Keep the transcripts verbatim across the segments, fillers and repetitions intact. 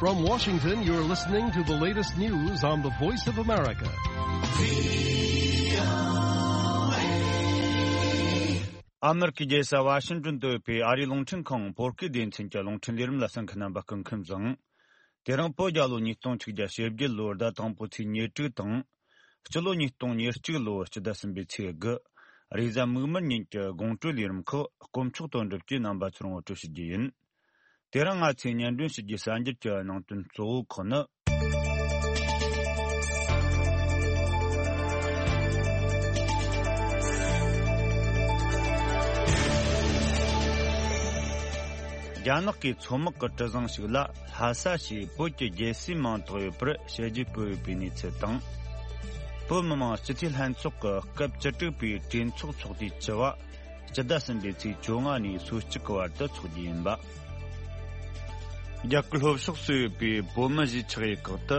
From Washington, you're listening to the latest news on the Voice of America. ཨ་མེ་རི་ཀའི་རྒྱལ་ས་ཝ་ཤིང་ཏོན་དུ་ཡོད་པའི་ཨ་རིའི་རླུང་འཕྲིན་ཁང་བོད་སྐད་སྡེ་ཚན་གྱི་རླུང་འཕྲིན་ལས་རིམ་ལ་གསན་མཁན་རྣམ་པ་སྐུ་ཁམས་བཟང་། དེ་རིང་བོད་རྒྱལ་ལོ་ཉིས་སྟོང་ཆིག་བརྒྱ་ཞེ་བརྒྱད་ལོའི་ཟླ་དང་པོའི་ཚེས་ཉེར་དྲུག་དང་། སྤྱི་ལོ་ཉིས་སྟོང་ཉེར་གཅིག་ལོའི་སྤྱི་ཟླ་གསུམ་པའི་ཚེས་དགུ། རེས་གཟའ་མིག་དམར་ཉིན་གྱི་དགོང་དྲོའི་ལས་རིམ་ཁག་དཀོན་མཆོག་དོན་གྲུབ་ཀྱིས་རྣམ་པ་ཚོར་ངོ་སྤྲོད་ཞུ་རྒྱུ་ཡིན། དེ་རིང་ང་ཚོས་སྙན་སྒྲོན་ཞུ་རྒྱུའི་གསར་འགྱུར་གྱི་ནང་དོན་གཙོ་བོ་ཁག་ནི། རྒྱ་ནག་གི་མཚོ་དམག་གི་གྲུ་གཟིངས་ཤིག་ལ་ལྷ་ས་ཞེས་བོད་ཀྱི་རྒྱལ་སྲས་མིང་བཏགས་ཡོད་པར་དཔྱད་བརྗོད་ཕུལ་ཡོད་པའི་གནས་ཚུལ་དང་། བོད་མི་མང་སྤྱི་འཐུས་ལྷན་ཚོགས་ཀྱི་སྐབས་བཅུ་དྲུག་པའི་གྲོས་ཚོགས་ཚོགས་དུས་བཅུ་བ། སྤྱི་ཟླ་གསུམ་པའི་ཚེས་བཅོ་ལྔ་ནས་སོ་གཅིག་གི་བར་དུ་འཚོགས་རྒྱུ་ཡིན་པ། རྒྱ་གར་ལྷོ་ཕྱོགས་སུ་ཡོད་པའི་བོད་མི་གཞིས་ཆགས་ཡུལ་ཁག་ཏུ་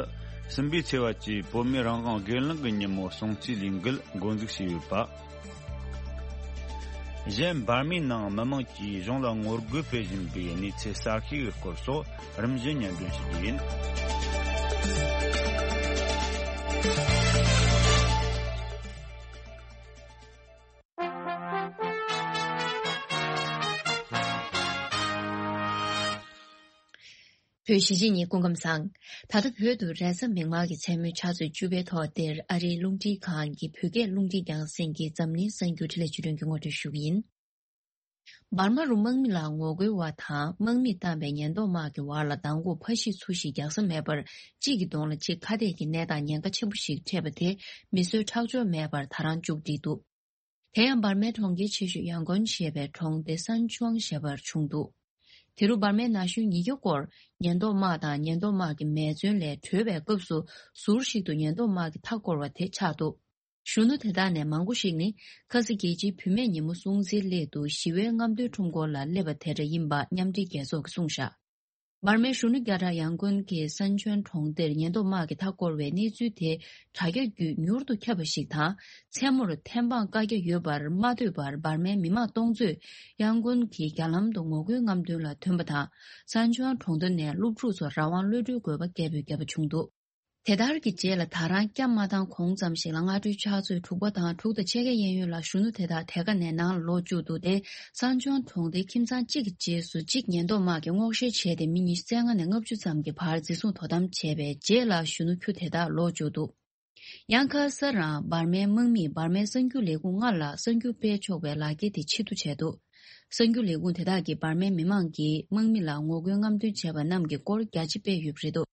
གསུམ་པའི་ཚེས་པ་བཅས་བོད་མིའི་རང་དབང་སྒེར་ལངས་ཀྱི་ཉིན་མོ་སྲུང་བརྩིའི་ལས་འགུལ་འགོ་འཛུགས་བྱས་ཡོད་པ། གཞན་འབར་མའི་ནང་མི་མང་གིས་གཞུང་ལ་ངོ་རྒོལ་སྤེལ་བཞིན་པའི་གནས་ཚུལ་གསར་ཤོས་ཀྱི་སྐོར་སོགས་རིམ་བཞིན་སྙན་སྒྲོན་ཞུ་རྒྱུ་ཡིན། བོད་གཞིས་བྱེས་གཉིས་སྐུ་ཁམས་བཟང་། ད་ལྟ་བོད་དུ་རེས་གཟའ་མིག་དམར་གྱི་མཚན་མོའི་ཆུ་ཚོད་བཅུ་པའི་ཐོག་འདིར་ཨ་རིའི་རླུང་འཕྲིན་ཁང་གི་བོད་སྐད་རླུང་འཕྲིན་རྒྱང་སྲིང་གི་འཛམ་གླིང་གསར་འགྱུར་འཕྲིན་ལས་བརྒྱུད་ལམ་གྱི་ངོ་སྤྲོད་ཞུ་གི་ཡིན། འབར་མ་རུ་དམག་མི་ལ་ངོ་རྒོལ་བ་དང་དམག་མིས་བཏང་པའི་ཉེན་རྟོག་དམག་གི་བར་ལ་མདང་དགོང་ཕར་བཤིག་ཚུར་བཤིག་རྒྱག་ས་མེད་པར་གཅིག་གི་གདོང་ལ་གཅིག་ཁ་གཏད་ཀྱི་གནས་སྟངས་ཉེན་ཁ་ཆེན་པོ་ཞིག་འཕྲད་པ་དེ་མི་གསོད་ཁྲག་སྦྱོར་མེད་པར་ད་རང་མཇུག་བསྒྲིལ་འདུག་དེ་ཡང་འབར་མའི་གྲོང་ཁྱེར་ཆེ་ཤོས་ཡང་གོན་ཞེས་པའི་གྲོང་སྡེ་སན་ཆུའང་ཞེས་པར་བྱུང་འདུག་དེ་རུ་འབར་མའི་ན་གཞོན་ཉིས་བརྒྱ་སྐོར་ཉེན་རྟོག་དམག་དང་ཉེན་རྟོག་དམག་གི་མེ་མཚོན་ལས་བྲོས་པའི་སྐབས་སུ་ཟུར་ཞིག་ཏུ་ཉེན་རྟོག་དམག་གིས་མཐའ་བསྐོར་བ་དེ་ཆགས་འདུག་གཞོན་ནུ་དེ་དག་ནས་མང་པོ་ཞིག་ནི་ཁ་སང་རྒྱལ་སྤྱིའི་བུད་མེད་ཉིན་མོ་སྲུང་བརྩིའི་སླད་དུ་ཞི་བའི་རྔམ་སྟོན་ཁྲོམ་སྐོར་ལ་སླེབས་པ་དེ་འདྲ་ཡིན་པ་མཉམ་འབྲེལ་རྒྱལ་ཚོགས་ཀྱིས་གསུངས་བཞག་འབར་མའི་གཞོན་ནུ་བརྒྱ་ཕྲག་ཡང་གོན་གྱི་སན་ཆོན་གྲོང་སྡེར་ཉེན་རྟོག་དམག་གིས་མཐའ་བསྐོར་བའི་གནས་ཚུལ་དེ་དྲ་རྒྱ་བརྒྱུད་མྱུར་དུ་ཁྱབ་པ་ཞིག་དང་། མཚན་མོར་ཐེམ་སྤང་བཀའ་རྒྱ་ཡོད་པར་མ་ལྟོས་པར་འབར་མའི་མི་མང་སྟོང་ཚོས་ཡང་གོན་གྱི་རྒྱ་ལམ་དུ་ངོ་རྒོལ་རྔམ་སྟོན་ལ་ཐོན་པ་དང་། སན་ཆོན་གྲོང་རྡལ་ནས་སློབ་ཕྲུག་ཚོར་རང་དབང་གློད་གྲོལ་དགོས་པ་སྐད་འབོད་བརྒྱབ་པ་བྱུང་འདུག་དེ་ལྟར་གྱི་རྗེས་ལ་ད་རང་སྐྱབས་མ་བཏང་གོང་ཙམ་ཞིག་ལ་སྔ་དྲོའི་ཕྱག་ཚོད་དྲུག་པ་དང་དྲུག་དང་ཕྱེད་ཀའི་གཡས་གཡོན་ལ་གཞོན་ནུ་དེ་དག་དེ་ག་ནས་ནང་ལ་ལོག་བཅུག་འདུག་སྟེ། སན་ཆོན་གྲོང་སྡེའི་ཁྱིམ་ཚང་གཅིག་གི་རྗེས་སུ་གཅིག་ཉེན་རྟོག་དམག་གིས་སྔོག་བཤེར་བྱས་ཏེ་མི་ཉི་ཤུ་རྩ་ལྔ་ནས་ལྔ་བཅུ་ཙམ་གྱི་བར་འཛིན་བཟུང་དོ་དམ་བྱས་པའི་རྗེས་ལ་གཞོན་ནུ་ཁྱུ་དེ་དག་ལོག་བཅུག་འདུག་ཡང་ཁ་སང་རང་འབར་མའི་དམག་མིས་འབར་མའི་གསར་འགྱུར་ལས་ཁུངས་ལྔ་ལ་གསར་འགྱུར་སྤེལ་ཆོག་པའི་ལག་འཁྱེར་དེ་ཕྱིར་བསྡུ་བྱས་འདུག་གསར་འགྱུར་ལས་ཁུངས་དེ་དག་གིས་འབར་མའི་མི་མང་གིས་དམག་མི་ལ་ངོ་རྒོལ་རྔམ་སྟོན་བྱས་པ་རྣམས་ཀྱི་སྐོར་རྒྱ་ཆེ་སྤེལ་ཡོད་པ་རེད་འདུག་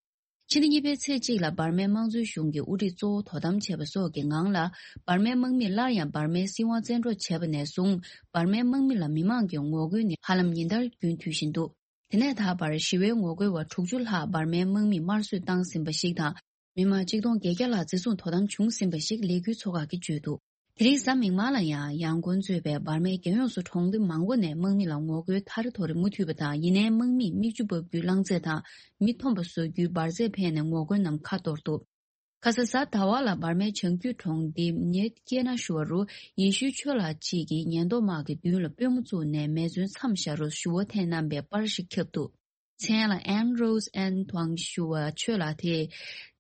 ཕྱི་ཟླ་གཉིས་པའི་ཚེས་གཅིག་ལ་འབར་མའི་དམངས་གཙོའི་གཞུང་གི་དབུ་ཁྲིད་གཙོ་བོ་དོ་དམ་བྱས་པ་སོགས་ཀྱི་ངང་ལ། འབར་མའི་དམག་མིས་སླར་ཡང་འབར་མའི་སྲིད་དབང་བཙན་འཕྲོག་བྱས་པ་ནས་བཟུང་། འབར་མའི་དམག་མི་ལ་མི་མང་གི་ངོ་རྒོལ་ནི་ཧ་ལམ་ཉིན་ལྟར་རྒྱུན་མཐུད་བཞིན་འདུག་དེ་ནས་ད་བར་ཞི་བའི་ངོ་རྒོལ་བ་དྲུག་ཅུ་ལྷག་འབར་མའི་དམག་མིས་དམར་གསོད་བཏང་ཟིན་པ་ཞིག་དང་། མི་མང་ཆིག་སྟོང་བརྒྱད་བརྒྱ་ལྷག་འཛིན་བཟུང་དོ་དམ་བྱུང་ཟིན་པ་ཞིག་ལས་འགུལ་ཚོགས་ཁག་གིས་བརྗོད་འདུག་དེ་རིང་གཟའ་མིག་དམར་ལ་ཡང་ཡང་གོན་གཙོས་པའི་འབར་མའི་རྒྱལ་ཡོངས་སུ་གྲོང་སྡེ་མང་པོ་ནས་དམག་མི་ལ་ངོ་རྒོལ་ཐ་རེ་ཐོ་རེ་མུ་མཐུད་པ་དང་། ཡིན་ནའི་དམག་མིས་མིག་ཆུ་འབབ་རྒྱུའི་རླངས་རྫས་དང་མི་འཐོམ་པ་བཟོ་རྒྱུའི་འབར་རྫས་འཕེན་ནས་ངོ་རྒོལ་རྣམས་ཁ་གཏོར་འདུག་ཁ་སང་གཟའ་ཟླ་བ་ལ་འབར་མའི་བྱང་རྒྱུད་གྲོང་སྡེ་ཉེ་ཀེ་ན་ཞུ་བ་རུ་ཡེ་ཤུའི་ཆོས་ལགས་གཅིག་གིས་ཉེན་རྟོག་དམག་གི་མདུན་ལ་པུས་མོ་བཙུགས་ནས་མེ་མཚོན་མཚམས་བཞག་རུ་ཞུ་བ་འཐེན་གནང་པའི་པར་ཞིག་ཁྱབ་འདུག་མཚན་ལ་ཨན་རོས་ཨན་ཐུང་ཞུ་བ་ཆོས་ལགས་དེས།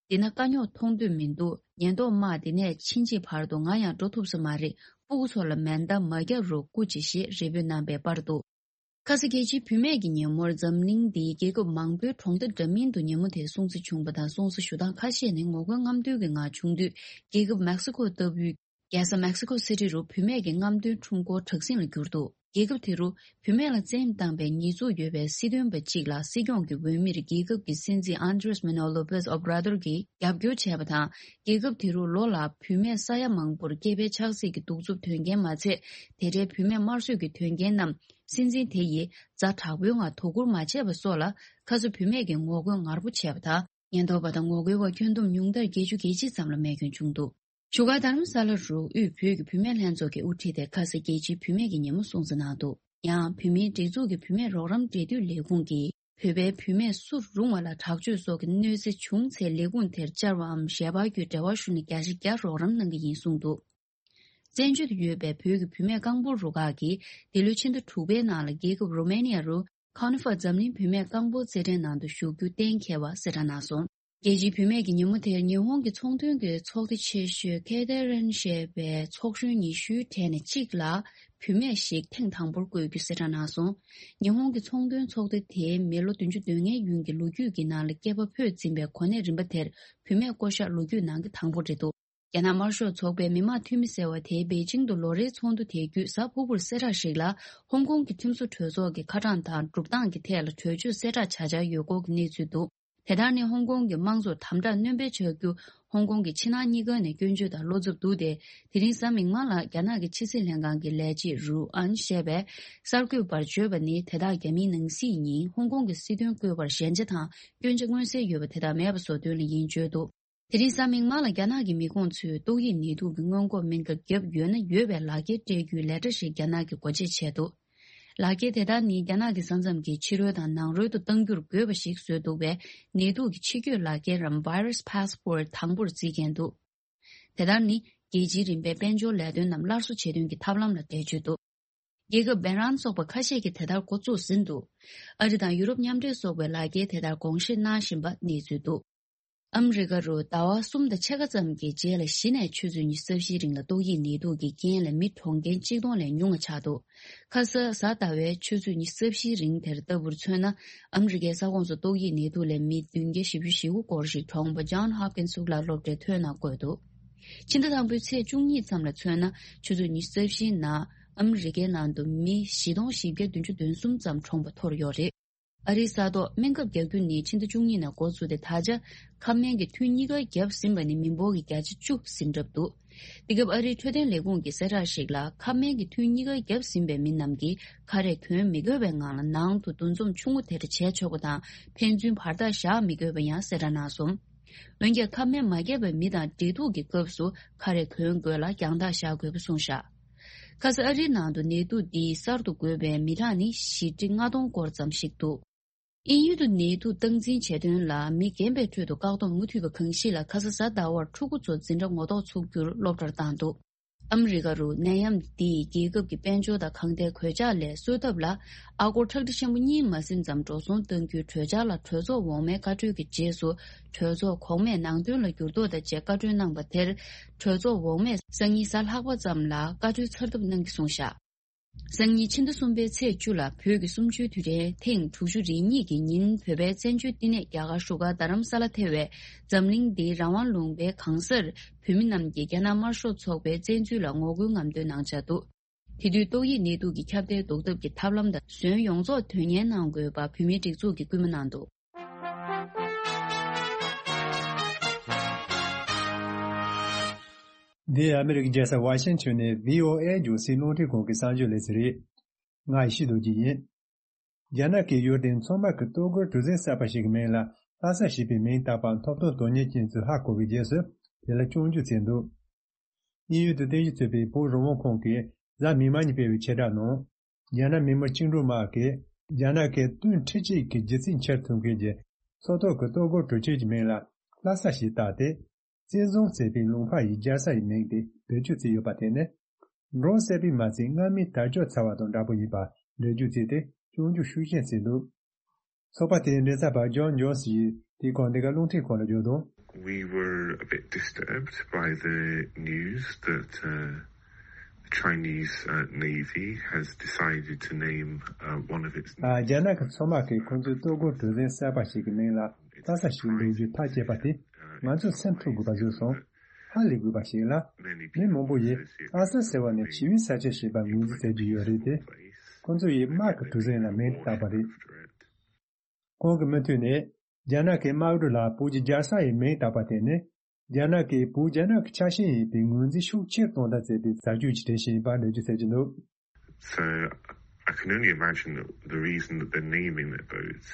འདི་ན་དཀའ་རྙོག་མཐོང་འདོད་མི་འདུག་ཉེན་རྟོག་དམག་འདི་ནས་ཕྱིན་ཆད་བར་དུ་ང་ཡང་འགྲོ་ཐུབ་ས་མ་རེད། སྤུ་གུ་ཚོ་ལ་མེ་མདའ་མ་བརྒྱབ་རོགས་སྐུ་མཁྱེན་ཞེས་རེ་འབོད་གནང་པའི་པར་འདུག་ཁ་སང་རྒྱལ་སྤྱིའི་བུད་མེད་ཀྱི་ཉིན་མོར་འཛམ་གླིང་འདིའི་རྒྱལ་ཁབ་མང་པོའི་གྲོང་རྡལ་འདྲ་མིན་དུ་ཉིན་མོ་དེ་སྲུང་བརྩི་བྱུང་པ་དང་། སྲུང་བརྩི་ཞུ་སྟངས་ཁ་ཤས་ནི་ངོ་རྒོལ་རྔམ་སྟོན་གྱི་ངང་བྱུང་དུས། རྒྱལ་ཁབ་མེག་སི་ཀོ་ལྟ་བུའི་རྒྱལ་ས་མེག་སི་ཀོ་སི་ཊི་རུ་བུད་མེད་ཀྱི་རྔམ་སྟོན་ཁྲོམ་སྐོར་དྲག་ཟིང་ལ་གྱུར་འདུག་རྒྱལ་ཁབ་དེ་རུ་བུད་མེད་ལ་བཙན་གཡེམ་བཏང་པའི་ཉེས་འཛུགས་ཡོད་པའི་སྲིད་དོན་པ་གཅིག་ལ་སྲིད་སྐྱོང་གི་འོས་མིར་རྒྱལ་ཁབ་ཀྱི་སྲིད་འཛིན་ཨན་དྲེས་མེ་ནོ་ལོ་པེས་ཨོ་བྷ་ར་དོར་གྱིས་རྒྱབ་སྐྱོར་བྱས་པ་དང་། རྒྱལ་ཁབ་དེ་རུ་ལོ་ལ་བུད་མེད་ས་ཡ་མང་པོར་སྐྱེས་པའི་ཆགས་སྲེད་ཀྱི་གདུག་རྩུབ་དོན་རྐྱེན་མ་ཚད། དེ་འདྲའི་བུད་མེད་དམར་གསོད་ཀྱི་དོན་རྐྱེན་རྣམས་སྲིད་འཛིན་དེ་ཡིས་ཛ་དྲག་པོའི་ངང་དོ་ཁུར་མ་བྱས་པ་སོགས་ལ། ཁ་སང་བུད་མེད་ཀྱིས་ངོ་རྒོལ་ངར་པོ་བྱས་པ་དང་། ཉེན་རྟོག་པ་དང་ངོ་རྒོལ་བ་ཁྱོན་བསྡོམས་ཉུང་མཐར་བརྒྱད་ཅུ་གྱ་གཅིག་ཙམ་ལ་རྨས་སྐྱོན་བྱུང་འདུག་བཞུགས་སྒར་དྷ་རམ་ས་ལ་རུ་དབུས་བོད་ཀྱི་བུད་མེད་ལྷན་ཚོགས་ཀྱི་དབུ་ཁྲིད་དེ་ཁ་སང་རྒྱལ་སྤྱིའི་བུད་མེད་ཀྱི་ཉིན་མོ་སྲུང་བརྩི་གནང་འདུག་ཡང་བོད་མིའི་སྒྲིག་འཛུགས་ཀྱི་བུད་མེད་རོགས་རམ་འབྲེལ་མཐུད་ལས་ཁུངས་ཀྱིས། བོད་པའི་བུད་མེད་སུ་རུང་བ་ལ་དྲག་སྤྱོད་སོགས་ཀྱི་གནོད་འཚེ་བྱུང་ཚེ་ལས་ཁུངས་དེར་བཅར་བའམ་ཞལ་པར་བརྒྱུད་འབྲེལ་བ་ཞུ་ནས་བརྒྱ་ཆ་བརྒྱ་རོགས་རམ་གནང་གི་ཡིན་གསུངས་འདུག་བཙན་བྱོལ་དུ་ཡོད་པའི་བོད་ཀྱི་བུད་མེད་རྐང་སྤོལ་རུ་ཁག་གིས་འདི་ལོའི་ཕྱི་ཟླ་དྲུག་པའི་ནང་ལ་རྒྱལ་ཁབ་རོ་མེ་ནི་ཡ་རུ་ ཁ་ནི་ཧྥ་འཛམ་གླིང་བུད་མེད་རྐང་སྤོལ་རྩེད་འགྲན་ནང་དུ་ཞུགས་རྒྱུ་གཏན་འཁེལ་བ་གསལ་བསྒྲགས་གནང་སོང་། རྒྱལ་སྤྱིའི་བུད་མེད་ཀྱི་ཉིན་མོ་དེར་ཉི་ཧོང་གི་ཚོང་དོན་གྱི་ཚོགས་སྡེ་ཆེ་ཤོས་ཁེ་ཏེ་རན་ཞེས་པའི་ཚོགས་གཞོན་ཉི་ཤུའི་གྲས་ནས་གཅིག་ལ་བུད་མེད་ཞིག་ཐེངས་དང་པོར་བསྐོས་རྒྱུ་གསལ་བསྒྲགས་གནང་སོང་། ཉི་ཧོང་གི་ཚོང་དོན་ཚོགས་སྡེ་དེས་མི་ལོ་བདུན་ཅུ་དོན་ལྔའི་ཡུན་གྱི་ལོ་རྒྱུས་ཀྱི་ནང་ལ་སྐྱེས་པ་ཕུད་འཛིན་པའི་གོ་གནས་རིམ་པ་དེར་བུད་མེད་བསྐོ་གཞག་ལོ་རྒྱུས་ནང་གི་དང་པོ་རེད་འདུག་རྒྱ་ནག་དམར་ཤོག་ཚོགས་པའི་མི་དམངས་འཐུས་མི་ཟེར་བ་དེས་པེ་ཅིང་དུ་ལོ་རེའི་ཚོགས་འདུ་དེ་བརྒྱུད་གཟའ་ཕུར་བུར་གསལ་བསྒྲགས་ཤིག་ལ། ཧོང་ཀོང་གི་ཁྲིམས་བཟོ་གྲོས་ཚོགས་ཀྱི་ཁ་གྲངས་དང་གྲུབ་སྟངས་ཀྱི་ཐད་ལ་གྲོས་ཆོད་གསལ་བསྒྲགས་བྱ་འཆར་ཡོད་སྐོར་གྱི་གནས་ཚུལ་འདུག་དེ་ལྟར་ནི་ཧོང་ཀོང་གི་དམངས་གཙོར་དམ་དྲག་སྣོན་སྤེལ་བྱ་རྒྱུ་ཧོང་ཀོང་གི་ཕྱི་ནང་གཉིས་ཀ་ནས་སྐྱོན་བརྗོད་དང་བློ་འཚབ་འདུག་སྟེ། དེ་རིང་གཟའ་མིག་དམར་ལ་རྒྱ་ནག་གི་ཕྱི་སྲིད་ལྷན་ཁང་གི་ལས་བྱེད་རུའུ་ཨན་ཞེས་པས་གསར་འགོད་པར་བརྗོད་པ་ནི། དེ་དག་རྒྱ་མིའི་ནང་སྲིད་ཉིན་ཧོང་ཀོང་གི་སྲིད་དོན་བཀོད་པར་ཞན་ཆ་དང་སྐྱོན་ཆ་མངོན་གསལ་ཡོད་པ་དེ་དག་མེད་པ་བཟོ་དོན་ལ་ཡིན་བརྗོད་འདུག་དེ་རིང་གཟའ་མིག་དམར་ལ་རྒྱ་ནག་གི་མི་ཁོངས་ཚོས་ཏོག་དབྱིབས་ནད་དུག་གི་སྔོན་འགོག་སྨན་ཁབ་བརྒྱབ་ཡོད་ན་ཡོད་པའི་ལག་འཁྱེར་སྤྲད་རྒྱུའི་ལས་གྲྭ་ཞིག་རྒྱ་ནག་གིས་སྒོ་འབྱེད་བྱས་འདུག་ལག་འཁྱེར་དེ་དག་ནི་རྒྱ་ནག་གི་ས་མཚམས་ཀྱི་ཕྱི་རོལ་དང་ནང་རོལ་དུ་གཏང་རྒྱུར་དགོས་པ་ཞིག་བཟོས་འདུག་པས། ནད་དུག་གི་ཕྱི་སྐྱོད་ལག་འཁྱེར་རམ་Virus Passport དང་པོར་བརྩི་མཁན་འདུག་དེ་ལྟར་ནི་རྒྱལ་སྤྱིའི་རིམ་པའི་དཔལ་འབྱོར་ལས་དོན་རྣམས་སླར་གསོ་བྱེད་དོན་གྱི་ཐབས་ལམ་ལ་འགྲེལ་བརྗོད་འདུག་རྒྱལ་ཁབ་བེ་རན་སོགས་པ་ཁ་ཤས་ཀྱིས་དེ་ལྟར་འགོ་བཙུགས་ཟིན་འདུག་ཨ་རི་དང་ཡུ་རོབ་མཉམ་འབྲེལ་སོགས་པའི་ལག་འཁྱེར་དེ་ལྟར་དགོངས་བཞེས་གནང་བཞིན་པ་གནས་ཚུལ་འདུག་ཨ་མི་རི་ཀ་རུ་ཟླ་བ་གསུམ་དང་ཕྱེད་ཀ་ཙམ་གྱི་རྗེས་ལ་གཞི་ནས་ཆུ་ཚོད་ཉི་ཤུ་རྩ་བཞིའི་རིང་ལ་ཏོག་དབྱིབས་ནད་དུག་གི་རྐྱེན་ལས་མི་གྲོངས་མཁན་གཅིག་སྟོང་ལས་ཉུང་བ་ཆགས་འདུག་ཁ་ས་གཟའ་ཟླ་བའི་ཆུ་ཚོད་ཉི་ཤུ་རྩ་བཞིའི་རིང་དེར་ལྟ་བུར་མཚོན་ན། ཨ་མི་རི་ཀའི་ས་ཁོངས་སུ་ཏོག་དབྱིབས་ནད་དུག་ལས་མི་བདུན་བརྒྱ་བཞི་བཅུ་ཞེ་དགུ་སྐོར་ཞིག་གྲོངས་པ་John Hopkins་གཙུག་ལག་སློབ་གྲྭའི་ཐོན་ནང་བཀོད་འདུག་ཕྱི་ཟླ་དང་པོའི་ཚེས་བཅུ་གཉིས་ཙམ་ལ་མཚོན་ན། ཆུ་ཚོད་ཉི་ཤུ་རྩ་བཞིའི་ནང་ཨ་མི་རི་ཀའི་ནང་དུ་མི་བཞི་སྟོང་བཞི་བརྒྱ་བདུན་ཅུ་དོན་གསུམ་ཙམ་གྲོངས་པ་ཐོར་ཡོད་རེད། ཨ་རིའི་ས་ཐོག་སྨན་ཁབ་རྒྱག་རྒྱུ་ནི་ཕྱི་ཟླ་བཅུ་གཉིས་ནས་འགོ་བཙུགས་ཏེ། ད་ཆ་ཁབ་སྨན་གྱི་ཐུན་གཉིས་ཀ་བརྒྱབ་ཟིན་པ་ནི་མི་འབོར་གྱི་བརྒྱ་ཆ་བཅུ་ཟིན་གྲབས་འདུག་དེ་སྐབས་ཨ་རིའི་འཕྲོད་བསྟེན་ལས་ཁུངས་ཀྱི་གསལ་བསྒྲགས་ཤིག་ལ། ཁབ་སྨན་གྱི་ཐུན་གཉིས་ཀ་བརྒྱབ་ཟིན་པའི་མི་རྣམས་ཀྱིས་ཁ་རས་གོན་མི་དགོས་པའི་ངང་ལ་ནང་དུ་འདུ་འཛོམས་ཆུང་ངུ་དེ་འདྲ་བྱས་ཆོག་པ་དང་། ཕན་ཚུན་བར་ཐག་བཞག་མི་དགོས་པ་ཡང་གསལ་བསྒྲགས་གནང་སོང་། འོན་ཀྱང་། ཁབ་སྨན་མ་བརྒྱབ་པའི་མི་དང་འབྲེལ་གཏུག་གི་སྐབས་སུ་ཁ་རས་གོན་དགོས་ལ། རྒྱང་ཐག་བཞག་དགོས་པ་གསུངས་བཞག་ཁ་ས་ཨ་རིའི་ནང་དུ་ནད་དུག་འདིས་གསར་དུ་འགོས་པའི་མི་གྲངས་ནི་བཞི་ཁྲི་ལྔ་སྟོང་སྐོར་ཙམ་ཞིག་འདུག་དབྱིན་ཡུལ་དུ་ནད་དུག་སྟངས་འཛིན་བྱེད་དོན་ལ་མི་རྒན་པའི་ཁྲོད་དུ་བཀག་སྡོམ་མུ་མཐུད་པ་གང་ཞིག་ལ། ཁ་ས་གཟའ་ཟླ་བར་ཕྲུ་གུ་ཚོ་འཛིན་གྲྭ་ངོ་ཐོག་ཚུགས་རྒྱུར་སློབ་གྲྭར་བཏང་འདུག་ཨ་མི་རི་ཀ་རུ་ནད་ཡམས་འདིས་རྒྱལ་ཁབ་ཀྱི་དཔལ་འབྱོར་དང་གང་ཐད་གོད་ཆག་ལས་གསོ་ཐབས་ལ་ཨ་སྒོར་ཁྲག་ཁྲིག་ཆེན་པོ་གཉིས་མ་ཟིན་ཙམ་འགྲོ་སོང་གཏང་རྒྱུའི་གྲོས་འཆར་ལ་གྲོས་ཚོགས་འོག་མའི་བཀའ་འཁྲོལ་གྱི་རྗེས་སུ། གྲོས་ཚོགས་གོང་མས་ནང་དོན་ལ་འགྱུར་ལྡོག་དང་བཅས་བཀའ་འཁྲོལ་གནང་བ་དེར། གྲོས་ཚོགས་འོག་མས་སང་ཉིན་གཟའ་ལྷག་པ་ཙམ་ལ་བཀའ་འཁྲོལ་ཚར་ཐབས་གནང་རྒྱུ་གསུངས་བཞག་སང་ཉིན་ཕྱི་ཟླ་གསུམ་པའི་ཚེས་བཅུ་ལ་བོད་ཀྱི་གསུམ་བཅུའི་དུས་དྲན་ཐེངས་དྲུག་ཅུ་རེ་གཉིས་ཀྱི་ཉིན། བོད་པའི་བཙན་བྱོལ་བསྟི་གནས་རྒྱ་གར་བཞུགས་སྒར་རྡ་རམ་ས་ལ་ཐེ་བའི་འཛམ་གླིང་འདིའི་རང་དབང་ལུང་པའི་གང་སར་བོད་མི་རྣམས་ཀྱིས་རྒྱ་ནག་དམར་ཤོག་ཚོགས་པའི་བཙན་འཛུལ་ལ་ངོ་རྒོལ་རྔམ་སྟོན་གནང་འཆར་འདུག་དེ་དུས་ཏོག་དབྱིབས་ནད་དུག་གི་ཁྱབ་གདལ་ཟློག་ཐབས་ཀྱི་ཐབས་ལམ་དང་ཟོན་ཡོངས་རྫོགས་དོན་གཉེར་གནང་དགོས་པ་བོད་མིའི་སྒྲིག་འཛུགས་ཀྱིས་སྐུལ་མ་གནང་འདུག་འདི་ཨ་མི་རི་ཀའི་རྒྱལ་ས་ཝ་ཤིང་ཊོན་ནས་བྷི་ཨོ་ཨེ་རྒྱང་སྲིང་རླུང་འཕྲིན་ཁང་གི་གསར་འགྱུར་ལེ་ཚན་རེད། ང་ཡེ་ཤེས་རྡོ་རྗེ་ཡིན། རྒྱ་ནག་གིས་ཡུལ་དེའི་མཚོ་དམག་གི་གཏོར་རྒོལ་གྲུ་གཟིངས་གསར་པ་ཞིག་གི་མིང་ལ་ལྷ་ས་ཞེས་པའི་མིང་བཏགས་པ་ཐོབ་ཐང་དོན་གཉེར་ཅན་ཚོས་ཧ་གོ་བའི་རྗེས་སུ་དེ་ལ་སྐྱོན་བརྗོད་བྱས་འདུག་དབྱིན་ཡུལ་དུ་རྟེན་གཞི་བྱས་པའི་བོད་རང་དབང་ཁང་གིས་གཟའ་མིག་དམར་ཉིན་སྤེལ་བའི་ཕྱིར་བསྒྲགས་ནང་། རྒྱ་ནག་མི་དམངས་བཅིངས་འགྲོལ་དམག་གིས་རྒྱ་ནག་གི་དོན་ཁྲིད་བྱེད་ཀྱི་རྒྱུ་མཚན་འཆར་ཐུབ་མཁན་གྱི་མཚོ་ཐོག་གི་གཏོར་རྒོལ་གྲུ་ཆེན་གྱི་མིང་ལ་ལྷ་ས་ཞེས་བཏགས་ཏེ། བཙན་བཟུང་བྱས་པའི་ལུང་པ་ཡི་རྒྱལ་ས་ཡི་མིང་དེ་བེད་སྤྱོད་བྱས་ཡོད་པ་དེ་ནི། འབྲོང་བསད་པས་མ་ཚད་རྔ་མའི་དར་ལྕོག་ཚར་བ་དང་འདྲ་པོ་ཡིན་པ་འགྲེལ་བརྗོད་བྱས་ཏེ་སྐྱོན་བརྗོད་ཤུགས་ཆེན་བྱས་འདུག་ཚོགས་པ་དེའི་མགྲིན་ཚབ་པ་ཇོན་ཇོན་སི་ཡིས་དེའི་སྐོར་འདི་ག་རླུང་འཕྲིན་ཁང་ལ་བརྗོད་དོན། We were a bit disturbed by the news that uh, the Chinese uh, Navy has decided to name uh, one of its ཨ། རྒྱ་ནག་གི་མཚོ་དམག་གིས་ཁོང་ཚོའི་གཏོར་རྒོལ་གྲུ་གཟིངས་གསར་པ་ཞིག་གི་མིང་ལ་ལྷ་ས་ཞེས་འདོགས་རྒྱུ་ཐག་བཅད་པ་དེ་ང་ཚོར་སེམས་འཁྲུག་དགོས་པ་བཟོས་སོང་། ཧ་ལས་དགོས་པ་ཞིག་ལ། མི་མང་པོ་ཡིས་ལྷ་ས་ཟེར་བ་ནི་ཞི་བའི་ས་ཆ་ཞེས་པ་ངོས་འཛིན་བྱ་རྒྱུ་ཡོད་རེད་དེ། ཁོང་ཚོ་ཡིས་དམག་གི་གྲུ་གཟིངས་ལ་མིང་བཏགས་པ་རེད། ཁོང་གི་མུ་མཐུད་ནས། རྒྱ་ནག་གི་དམག་གྲུ་ལ་བོད་ཀྱི་རྒྱལ་ས་ཡི་མིང་བཏགས་པ་དེ་ནི། རྒྱ་ནག་གིས་བོད་རྒྱ་ནག་གི་ཆ་ཤས་ཡིན་པའི་ངོས་འཛིན་ཤུགས་ཆེར་གཏོང་ཐབས་བྱས་པའི་ཟ་སྤྱོད་ཀྱི་དྲན་ཤེས་ཡིན་པ་འགྲེལ་བརྗོད་བྱེད་ཀྱི་འདུག So I can only imagine that the reason that they're naming their boats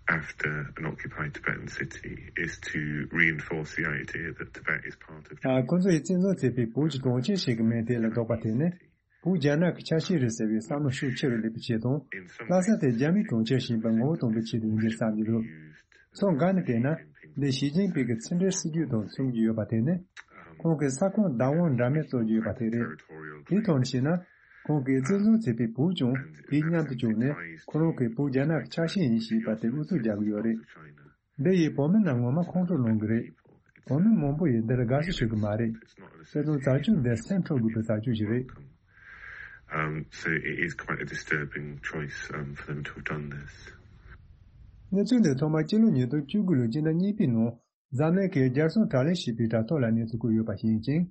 after an occupied Tibetan city is to reinforce the idea that Tibet is part of ཨ། ཁོ་ཚོ་ཡིས་བཙན་བཟུང་བྱས་པའི་བོད་ཀྱི་གྲོང་ཁྱེར་ཞིག་གི་མིང་དེ་ལ་འདོགས་པ་དེ་ནི། བོད་རྒྱ་ནག་གི་ཆ་ཤས་རེད་ཟེར་བའི་བསམ་བློ་ཤུགས་ཆེ་རུ་སླེབས་པའི་ཆེད་དང་། ལྷ་ས་དེ་རྒྱ་མིའི་གྲོང་ཁྱེར་ཞིག་ཡིན་པ་ངོ་བོ་གཏོང་བའི་ཆེད་དུ་ཡིན་པས་བསམ་གྱི་འདུག་ཕྱོགས་འགའ་ནས་བལྟས་ན། འདི་ཞི་ཅིན་ཕིང་གི་ཕྱི་འབྲེལ་སྲིད་ཇུས་དང་མཚུངས་ཀྱི་ཡོད་པ་དེ་ནི། ཁོང་གིས་ས་ཁོངས་བདག་དབང་འདྲ་མིན་རྩོད་ཀྱི་ཡོད་པ་དེ་རེད། དེའི་ཐོག་ནས་བཤད་ན། ཁོང་གིས་བཙན་བཟུང་བྱས་པའི་བོད་ཀྱང་དེའི་མཉམ་དུ་བཅུག་ནས་ཁོ་རང་གིས་བོད་རྒྱ་ནག་གི་ཆ་ཤས་ཡིན་ཞེས་པ་དེ་ཨུ་ཚུགས་རྒྱག་གི་ཡོད་རེད། འདི་ཡིས་བོད་མི་རྣམས་ངོ་མ་ཁོང་ཁྲོ་ལངས་གི་རེད། བོད་མི་མང་པོ་ཡིས་འདིར་དགའ་བསུ་ཞུ་གི་མ་རེད། དེ་ཚོ་བྱ་སྤྱོད་འདི་སེམས་འཕྲོག་དགོས་པའི་བྱ་སྤྱོད་ཞིག་རེད། Um, so it is quite a disturbing choice, um, for them to have done this. གནས་ཚུལ་འདི་ཐོག་མར་སྤྱི་ལོ་ཉིས་སྟོང་བཅུ་དགུ་ལོའི་སྤྱི་ཟླ་གཉིས་པའི་ནང་འཛམ་གླིང་གི་རྒྱལ་སྲུང་དྲག་ལས་ཞེས་པའི་དྲ་ཐོག་ལ་གནས་ཚུལ་བཀོད་ཡོད་པ་ཤེས་ཀྱིན།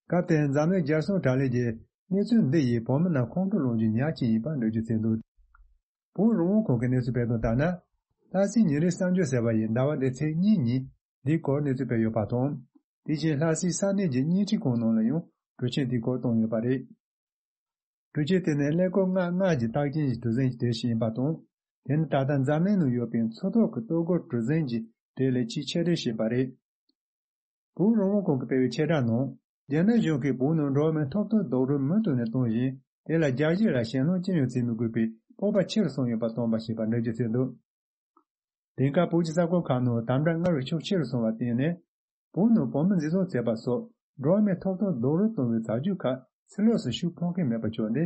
སྐབས་དེར་འཛམ་གླིང་རྒྱལ་སྲུང་དྲག་ལས་ཀྱིས་གནས་ཚུལ་འདི་ཡིས་བོད་མི་རྣམས་ཁོང་ཁྲོ་སློང་རྒྱུའི་ཉག་ཅིག་ཡིན་པར་འགྲེལ་བརྗོད་བྱས་འདུག་བོད་རང་དབང་ཁོངས་ཀྱི་གནས་ཚུལ་སྤེལ་དོན་ལྟར་ན། ལྷ་སའི་ཉིན་རེའི་གསར་འགྱུར་ཟེར་བ་ཡིས་ཟླ་བ་འདིའི་ཚེས་གཉིས་ཉིན་འདིའི་སྐོར་གནས་ཚུལ་སྤེལ་ཡོད་པ་དང་། དེ་བཞིན་ལྷ་སའི་ས་གནས་ཀྱི་བརྙན་འཕྲིན་ཁང་ནང་ལ་ཡང་འཕྲུལ་ཆས་འདིའི་སྐོར་བཏོན་ཡོད་པ་རེད། འཕྲུལ་ཆས་དེ་ནི་ཀླད་ཀོར་ལྔ་ལྔ་གི་རྟགས་ཅན་གྱི་གྲུ་གཟིངས་ཀྱི་གྲས་ཤིག་ཡིན་པ་དང་། དེ་ནི་ད་ལྟ་འཛམ་གླིང་ནང་ཡོད་པའི་མཚོ་ཐོག་གི་གཏོར་རྒོལ་གྲུ་གཟིངས་ཀྱི་གྲས་ལས་ཆེས་ཆེ་གྲས་ཤིག་ཡིན་པ་རེད། བོད་རང་དབང་ཁོངས་ཀྱིས་སྤེལ་བའི་ཆེད་བསྒྲགས་ནང་། རྒྱ་ནག་གཞུང་གིས་བོད་ནང་འགྲོ་བ་མིའི་ཐོབ་ཐང་རྡོག་རོལ་མུ་མཐུད་ནས་གཏོང་བཞིན། དེ་ལ་རྒྱལ་སྤྱི་ལ་ཞེད་སྣང་ཅི་ཡང་བྱེད་མི་དགོས་པའི་སྤོབས་པ་ཆེ་རུ་སོང་ཡོད་པ་སྟོན་པ་ཞེས་པ་འགྲེལ་བརྗོད་བྱས་འདུག་དེང་སྐབས་བོད་ཀྱི་ས་ཁུལ་ཁག་ནང་དམ་དྲག་སྔར་བས་ཤུགས་ཆེ་རུ་སོང་བར་བརྟེན་ནས། བོད་ནང་བོད་མི་འཛིན་བཟུང་བྱས་པ་སོགས་འགྲོ་བ་མིའི་ཐོབ་ཐང་རྡོག་རོལ་གཏོང་བའི་བྱ་སྤྱོད་ཁག་ཕྱི་ལོགས་སུ་ཤུགས་འཕར་མཁན་མེད་པ་བྱུང་སྟེ།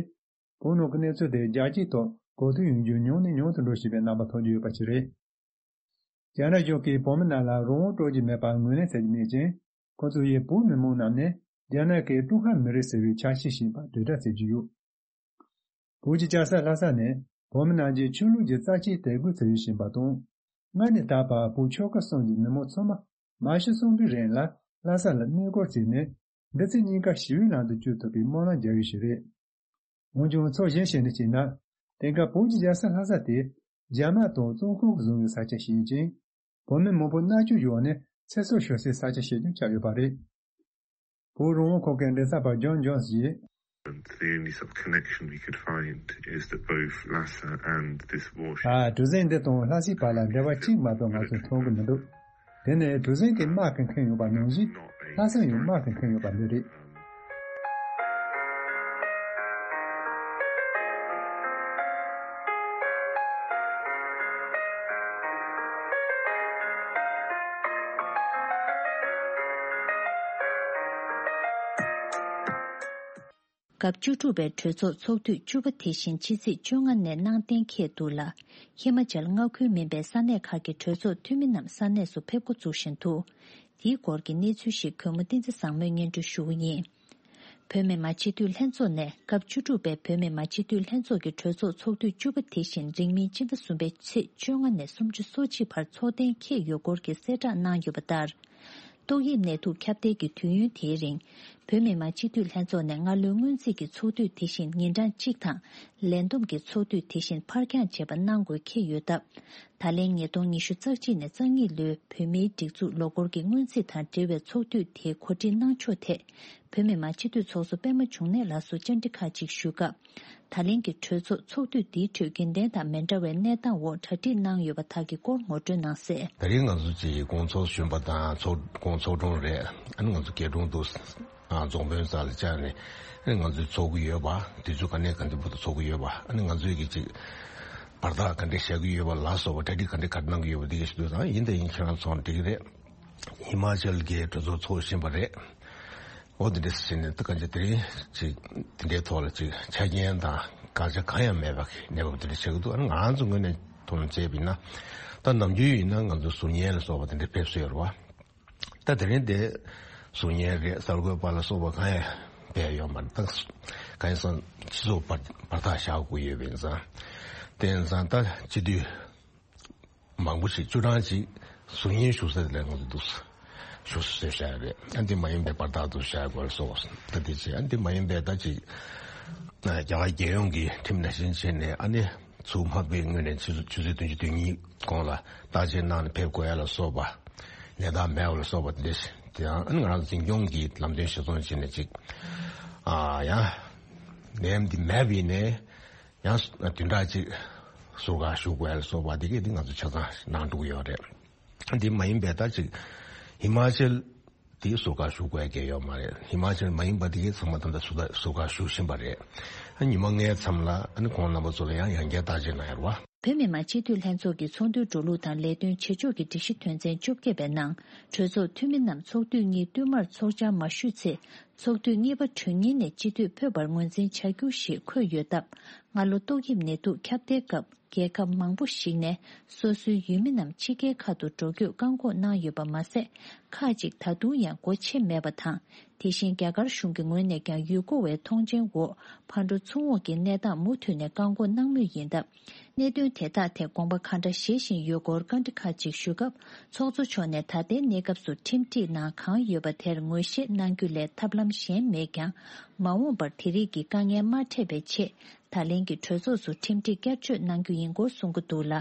བོད་ནང་གི་གནས་ཚུལ་དེ་རྒྱལ་སྤྱིའི་ཐོག་གོ་ཐོས་ཡོང་རྒྱུ་ཉུང་ནས་ཉུང་དུ་འགྲོ་བཞིན་པའི་རྣམ་པ་མཐོང་རྒྱུ་ཡོད་པ་ཞིག་རེད། རྒྱ་ནག་གཞུང་གིས་བོད་མི་རྣམས་ལ་རང་དབང་སྤྲོད་ཀྱི་མེད་པར་ངོས་ལེན་བྱེད་ཀྱི་མེད་ཅིང་། ཁོ་ཚོ་ཡིས་བོད་མི་མང་རྣམས་ནི་རྒྱ་ནག་གི་ཀྲུང་ཧྭ་མི་རིགས་ཟེར་བའི་ཆ་ཤས་ཤིག་ཡིན་པར་དྲིལ་བསྒྲགས་བྱེད་ཀྱི་ཡོད། བོད་ཀྱི་རྒྱལ་ས་ལྷ་ས་ནི་བོད་མི་རྣམས་ཀྱི་ཆོས་ལུགས་ཀྱི་རྩ་ཆེའི་དད་གུས་ཚུལ་ཡུལ་ཞིག་ཡིན་པ་དང་། སྔར་ནས་ད་བར་བོད་ཆོལ་ཁ་གསུམ་གྱི་མི་མང་ཚང་མ་མ་ཤི་གསོན་པོའི་རིང་ལ་ལྷ་ས་ལ་གནས་སྐོར་བྱས་ནས། འདི་ཚེ་གཉིས་ཀ་ཞི་བའི་ལམ་དུ་བསྐྱོད་ཐུབ་པའི་སྨོན་ལམ་རྒྱག་ཡུལ་ཞིག་རེད། འོན་ཀྱང་ཕྱོགས་གཞན་ཞིག་ནས་བྱས་ན། དེང་སྐབས་བོད་ཀྱི་རྒྱལ་ས་ལྷ་ས་དེ་རྒྱ་དམག་དང་བཙོན་ཁང་གིས་བཟུང་བའི་ས་ཆ་ཞིག་ཡིན་ཅིང་། བོད་མི་མང་པོ་མནར་གཅོད་འོག་ནས་ཚེ་སྲོག་ཤོར་སའི་ས་ཆ་ཞིག་ཀྱང་ཆགས་ཡོད་པ་རེད། བོད་རང་དབང་ཁོངས་ཀྱི་མགྲིན་ཚབ་པ་ཇོན་ཇོན་སི་ཡིས། And the only sort of connection we could find is that both Lhasa and this warship ད་གྲུ་གཟིངས་འདི་དང་ལྷ་སའི་བར་ལ་འབྲེལ་བ་གཅིག་མ་གཏོགས་ང་ཚོས་མཐོང་གི་མི་འདུག་དེ་ནི་གྲུ་གཟིངས་ཀྱི་དམག་གིས་འཁེན་ཡོད་པ་ནང་བཞིན། ལྷ་སར་ཡང་དམག་གིས་འཁེན་ཡོད་པ་འདི་རེད། སྐབས་བཅུ་དྲུག་པའི་གྲོས་ཚོགས་ཚོགས་དུས་བཅུ་པ་དེ་བཞིན་ཕྱི་ཚེས་བཅོ་ལྔ་ནས་གནང་གཏན་འཁེལ་འདུག་ལ། ཧི་མ་ཅལ་མངའ་ཁུལ་མིན་པའི་ས་གནས་ཁག་གི་གྲོས་ཚོགས་འཐུས་མི་རྣམས་ས་གནས་སུ་ཕེབས་འགོ་བཙུགས་བཞིན་འདུག་དེའི་སྐོར་གྱི་གནས་ཚུལ་ཞིག་གུས་མོ་བསྟན་འཛིན་བཟང་མོས་སྙན་སྒྲོན་ཞུ་གི་ཡིན། བོད་མི་མང་སྤྱི་འཐུས་ལྷན་ཚོགས་ནས་སྐབས་བཅུ་དྲུག་པའི་བོད་མི་མང་སྤྱི་འཐུས་ལྷན་ཚོགས་ཀྱི་གྲོས་ཚོགས་ཚོགས་དུས་བཅུ་པ་དེ་བཞིན་རིང་མིན་སྤྱི་ཟླ་གསུམ་པའི་ཚེས་བཅོ་ལྔ་ནས་སུམ་ཅུ་སོ་གཅིག་བར་འཚོགས་གཏན་འཁེལ་ཡོད་སྐོར་གྱི་གསལ་བསྒྲགས་གནང་ཡོད་པ་ལྟར། ཏོག་དབྱིབས་ནད་དུག་ཁྱབ་གདལ་གྱི་དུས་ཡུན་དེའི་རིང་། བོད་མི་མང་སྤྱི་འཐུས་ལྷན་ཚོགས་ནས་སྔ་ལོའི་སྔོན་རྩིས་ཀྱི་ཚོགས་དུས་དེ་བཞིན་ཉིན་གྲངས་གཅིག་དང་། ལས་བསྡོམས་ཀྱི་ཚོགས་དུས་དེ་བཞིན་ཕར་འགྱངས་བྱས་པ་གནང་དགོས་འཁེལ་ཡོད་སྟབས། ད་ལན་ཉིས་སྟོང་ཉི་ཤུ་རྩ་གཅིག་ནས་རྩ་གཉིས་ལོའི་བོད་མིའི་སྒྲིག་འཛུགས་ལོ་འཁོར་གྱི་སྔོན་རྩིས་དང་འབྲེལ་བའི་ཚོགས་དུས་དེ་གོ་སྒྲིག་གནང་ཕྱོགས་ཐད། བོད་མི་མང་སྤྱི་འཐུས་ཚོགས་གཙོ་པད་མ་འབྱུང་གནས་ལགས་སུ་བཅར་འདྲི་ཁག་ཅིག་ཞུས་སྐབས། ད་ལན་གྱི་གྲོས་ཚོགས་ཚོགས་དུས་འདིའི་ཁྲོད་རྒྱུན་ལྡན་དང་མི་འདྲ་བའི་གནས་སྟངས་འོག་གྲ་སྒྲིག་གནང་ཡོད་པ་དག་གི་སྐོར་ངོ་སྤྲོད་གནང་གསལ། ད་རིང་ང་ཚོ་ཅིག་དགོང་ཚོགས་གཞོན་པ་དང་ཚོགས་དགོང་ཚོགས་དྲུང་རེད། ཨ་ནི་ང་ཚོ་རྒྱལ་དྲུང་དུ་ཨ་རྫོང་དཔོན་རྩ་ལ་བཅར་ནས་ཨ་ནི་ང་ཚོས་ཚོགས་ཀྱི་ཡོད་པ། དུས་ཚོད་ག་ནས་ག་འདྲ་བར་དུ་ཚོགས་ཀྱི་ཡོད་པ། ཨ་ནི་ང་ཚོས་ཀྱི་ཅིག་བར་ཐག་ག་འདྲ་བཞག་གི་ཡོད་པ་ལ་སོགས་པ། གྲ་སྒྲིག་ག་འདྲ་ག་འདྲ་གནང་གི་ཡོད་པ་འདི་ག་ཞིག་འདུག་དང་། ཡིན་དང་ཡིན་ཁྱེད་རང་ཚོ་འགྲིག་གི་རེད། ཧི་མ་ཅལ་གྱི་གྲོས་ཚོགས་ཚོགས་བཞིན་པ་རེད། འོ་དེ་འདྲ་ཟེར་ནས་ད་གང་ཅི་དེ་རིང་ཅིག་དེ་འདྲའི་ཐོག་ལ་ཅིག་ཆ་རྐྱེན་དང་དགག་བྱ་གང་ཡང་མེད་པ་གི་གནས་བབ་དེ་འདྲ་ཆགས་ཀྱི་འདུག་ཨ་ནི་ང་རང་ཚོ་ངོས་ནས་མཐོང་བྱས་པ་ཡིན་ན། ད་ནམ་རྒྱུན་ཡིན་ན་ང་ཚོ་ཟུར་ཉན་ལ་སོགས་པ་དེ་འདྲ་ཕེབས་སྲོལ་ཡོད་རེད་བ། ད་དེ་རིང་དེ་ཟུར་ཉན་རེད། གསར་འགོད་པ་ལ་སོགས་པ་གང་ཡང་ཕེབས་ཡོད་མ་རེད། ད་གང་ཡིན་ཟེར་ན་སྤྱི་ཚོགས་བར་བར་ཐག་བཞག་དགོས་ཡོད་པ་ཡིན་ཙང་། དེ་ཡིན་ཙང་ད་སྤྱི་འཐུས་མང་པོ་ཞིག་བཅུ་གྲངས་ཅིག་ཟུར་ཉན་ཞུ་ས་དེ་ལ་ང་ཚོ་འདུག་ཞུ་ས་བཟོས་བཞག་རེད། ཨ་འདི་མ་ཡིན་པའི་བར་ཐག་ཏུ་བཞག་དགོས་ལ་སོགས་ད་དེ་བྱས། ཨ་འདི་མ་ཡིན་པའི་ད་ཅིག་རྒྱ་གར་རྒྱལ་ཡོངས་ཀྱི་ཁྲིམས་ནང་བཞིན་བྱས་ནས། ཨ་ནི་ཚུར་འཕགས་པའི་ངོས་ནས་ཆུ་ཚོད་ཆུ་ཚོད་བདུན་ཅུ་དོན་གཉིས་གོང་ལ་བརྟག་དཔྱད་གནང་ནས་ཕེབས་དགོས་ཡ་ལ་སོགས་པ། ནད་རྟགས་མེད་པ་ལ་སོགས་པ་དེ་འདྲ་ཞིག་དེ་ཡང་ཨ་ནི་ང་རང་འཛིན་སྐྱོང་གི་ལམ་སྟོན་གཞིར་བཟུང་བྱས་ནས་ཅིག་ཨ་ཡང་ནད་འདི་མེད་པ་ཡིན་ནའི། ཡང་བདུན་ཕྲག་གཅིག་ཟུར་བཀག་ཞུ་དགོས་ལ་སོགས་པ་དེ་གས་དེ་ང་ཚོ་ཆ་ཚང་གནང་འགྲོ་གི་ཡོད་རེད། འདི་མ་ཡིན་པའི་ད་ཅིག་ཧི་མ་ཅལ་དེ་ཟུར་བཀག་ཞུ་དགོས་ཀྱི་ཡོད་མ་རེད། ཧི་མ་ཅལ་མ་ཡིན་པ་དེ་གས་ཚང་མ་ད་ལྟ་ཟུར་བཀག་ཟུར་བཀག་ཞུ་བཞིན་པ་རེད། ཨ་ཉི་མ་ལྔའི་མཚམས་ལ་ཨ་ནི་ཁོང་རྣམ་པ་ཚོ་ལ་ཡང་ཡང་བསྐྱར་བརྟག་དཔྱད་གནང་ཡོད་རེད་བ། བོད་མི་མང་སྤྱི་འཐུས་ལྷན་ཚོགས་ཀྱི་ཚོགས་འདུའི་འགྲོ་ལུགས་དང་ལས་དོན་བྱེད་ཕྱོགས་ཀྱི་སྒྲིག་གཞི་དོན་ཚན་བཅོ་བརྒྱད་པའི་ནང་། གྲོས་ཚོགས་འཐུས་མི་རྣམས་ཚོགས་དུས་གཉིས་བསྟུད་མར་ཚོགས་བཅར་མ་ཞུས་ཚེ། ཚོགས་དུས་གཉིས་པ་གྲོལ་ཉིན་ནས་སྤྱི་འཐུས་ཕོད་པར་ངོས་འཛིན་བྱ་རྒྱུ་ཞེས་འཁོད་ཡོད་སྟབས། སྔ་ལོ་ཏོག་དབྱིབས་ནད་དུག་ཁྱབ་གདལ་སྐབས། རྒྱལ་ཁབ་མང་པོ་ཞིག་ནས་སོ་སོའི་ཡུལ་མི་རྣམས་ཕྱི་རྒྱལ་ཁག་ཏུ་འགྲོ་སྐྱོད་བཀག་འགོག་གནང་ཡོད་པ་མ་ཟད། ཁག་ཅིག་ད་དུང་ཡང་སྒོ་ཕྱེ་མེད་པ་དང་། དེ་བཞིན་རྒྱ་གར་གཞུང་གི་ངོས་ནས་ཀྱང་ཡུལ་སྐོར་བའི་མཐོང་མཆན་འོག་ཕར་འགྲོ་ཚུར་འོང་གི་གནས་སྟངས་མུ་མཐུད་ནས་བཀག་འགོག་གནང་མུས་ཡིན་སྟབས། གནད་དོན་དེ་དག་ཐད་དགོངས་པ་ག་འདྲ་བཞེས་བཞིན་ཡོད་སྐོར་བཀའ་འདྲི་ཁག་ཅིག་ཞུས་སྐབས། ཚོགས་གཙོ་མཆོག་ནས་ད་ལྟའི་གནས་སྐབས་སུ་ཁྲིམས་སྒྲིག་ནང་གང་ཡོད་པ་དེར་ངོས་བཞེས་གནང་རྒྱུ་ལས་ཐབས་ལམ་གཞན་མེད་ཀྱང་། མ་འོངས་པར་དེ་རིགས་ཀྱི་དཀའ་ངལ་མ་འཕྲད་པའི་ཆེད། ད་ལན་གྱི་གྲོས་ཚོགས་སུ་ཁྲིམས་སྒྲིག་བསྐྱར་བཅོས་གནང་རྒྱུ་ཡིན་སྐོར་གསུང་གི་འདུག་ལ།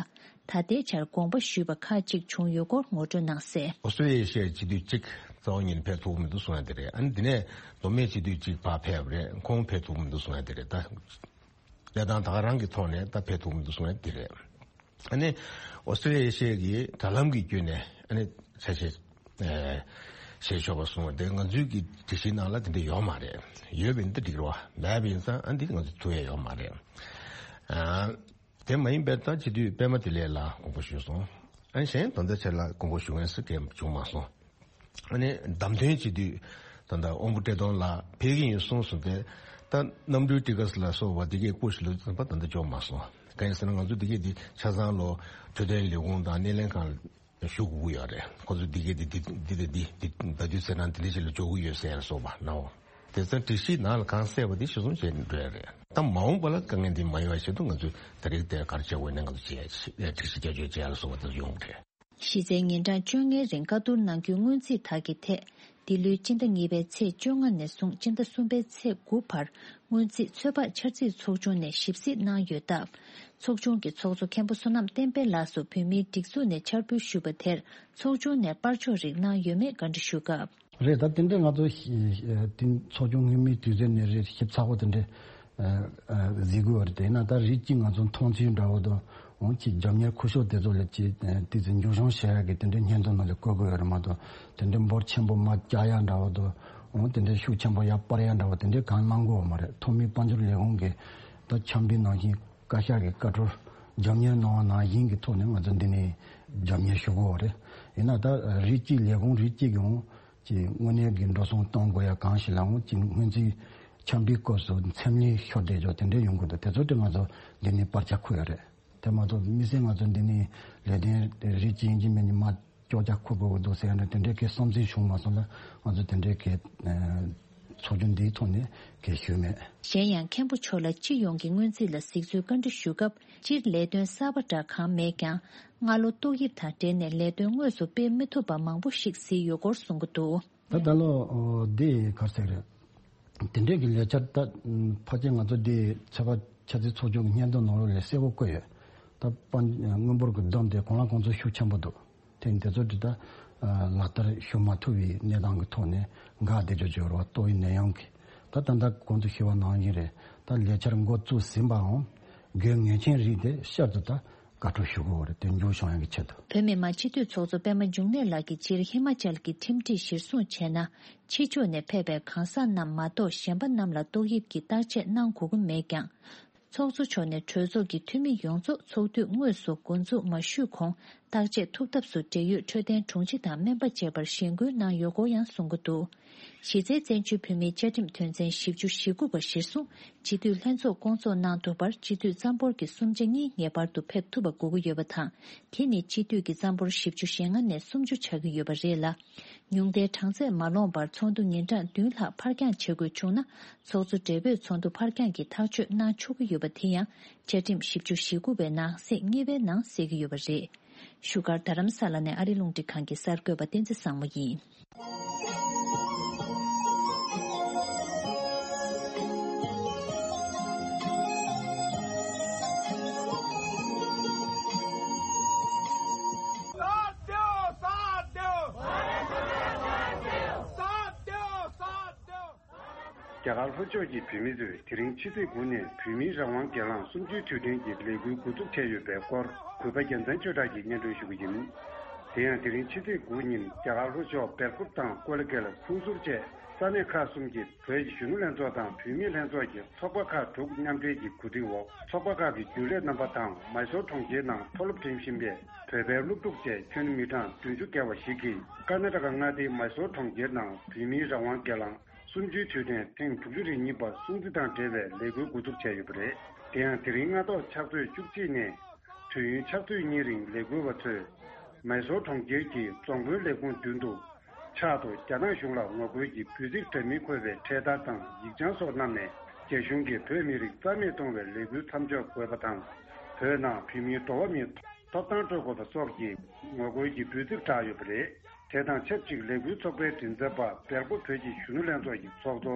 ད་ལྟའི་ཆར་དགོངས་པ་ཞུས་པ་ཁག་ཅིག་བྱུང་ཡོད་སྐོར་ངོ་སྤྲོད་གནང་གསལ། ཨོ་སི་ཀྲི་ལི་ཡའི་སྤྱི་འཐུས་གཅིག་རྩ་བ་ཉིད་ཕེབས་ཐུབ་མི་འདུག་གསུང་ཡ་དེ་རེད། ཨ་ནི་དེ་ནས་མདོ་སྨད་སྤྱི་འཐུས་གཅིག་ཕར་ཕེབས་རེད། ཁོང་ཕེབས་ཐུབ་མི་འདུག་གསུང་ཡ་དེ་རེད། ད་གནས་སྟངས་ད་ག་རང་གི་ཐོག་ནས་ད་ཕེབས་ཐུབ་མི་འདུག་གསུང་ཡ་དེ་རེད། ཨ་ནི་ཨོ་སི་ཀྲི་ལི་ཡའི་སྤྱི་འཐུས་ཀྱི་དྲ་ལམ་གྱི་བརྒྱུད་ནས་ཨ་ནི་ཆ་ཤས་ཨེ་བྱེད་ཆོག་པ་གསུངས་པ་དེ་ང་ཚོའི་གི་སྒྲིག་གཞི་ནང་ལ་དེ་འདྲ་ཡོད་མ་རེད། ཡོད་པ་ཡིན་ན་འགྲིག་རེད་བ། མེད་པ་ཡིན་ཙང་ཨ་འདི་ང་ཚོ་ཐུག་ཡ་ཡོད་མ་རེད། ཨ། དེ་མ་ཡིན་པའི་ད་སྤྱི་འཐུས་པད་མ་བདེ་ལེགས་ལགས་དགོངས་པ་ཞུས་སོང་། ཨ་གཞན་ད་ལྟ་ཆེད་ལ་དགོངས་པ་ཞུ་མཁན་སུ་གང་བྱུང་མ་སོང་། ཨ་ནི་བདམས་ཐོན་སྤྱི་འཐུས་ད་ལྟ་དབང་པོ་བཀྲས་མཐོང་ལགས་ཕེབས་ཀྱི་ཡིན་གསུངས་སོང་། དེ་ད་གནམ་གྲུའི་ཊི་ཀེ་ཊི་ལ་སོགས་པ་དེ་གའི་སྐོར་ཞིག་ལ་ཚན་པ་ད་ལྟ་འབྱོར་མ་སོང་། གང་ཡིན་ཟེར་ན་ང་ཚོ་དེ་གའི་དེ་ཆ་ཚང་ལོ་འཕྲོད་བསྟེན་ལས་ཁུངས་དང་སྣེ་ལེན་ཁང་ཞུ་དགོས་ཀྱི་ཡོད་རེད། ཁོ་ཚོ་འདི་གས་འདི་འདི་འདི་འདི་འདི་འདི་ཟླ་དུས་ཚེས་གྲངས་འདི་འདྲ་ཞིག་ལ་འཇོག་གི་ཡོད་ཟེར་ཡ་སོགས་པ་ནའོ། དེ་ཚོ་སྒྲིག་གཞི་ནང་ལ་གང་གསལ་བ་འདི་གཞིར་བཟུང་བྱས་ནས་འགྲོ་ཡ་རེད། ད་མ་འོངས་པ་ལ་དཀའ་ངལ་འདི་མ་ཡོང་བ་ཆེད་དུ་ང་ཚོས་ད་རེས་དེ་ག་རེ་བྱེད་དགོས་ནས་ང་ཚོ་བྱས་ཡ་སྒྲིག་གཞི་བསྐྱར་བཅོས་བྱེད་ཡ་ལ་སོགས་པ་དེ་ཚོ་ཡོང་གི་རེད། གཞི་རྩའི་ཉིན་གྲངས་བཅོ་ལྔའི་རིང་བཀའ་བསྡུར་གནང་རྒྱུའི་སྔོན་རྩིས་དག་གི་ཐད། འདི་ལོའི་སྤྱི་ཟླ་གཉིས་པའི་ཚེས་བཅོ་ལྔ་ནས་བཟུང་སྤྱི་ཟླ་གསུམ་པའི་ཚེས་དགུ་བར་སྔོན་རྩིས་ཚོད་དཔག་འཆར་རྩིས་ཚོགས་ཆུང་ནས་ཞིབ་གཟིགས་གནང་ཡོད་སྟབས། ཚོགས་ཆུང་གི་ཚོགས་གཙོ་མཁན་པོ་བསོད་ནམས་བསྟན་འཕེལ་ལགས་སུ་བོད་མིའི་སྒྲིག་འཛུགས་ནས་འཆར་འབུལ་ཞུས་པ་དེར་ཚོགས་ཆུང་ནས་པར་ཕྱོགས་རིགས་གནང་ཡོད་མེད་བཀའ་འདྲི་ཞུས་སྐབས། རེད། ད་དེ་འདྲའི་ང་ཚོ་ཤི་ཨ་དེ་ཚོགས་ཆུང་སྔོན་མའི་དུས་ཚོད་ནས་རེད། ཞིབ་ཚགས་པོ་དེ་འདྲའི་ཨ་ཨ་གཟིགས་དགོས་པ་རེད། དེས་ན་ད་རིགས་གཅིག་ང་ཚོ་མཐོང་ཚུལ་འདྲ་བོ་དང་འོང་ཅིག་རྒྱབ་གཉེར་ཁུ་ཤོག་དེ་ཚོ་ལ་ཅིག་ཨ་དེ་ཚོ་འགྱུར་བྱུང་བྱེད་ཡག་གི་དེ་འདྲའི་སྙན་ཐོ་ནང་ལ་བཀོད་དགོས་ཡོད་རེད་མ་གཏོགས། དེ་འདྲའི་འབོར་ཆེན་པོ་མར་བཀྱག་ཡག་འདྲ་བོ་དང་འོང་དེ་འདྲའི་ཤུགས་ཆེན་པོ་ཡར་སྤར་ཡག་འདྲ་བོ་དེ་འདྲའི་གང་གནང་དགོས་པ་མ་རེད། ཐོག་མའི་དཔལ་འབྱོར་ལས་ཁུངས་ཀྱིས་ད་འཆར་འབུལ་ནང་བཞིན་བཀའ་ཤག་གི་བཀའ་འཁྲོལ་རྒྱབ་གཉེར་གནང་བ་ནང་བཞིན་གྱི་ཐོག་ནས་ང་ཚོ་འདི་ནས་རྒྱབ་གཉེར་ཞུ་དགོས་པ་རེད། ཡིན་ན་ད་རིགས་གཅིག་ལས་ཁུངས་རིགས་གཅིག་གི་འོང་། ཀྱི་དངོས་གནས་ཀྱི་འགྲོ་སོང་གཏོང་དགོས་ཡ་གང་ཞིག་ལའང་ཀྱི་སྔོན་རྩིས་འཆར་འབུལ་སྐབས་སུ་མཚམས་ལས་ཤོར་བསྡད་ཆོག་དེ་འདྲ་ཡོང་གི་འདུག་དེ་ཚོ་དེ་ང་ཚོ་འདི་ནས་པར་ཆ་འཁུར་ཡ་རེད། དེ་མ་གཏོགས་དམིགས་བསལ་ང་ཚོ་འདི་ནས་ལས་དོན་རིགས་གཅིག་ཡིན་གཅིག་མིན་གཅིག་མར་ཅོག་ཅག་འཁུར་དགོས་ཀྱི་འདུག་ཟེར་ཡ་འདྲ་དེ་འདྲའི་གི་བསམ་ཚུལ་བྱུང་མ་སོང་ལ་ང་ཚོ་དེ་འདྲའི་གི་ཚོགས་ཆུང་འདིའི་ཐོག་ནས་གི་ཞུས་མེད། གཞན་ཡང་མཁན་པོ་མཆོག་ལ་སྤྱི་ཡོངས་ཀྱི་སྔོན་རྩིས་ལ་གཟིགས་ཚུལ་བཀའ་འདྲི་ཞུ་སྐབས་སྤྱིར་ལས་དོན་གསར་པ་འདྲ་གང་མེད་ཀྱང་། སྔ་ལོ་ཏོག་དབྱིབས་དང་འབྲེལ་ནས་ལས་དོན་དངོས་སུ་སྤེལ་མི་ཐུབ་པ་མང་པོ་ཞིག་གཟིགས་ཡོད་སྐོར་གསུང་གི་འདུག་ད་ད་ལོ་འདི་ག་རེ་ཟེར་རེད། དེ་འདྲས་ཀྱི་ལས་འཆར་ད་ཕལ་ཆེར་ང་ཚོ་འདི་ཚོད་དཔག་འཆར་རྩིས་ཚོགས་ཆུང་གི་སྙན་ཐོ་ནང་ལོགས་ལ་གསལ་པོ་བཀོད་ཡོད། ད་དཔལ་དངུལ་འབོར་གྱི་བསྡོམས་དེ་གང་ལ་གང་འཚམ་ཤུགས་ཆེན་པོ་འདུག་དེ་འདི་ཚོ་འདི་ད་ལག་བསྟར་ཞུ་མ་ཐུབ་པའི་གནས་སྟངས་ཀྱི་ཐོག་ནས་འགག་བསྡད་ཆོག་ཅེས་རོ་ཏོག་དབྱིབས་ནད་ཡམས་ཀྱི་ད་ད་ལྟ་གོང་དུ་ཞུས་པ་ནང་བཞིན་རེད། ད་ལས་འཆར་འགོ་བཙུགས་ཟིན་པའང་དགོས་ངེས་ཅན་རིགས་དེ་བསྐྱར་དུ་ད་བཀའ་འཁྲོལ་ཞུ་དགོས་པ་རེད། དོན་འཁྱོལ་བྱུང་ཡག་གི་ཆེད་དུ། བོད་མི་མང་སྤྱི་འཐུས་ཚོགས་གཙོ་པད་མ་འབྱུང་གནས་ལགས་ཀྱིས་སྤྱིར་ཧི་མ་ཅལ་གྱི་ཁྲིམས་སྒྲིག་གཞིར་བཟུང་བྱས་ན། ཕྱི་ཕྱོགས་ནས་ཕེབས་པའི་གང་ཟག་རྣམས་མ་གཏོགས་གཞན་པ་རྣམས་ལ་ཏོག་དབྱིབས་ཀྱི་བརྟག་དཔྱད་གནང་དགོས་ཀྱི་མེད་ཀྱང་། ཚོགས་གཙོ་མཆོག་ནས་གྲོས་ཚོགས་ཀྱི་འཐུས་མི་ཡོངས་རྫོགས་ཚོགས་དུས་དངོས་སུ་འགོ་འཛུགས་མ་ཞུས་གོང་བརྟག་དཔྱད་ཐུབ་ཐབས་སུ་འབྲེལ་ཡོད་འཕྲོད་བསྟེན་དྲུང་ཆེ་དང་སྨན་པ་བཅས་པར་ཞེན་སྐུལ་གནང་ཡོད་སྐོར་ཡང་གསུང་གི་འདུག་གཞི་རྩའི་བཙན་བྱོལ་བོད་མིའི་བཅའ་ཁྲིམས་དོན་ཚན་བཞི་བཅུ་ཞེ་དགུ་པ་གཞིར་བཟུང་སྤྱི་འཐུས་ལྷན་ཚོགས་བསྐོང་ཚོགས་གནང་ཐུབ་པར་སྤྱི་འཐུས་རྩ་འབོར་གྱི་གསུམ་ཆ་གཉིས་ངེས་པར་དུ་ཕེབས་ཐུབ་པ་དགོས་ཀྱི་ཡོད་པ་དང་། དེ་ནི་སྤྱི་འཐུས་ཀྱི་རྩ་འབོར་བཞི་བཅུ་ཞེ་ལྔ་ནས་སུམ་ཅུ་ཆགས་ཀྱི་ཡོད་པ་རེད་ལ། ཉུང་མཐའི་གྲངས་ཚད་མ་ལོངས་པར་ཚོགས་འདུ་ཉིན་གྲངས་བདུན་ལྷག་ཕར་འགྱངས་བྱེད་དགོས་བྱུང་ན། ཚོགས་གཙོ་སྦྲེལ་པོས་ཚོགས་འདུ་ཕར་འགྱངས་ཀྱི་ཐག་གཅོད་གནང་ཆོག་གི་ཡོད་པ་དེ་ཡང་བཅའ་ཁྲིམས་བཞི་བཅུ་ཞེ་དགུ་པའི་ནང་གསེས་གཉིས་པའི་ནང་གསལ་གྱི་ཡོད་པ་རེད། བཞུགས་སྒར་རྡ་རམ་ས་ལ་ནས་ཨ་རི་རླུང་འཕྲིན་ཁང་གི་གསར་འགོད་པ་བསྟན་འཛིན་བཟང་མོ་ཡིན། རྒྱ་གར་ལྷོ་ཕྱོགས་ཀྱི་བོད་མི་ཚོས་དེ་རིང་ཕྱི་ཚེས་དགུ་ནས་བོད་མིའི་རང་དབང་སྒེར་ལངས་གསུམ་བཅུའི་དུས་དྲན་གྱི་ལས་འགུལ་འགོ་འཛུགས་བྱས་ཡོད་པའི་སྐོར་གུས་པ་རྒྱལ་མཚན་ཆོས་གྲགས་ཀྱིས་སྙན་སྒྲོན་ཞུ་གི་ཡིན། དེ་ཡང་དེ་རིང་ཕྱི་ཚེས་དགུ་ཉིན་རྒྱ་གར་ལྷོ་ཕྱོགས་སྦེལ་ཀོབ་དང་ཀོ་ལི་གྷལ། ཁུང་ཟུར་བཅས་ས་གནས་ཁག་གསུམ་གྱི་བོད་ཀྱི་གཞོན་ནུ་ལྷན་ཚོགས་དང་བུད་མེད་ལྷན་ཚོགས་ཀྱི་ཚོགས་པ་ཁག་དྲུག་མཉམ་འབྲེལ་གྱི་གོ་སྒྲིག་འོག་ཚོགས་པ་ཁག་གི་རྒྱུན་ལས་རྣམ་པ་དང་མའི་སོར་གྲོང་ཁྱེར་ནང་མཐོ་སློབ་འགྲིམ་བཞིན་པའི་བོད་པའི་སློབ་ཕྲུག་བཅས་ཁྱོན་མི་གྲངས་བདུན་ཅུ་བརྒལ་བ་ཞིག་གིས་ཀར་ན་ཊ་ཀ་མངའ་སྡེའི་མའི་སོར་གྲོང་ཁྱེར་ནང་བོད་མིའི་རང་དབང་སྒེར་ལངས་ གསུམ་བཅུའི་དུས་དྲན་ཐེངས་དྲུག་ཅུ་རེ་གཉིས་པ་སྲུང་བརྩི་དང་འབྲེལ་བའི་ལས་འགུལ་འགོ་འཛུགས་བྱས་ཡོད་པ་རེད། དེ་ཡང་དེ་རིང་སྔ་ཐོག་ཕྱག་ཚོད་བཅུ་གཅིག་ནས་དུས་ཡུན་ཕྱག་ཚོད་གཉིས་རིང་ལས་འགུལ་བ་ཚོས་མའི་སོར་གྲོང་ཁྱེར་གྱི་རྫོང་དཔོན་ལས་ཁུངས་མདུན་དུ་ཕྱག་ཏུ་རྒྱ་ནག་གཞུང་ལ་ངོ་རྒོལ་གྱི་འབོད་ཚིག་འདྲ་མིན་འཁོད་པའི་འཕྲེད་དར་དང་ཡིག་བྱང་སོགས་བསྣམས་ནས་རྒྱ་གཞུང་གིས་བོད་མི་རིགས་རྩ་མེད་གཏོང་བའི་ལས་འགུལ་མཚམས་འཇོག་དགོས་པ་དང་། བོད་ནང་བོད་མིའི་འགྲོ་བ་མིའི་ཐོབ་ཐང་སྤྲོད་དགོས་པ་སོགས་ཀྱི་ངོ་རྒོལ་གྱི་འབོད་ཚིག་བསྒྲགས་ཡོད་པ་རེད། དེ་དང་ཆབས་ཅིག་ལས་འགུལ་ཚོགས་པའི་མགྲིན་ཚབ་པ་སྦེལ་ཀོབ་བོད་ཀྱི་གཞོན་ནུ་ལྷན་ཚོགས་ཀྱི་ཚོགས་གཙོ་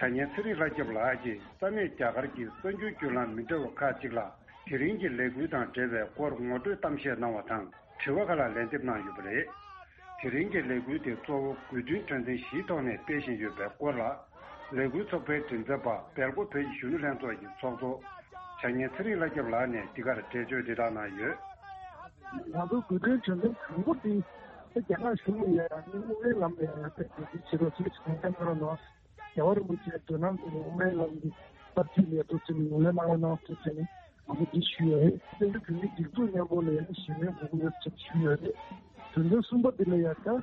བྱ་ཉན་ཚེ་རིང་ལྷ་སྐྱབས་ལགས་ཀྱིས་ས་གནས་རྒྱ་གར་གྱི་གསར་འགྱུར་བརྒྱུད་ལམ་མི་འདྲ་བ་ཁག་ཅིག་ལ་དེ་རིང་གི་ལས་འགུལ་དང་འབྲེལ་བའི་སྐོར་ངོ་སྤྲོད་གཏམ་བཤད་གནང་བ་དང་། དྲི་བ་ཁག་ལ་ལན་འདེབས་གནང་ཡོད་པ་རེད། དེ་རིང་གི་ལས་འགུལ་དེ་གཙོ་བོ་དགོས་འདུན་དོན་ཚན་བཞིའི་ཐོག་ནས་སྤེལ་བཞིན་ཡོད་པའི་སྐོར་ལ། ལས་འགུལ་ཚོགས་པའི་མགྲིན་ཚབ་པ་སྦེལ་ཀོབ་བོད་ཀྱི་གཞོན་ནུ་ལྷན་ཚོགས་ཀྱི་ཚོགས་གཙོ་བྱ་ཉན་ཚེ་རིང་ལྷ་སྐྱབས་ལགས་ནས་འདི་གར་འགྲེལ་བརྗོད་འདི་དག་གནང་ཡོད། ང་ཚོ་དགོས་འདུན་དོན་ཚན་དང་པོ་དེ་རྒྱ་ནག་གཞུང་ལ་ཡང་ཨ་ནི་དངུལ་ལས་ལམ་ནས་ཡང་ཐད་ཀྱི་བྱེད་རོགས་ཞེས་གང་ལྟར་གནང་རོགས་གནང་། རྒྱལ་བ་རིན་པོ་ཆེའི་མདུན་ལམ་དུ་དངུལ་ལས་ལམ་གྱི་གསར་བརྗེའི་ལས་གཏོད་ཚུལ་ངོས་ལེན་གནང་རོགས་གནང་ཞེས་ནས་ང་ཚོ་འདི་ཞུས་ཡོད་རེད། བཙན་བྱོལ་བོད་མིའི་སྒྲིག་འཛུགས་མཉམ་པོ་ལ་ཡང་ཞི་མོལ་དགོས་ཀྱི་ཡོད་ཅེས་ཞུས་ཡོད་རེད། དོན་ཚན་གསུམ་པ་འདི་ལ་ཡང་ད་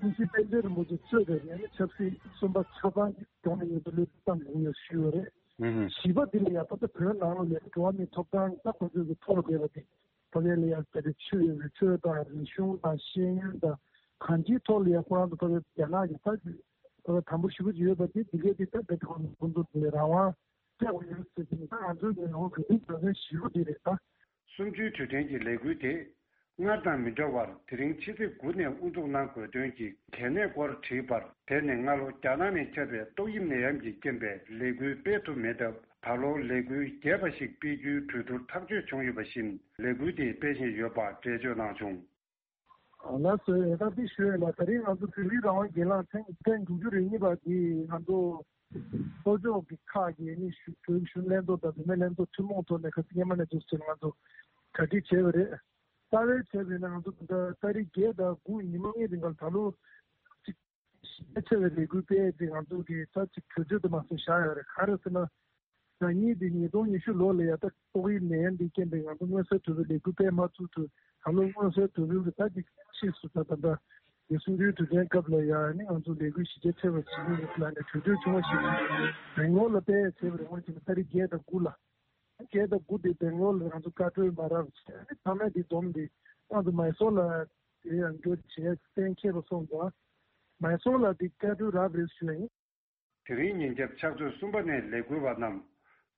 ཀུན་གཟིགས་པཎ་ཆེན་རིན་པོ་ཆེ་གཙོས་པའི་ཡང་ན་ཆབ་སྲིད་བཙོན་པ་ཆ་ཚང་གི་གདོང་ནས་ངེས་པར་ལུས་པ་བཏང་དགོས་ཡོད་ཞུས་ཡོད་རེད། ཨུ་ཧུ། བཞི་པ་འདི་ལ་ཡང་ད་ལྟ་བོད་ནང་ལ་ཡང་འགྲོ་བ་མིའི་ཐོབ་ཐང་ད་ཁོ་ཚོས་ཀྱི་ཐོག་ལ་བསྡད་པ་དེ་ཕ་གི་ལ་ཡང་ད་ལྟ་ཆོས་ཡོད་པའི་ཆོས་དང་རིག་གཞུང་དང་ཤེས་ཡོན་དང་གང་ཅིའི་ཐོག་ལ་ཡང་ཁོ་རང་ཚོ་ཕ་གི་རྒྱ་ནག་གི་ད་ཕ་གི་དམ་པོ་ཞེ་པོ་ཅིག་ཡོད་པ་དེ་འདི་གས་དེ་ད་ལྟ་ཁོ་ཚོ་ཁོ་ཚོ་དེ་ལ་རང་དབང་སྤྲད་དགོས་ཡོད་ཟེར་གྱི་ད་ང་ཚོའི་ངོས་ནས་ཁོ་ཚོའི་དོན་ཚན་བཞི་པོ་དེ་རེད་ད། གསུམ་བཅུའི་དུས་དྲན་གྱི་ལས་འགུལ་དེ། སྔར་དང་མི་འདྲ་བར་དེ་རིང་ཕྱི་ཚེས་དགུ་ནས་དབུ་འཛུགས་གནང་དགོས་དོན་གྱི་གལ་གནད་སྐོར་དྲིས་པར། དེ་ནི་སྔ་ལོ་རྒྱ་ནག་ནས་ཁྱབ་པའི་ཏོག་དབྱིབས་ནད་ཡམས་ཀྱི་རྐྱེན་པས་ལས་འགུལ་སྤེལ་ཐུབ་མེད་སྟབས། ད་ལོ་ལས་འགུལ་རྒྱས་པ་ཞིག་སྤེལ་རྒྱུའི་གྲོས་བསྡུར་ཐག་གཅོད་བྱུང་ཡོད་པ་བཞིན། ལས་འགུལ་དེ་སྤེལ་བཞིན་ཡོད་པ་འགྲེལ་བརྗོད་གནང་བྱུང་། ལགས་སོ། ཡང་ད་འདི་ཞུ་ཡས་ལ། ད་རིང་ང་ཚོ་བོད་མིའི་རང་དབང་སྒེར་ལངས་ཐེངས་ཐེངས་དྲུག་ཅུ་རེ་གཉིས་པ་འདི་ང་ཚོ་ལྷོ་ཕྱོགས་ཀྱི་ཁག་གི་ནི་གཞོན་གཞོན་ལྷན་ཚོགས་དང་བུད་མེད་ལྷན་ཚོགས་ཐུན་མོང་ཐོག་ནས་ཁ་སང་སྔོན་མ་ནས་འདུག་ཟེར་ང་ཚོ་གྲ་སྒྲིག་བྱས་པ་རེད། རྩ་བའི་ཆ་བྱས་ན་ང་ཚོ་ད་ལྟ་ཏ་རིག་བརྒྱད་དང་དགུ་ཉི་མ་གཉིས་རིང་ག་ལ་ད་ལོ་གཅིག་ཞིབ་ཕྲ་བའི་ལས་འགུལ་སྤེལ་ཏེ་ང་ཚོ་གི་ད་ཅིག་གྲོས་ཆོད་དུ་མ་སོང་བཞག་ཡོད་རེད། ག་རེ་ཟེར་ན། ང་གཉིས་དེ་ཉིས་སྟོང་ཉི་ཤུ་ལོ་ལ་ཡ་ད་ཏོག་དབྱིབས་ནད་ཡམས་འདི་རྐྱེན་པས་ང་ཚོ་མངོན་གསལ་དོད་པོའི་ལས་འགུལ་སྤེལ་མ་ཐུབ་ཚུལ། ད་ལོ་མངོན་གསལ་དོད་པོའི་གི་ད་ཅིག་ཕྱིས་སུ་ད་ད་ལྟ་གི་གསུམ་བཅུའི་དུས་དྲན་སྐབས་ལ་ཡ་ནི་ང་ཚོ་ལས་འགུལ་གཞི་རྒྱ་ཆེ་བ་བྱེད་ཀྱི་ཡོད་ལ་ནས་གྲོས་ཆོད་ཆུང་བ་ཞིག་སྦེང་ལོར་ལ་སྤེལ་བྱས་པ་རེད། འོན་ཀྱང་ཏ་རིག་བརྒྱད་དང་དགུ་ལ། བརྒྱད་དང་དགུ་དེ་སྦེང་ལོར་ལ་ང་ཚོ་བཀའ་འཁྲོལ་མ་རག་བྱས་ནས་ཐ་མ་དེ་བསྡོམས་ཏེ་ང་ཚོ་མའི་སོར་ལ་དེ་ཡང་འགྱོ་བྱས་གཏན་འཁེལ་བ་སོང་ཙང་། མའི་སོར་ལ་དེ་བཀའ་འཁྲོལ་རག་རེད་ཞུ་ཡ་ཡིན། དེ་རིང་ཉིན་རྒྱབ་ཕྱག་ཚོད་གསུམ་པ་ནས་ལས་འགུལ་བ་རྣམས་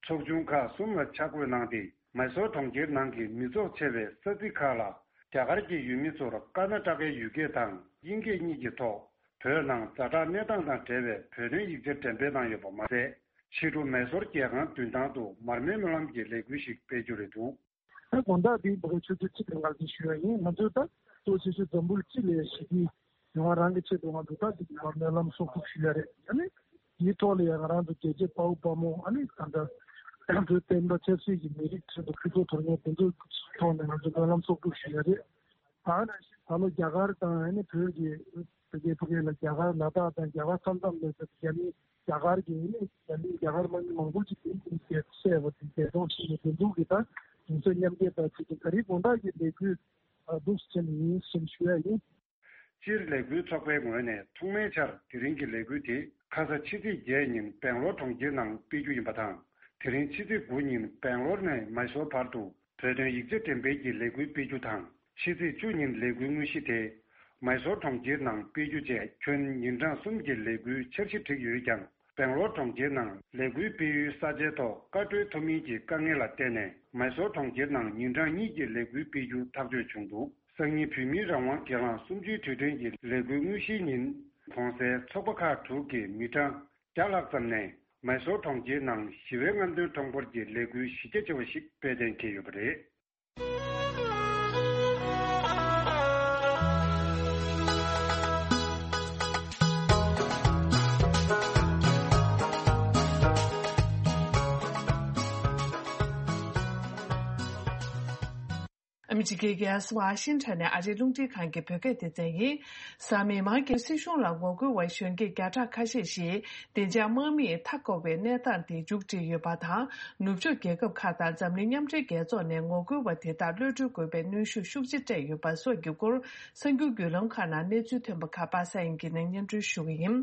ཚོགས་ཆུང་ཁག་གསུམ་ལ་ཆ་བགོས་གནང་སྟེ། མའི་སོར་གྲོང་ཁྱེར་ནང་གི་མི་ཚོགས་ཆེ་བའི་ས་ཚིགས་ཁག་ལ་རྒྱ་གར་གྱི་ཡུལ་མི་ཚོར་ཀར་ན་ཊ་ཀའི་ཡུལ་སྐད་དང་དབྱིན་སྐད་གཉིས་ཀྱི་ཐོག་བོད་ནང་ཛ་དྲག་གནས་སྟངས་དང་འབྲེལ་བའི་བོད་དོན་ཡིག་ཆ་འགྲེམས་སྤེལ་གནང་ཡོད་པ་མ་ཟད། ཕྱི་དྲོ་མའི་སོར་རྒྱལ་ཁང་མདུན་ཐང་དུ་མར་མེའི་སྨོན་ལམ་གྱི་ལས་འགུལ་ཞིག་སྤེལ་རྒྱུ་རེད་འདུག། ད་དགོང་དག་འདི་བོད་ཆུ་ཚོད་གཅིག་དང་ལྔ་ཙམ་ཞུ་ཡ་ཡིན། ང་ཚོས་ད་གཙོ་ཆེ་ཤོས་འཛམ་བུ་གླིང་སྤྱི་ལ་ཞི་བདེ་ཡོང་བ་རང་གི་ཆེད་དུ་ང་ཚོ་ད་འདི་མར་མེ་ལམ་གསོག་སྒྲུབ་ཞུ་ཡ་རེད། ཨ་ནི་དེའི་ཐོག་ལ་ཡང་ང་རང་ཚོ་རྒྱལ་གཅེས་དཔའ་བོ་དཔའ་མོ། ཨ་ནི་ད་ལྟ་བོད་བསྟན་པ་ཆབ་སྲིད་ཀྱི་མི་རིགས་ཆེད་དུ་ཕུལ་ཚོགས་དོར་མཁན་དེ་ཚོའི་ཐོག་ནས་ང་ཚོ་སྨོན་ལམ་གསོག་སྒྲུབ་ཞུ་ཡ་རེད། ད་ནང་བཞིན་ད་ལོ་རྒྱ་གར་དང་ཨ་ནི་བོད་ཀྱི་བོད་རྒྱའི་ཕ་གི་ལ་རྒྱ་གར་ལ་དྭགས་དང་རྒྱ་གར་མཚམས་མཚམས་ལ་རྒྱ་མི་རྒྱ་གར་གྱི་ཨ་ནི་རྒྱ་མི་རྒྱ་གར་དམག་མི་མང་པོ་ཅིག་གིས་ཨ་ནི་བསད་པ་དང་འཛིན་བཟུང་བྱས་ནས་དེ་འདུག་གི། ད་གདུང་སེམས་མཉམ་སྐྱེད་དང་ཆེད་དུ་ད་རེས་དགོང་དག་གི་ལས་འགུལ་འདུག་སེ་བྱས་ནས་ཡིན་ཞེས་ཞུ་ཡ་ཡིན། སྤྱིར་ལས་འགུལ་ཚོགས་པའི་ངོས་ནས་ཐོག་མའི་ཆར་དེ་རིང་གི་ལས་འགུལ་དེ་ཁ་ས་ཕྱི་ཚེས་བརྒྱད་ཉིན་སྦེང་ལོར་གྲོང་ཁྱེར་ནང་སྤེལ་རྒྱུ་ཡིན་པ་དང་། དེ་རིང་ཕྱི་ཚེས་དགུ་ཉིན་སྦེང་ལོར་ནས་མའི་སོར་བར་དུ་བོད་དོན་ཡིག་ཆ་འགྲེམས་སྤེལ་གྱི་ལས་འགུལ་སྤེལ་རྒྱུ་དང་། ཕྱི་ཚེས་བཅུ་ཉིན་ལས་འགུལ་དངོས་གཞི་དེ་མའི་སོར་གྲོང་ཁྱེར་ནང་སྤེལ་རྒྱུ་བཅས་ཁྱོན་ཉིན་གྲངས་གསུམ་གྱི་ལས་འགུལ་འཆར་གཞི་བསྒྲིགས་ཡོད་ཀྱང་། སྦེང་ལོར་གྲོང་ཁྱེར་ནང་ལས་འགུལ་སྤེལ་ཡུལ་ས་ཆའི་ཐོག་བཀའ་འཁྲོལ་ཐོབ་མིན་གྱི་དཀའ་ངལ་ལ་བརྟེན་ནས། མའི་སོར་གྲོང་ཁྱེར་ནང་ཉིན་གྲངས་གཉིས་ཀྱི་ལས་འགུལ་སྤེལ་རྒྱུ་ཐག་གཅོད་བྱུང་འདུག། སང་ཉིན་བོད་མིའི་རང་དབང་སྒེར་ལངས་གསུམ་བཅུའི་དུས་དྲན་གྱི་ལས་འགུལ་དངོས་གཞིའི་ཉིན། གོང་གསལ་ཚོགས་པ་ཁག་དྲུག་གིས་མི་གྲངས་བརྒྱ་ལྷག་ཙམ་ནས་མའི་སོར་གྲོང་ཁྱེར་ནང་ཞི་བའི་རྔམ་སྟོན་ཁྲོམ་སྐོར་གྱི་ལས་འགུལ་གཞི་རྒྱ་ཆེ་བ་ཞིག་སྤེལ་གཏན་འཁེལ་ཡོད་པ་རེད། ཨ་མི་རི་ཀའི་རྒྱལ་ས་ཝ་ཤིང་ཊོན་ནས་ཨ་རིའི་རླུང་འཕྲིན་ཁང་གི་བོད་སྐད་སྡེ་ཚན་ཡིན། གཟའ་མིག་དམར་གྱི་སྲིད་གཞུང་ལ་ངོ་རྒོལ་བ་གཞོན་སྐྱེས་བརྒྱ་ཕྲག་ཁ་ཤས་ཤིག་བདེ་འཇགས་དམག་མིས་མཐའ་བསྐོར་བའི་གནས་སྟངས་དེ་མཇུག་སྒྲིལ་ཡོད་པ་དང་། ནུབ་ཕྱོགས་རྒྱལ་ཁབ་ཁག་དང་འཛམ་གླིང་མཉམ་འབྲེལ་རྒྱལ་ཚོགས་ནས་ངོ་རྒོལ་བ་དེ་དག་གློད་གྲོལ་དགོས་པའི་གནོན་ཤུགས་ཤུགས་ཆེ་སྤྲད་ཡོད་པ་སོགས་ཀྱི་སྐོར། གསར་འགྱུར་བརྒྱུད་ལམ་ཁག་ནང་གནས་ཚུལ་ཐོན་པ་ཁག་པ་སངས་དབྱངས་སྐྱིད་ནས་སྙན་སྒྲོན་ཞུ་གི་ཡིན།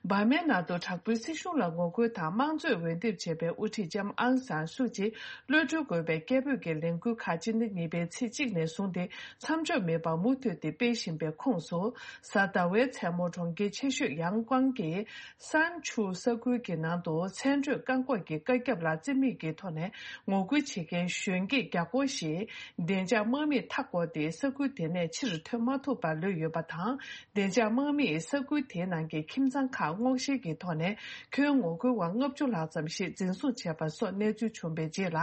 འབར་མའི་ནང་དུ་དྲག་པོའི་སྲིད་གཞུང་ལ་ངོ་རྒོལ་དང་དམངས་གཙོས་འོས་འདེམས་བྱས་པའི་དབུ་ཁྲིད་ལྕམ་ཨང་སང་སུ་ཅི་གློད་གྲོལ་དགོས་པའི་སྐད་འབོད་ཀྱི་ལས་འགུལ་ཁག་སྤྱི་ཟླ་གཉིས་པའི་ཚེས་གཅིག་ནས་བཟུང་སྟེ་མཚམས་འཇོག་མེད་པར་མུ་མཐུད་དེ་སྤེལ་བཞིན་པའི་ཁོངས་སུ། གཟའ་ཟླ་བའི་མཚན་མོ་གྲོང་ཁྱེར་ཆེ་ཤོས་ཡང་ཀོང་གི་སན་ཆུ་ས་ཁུལ་གྱི་ནང་དུ་མཚན་བགྲོད་བཀག་འགོག་གི་བཀའ་ཁྱབ་ལ་རྩིས་མེད་ཀྱི་ཐོག་ནས་ངོ་རྒོལ་བྱེད་མཁན་གཞོན་སྐྱེས་བརྒྱ་སྐོར་ཞིག་བདེ་འཇགས་དམག་མིས་མཐའ་བསྐོར་ཏེ་ས་ཁུལ་དེ་ནས་ཕྱིར་ཐོན་མ་ཐུབ་པར་ལུས་ཡོད་པ་དང་། བདེ་འཇགས་དམག་མིས་ས་ཁུལ་དེའི་ནང་གི་ཁྱིམ་ཚང་ཁག་སྔོག་བཤེར་གྱི་ཐོག་ནས་ཁྱོན་ངོ་རྒོལ་བ་ལྔ་བཅུ་ལྷག་ཙམ་ཞིག་འཛིན་བཟུང་བྱས་པ་སོགས་གནས་ཚུལ་བྱུང་བའི་རྗེས་ལ།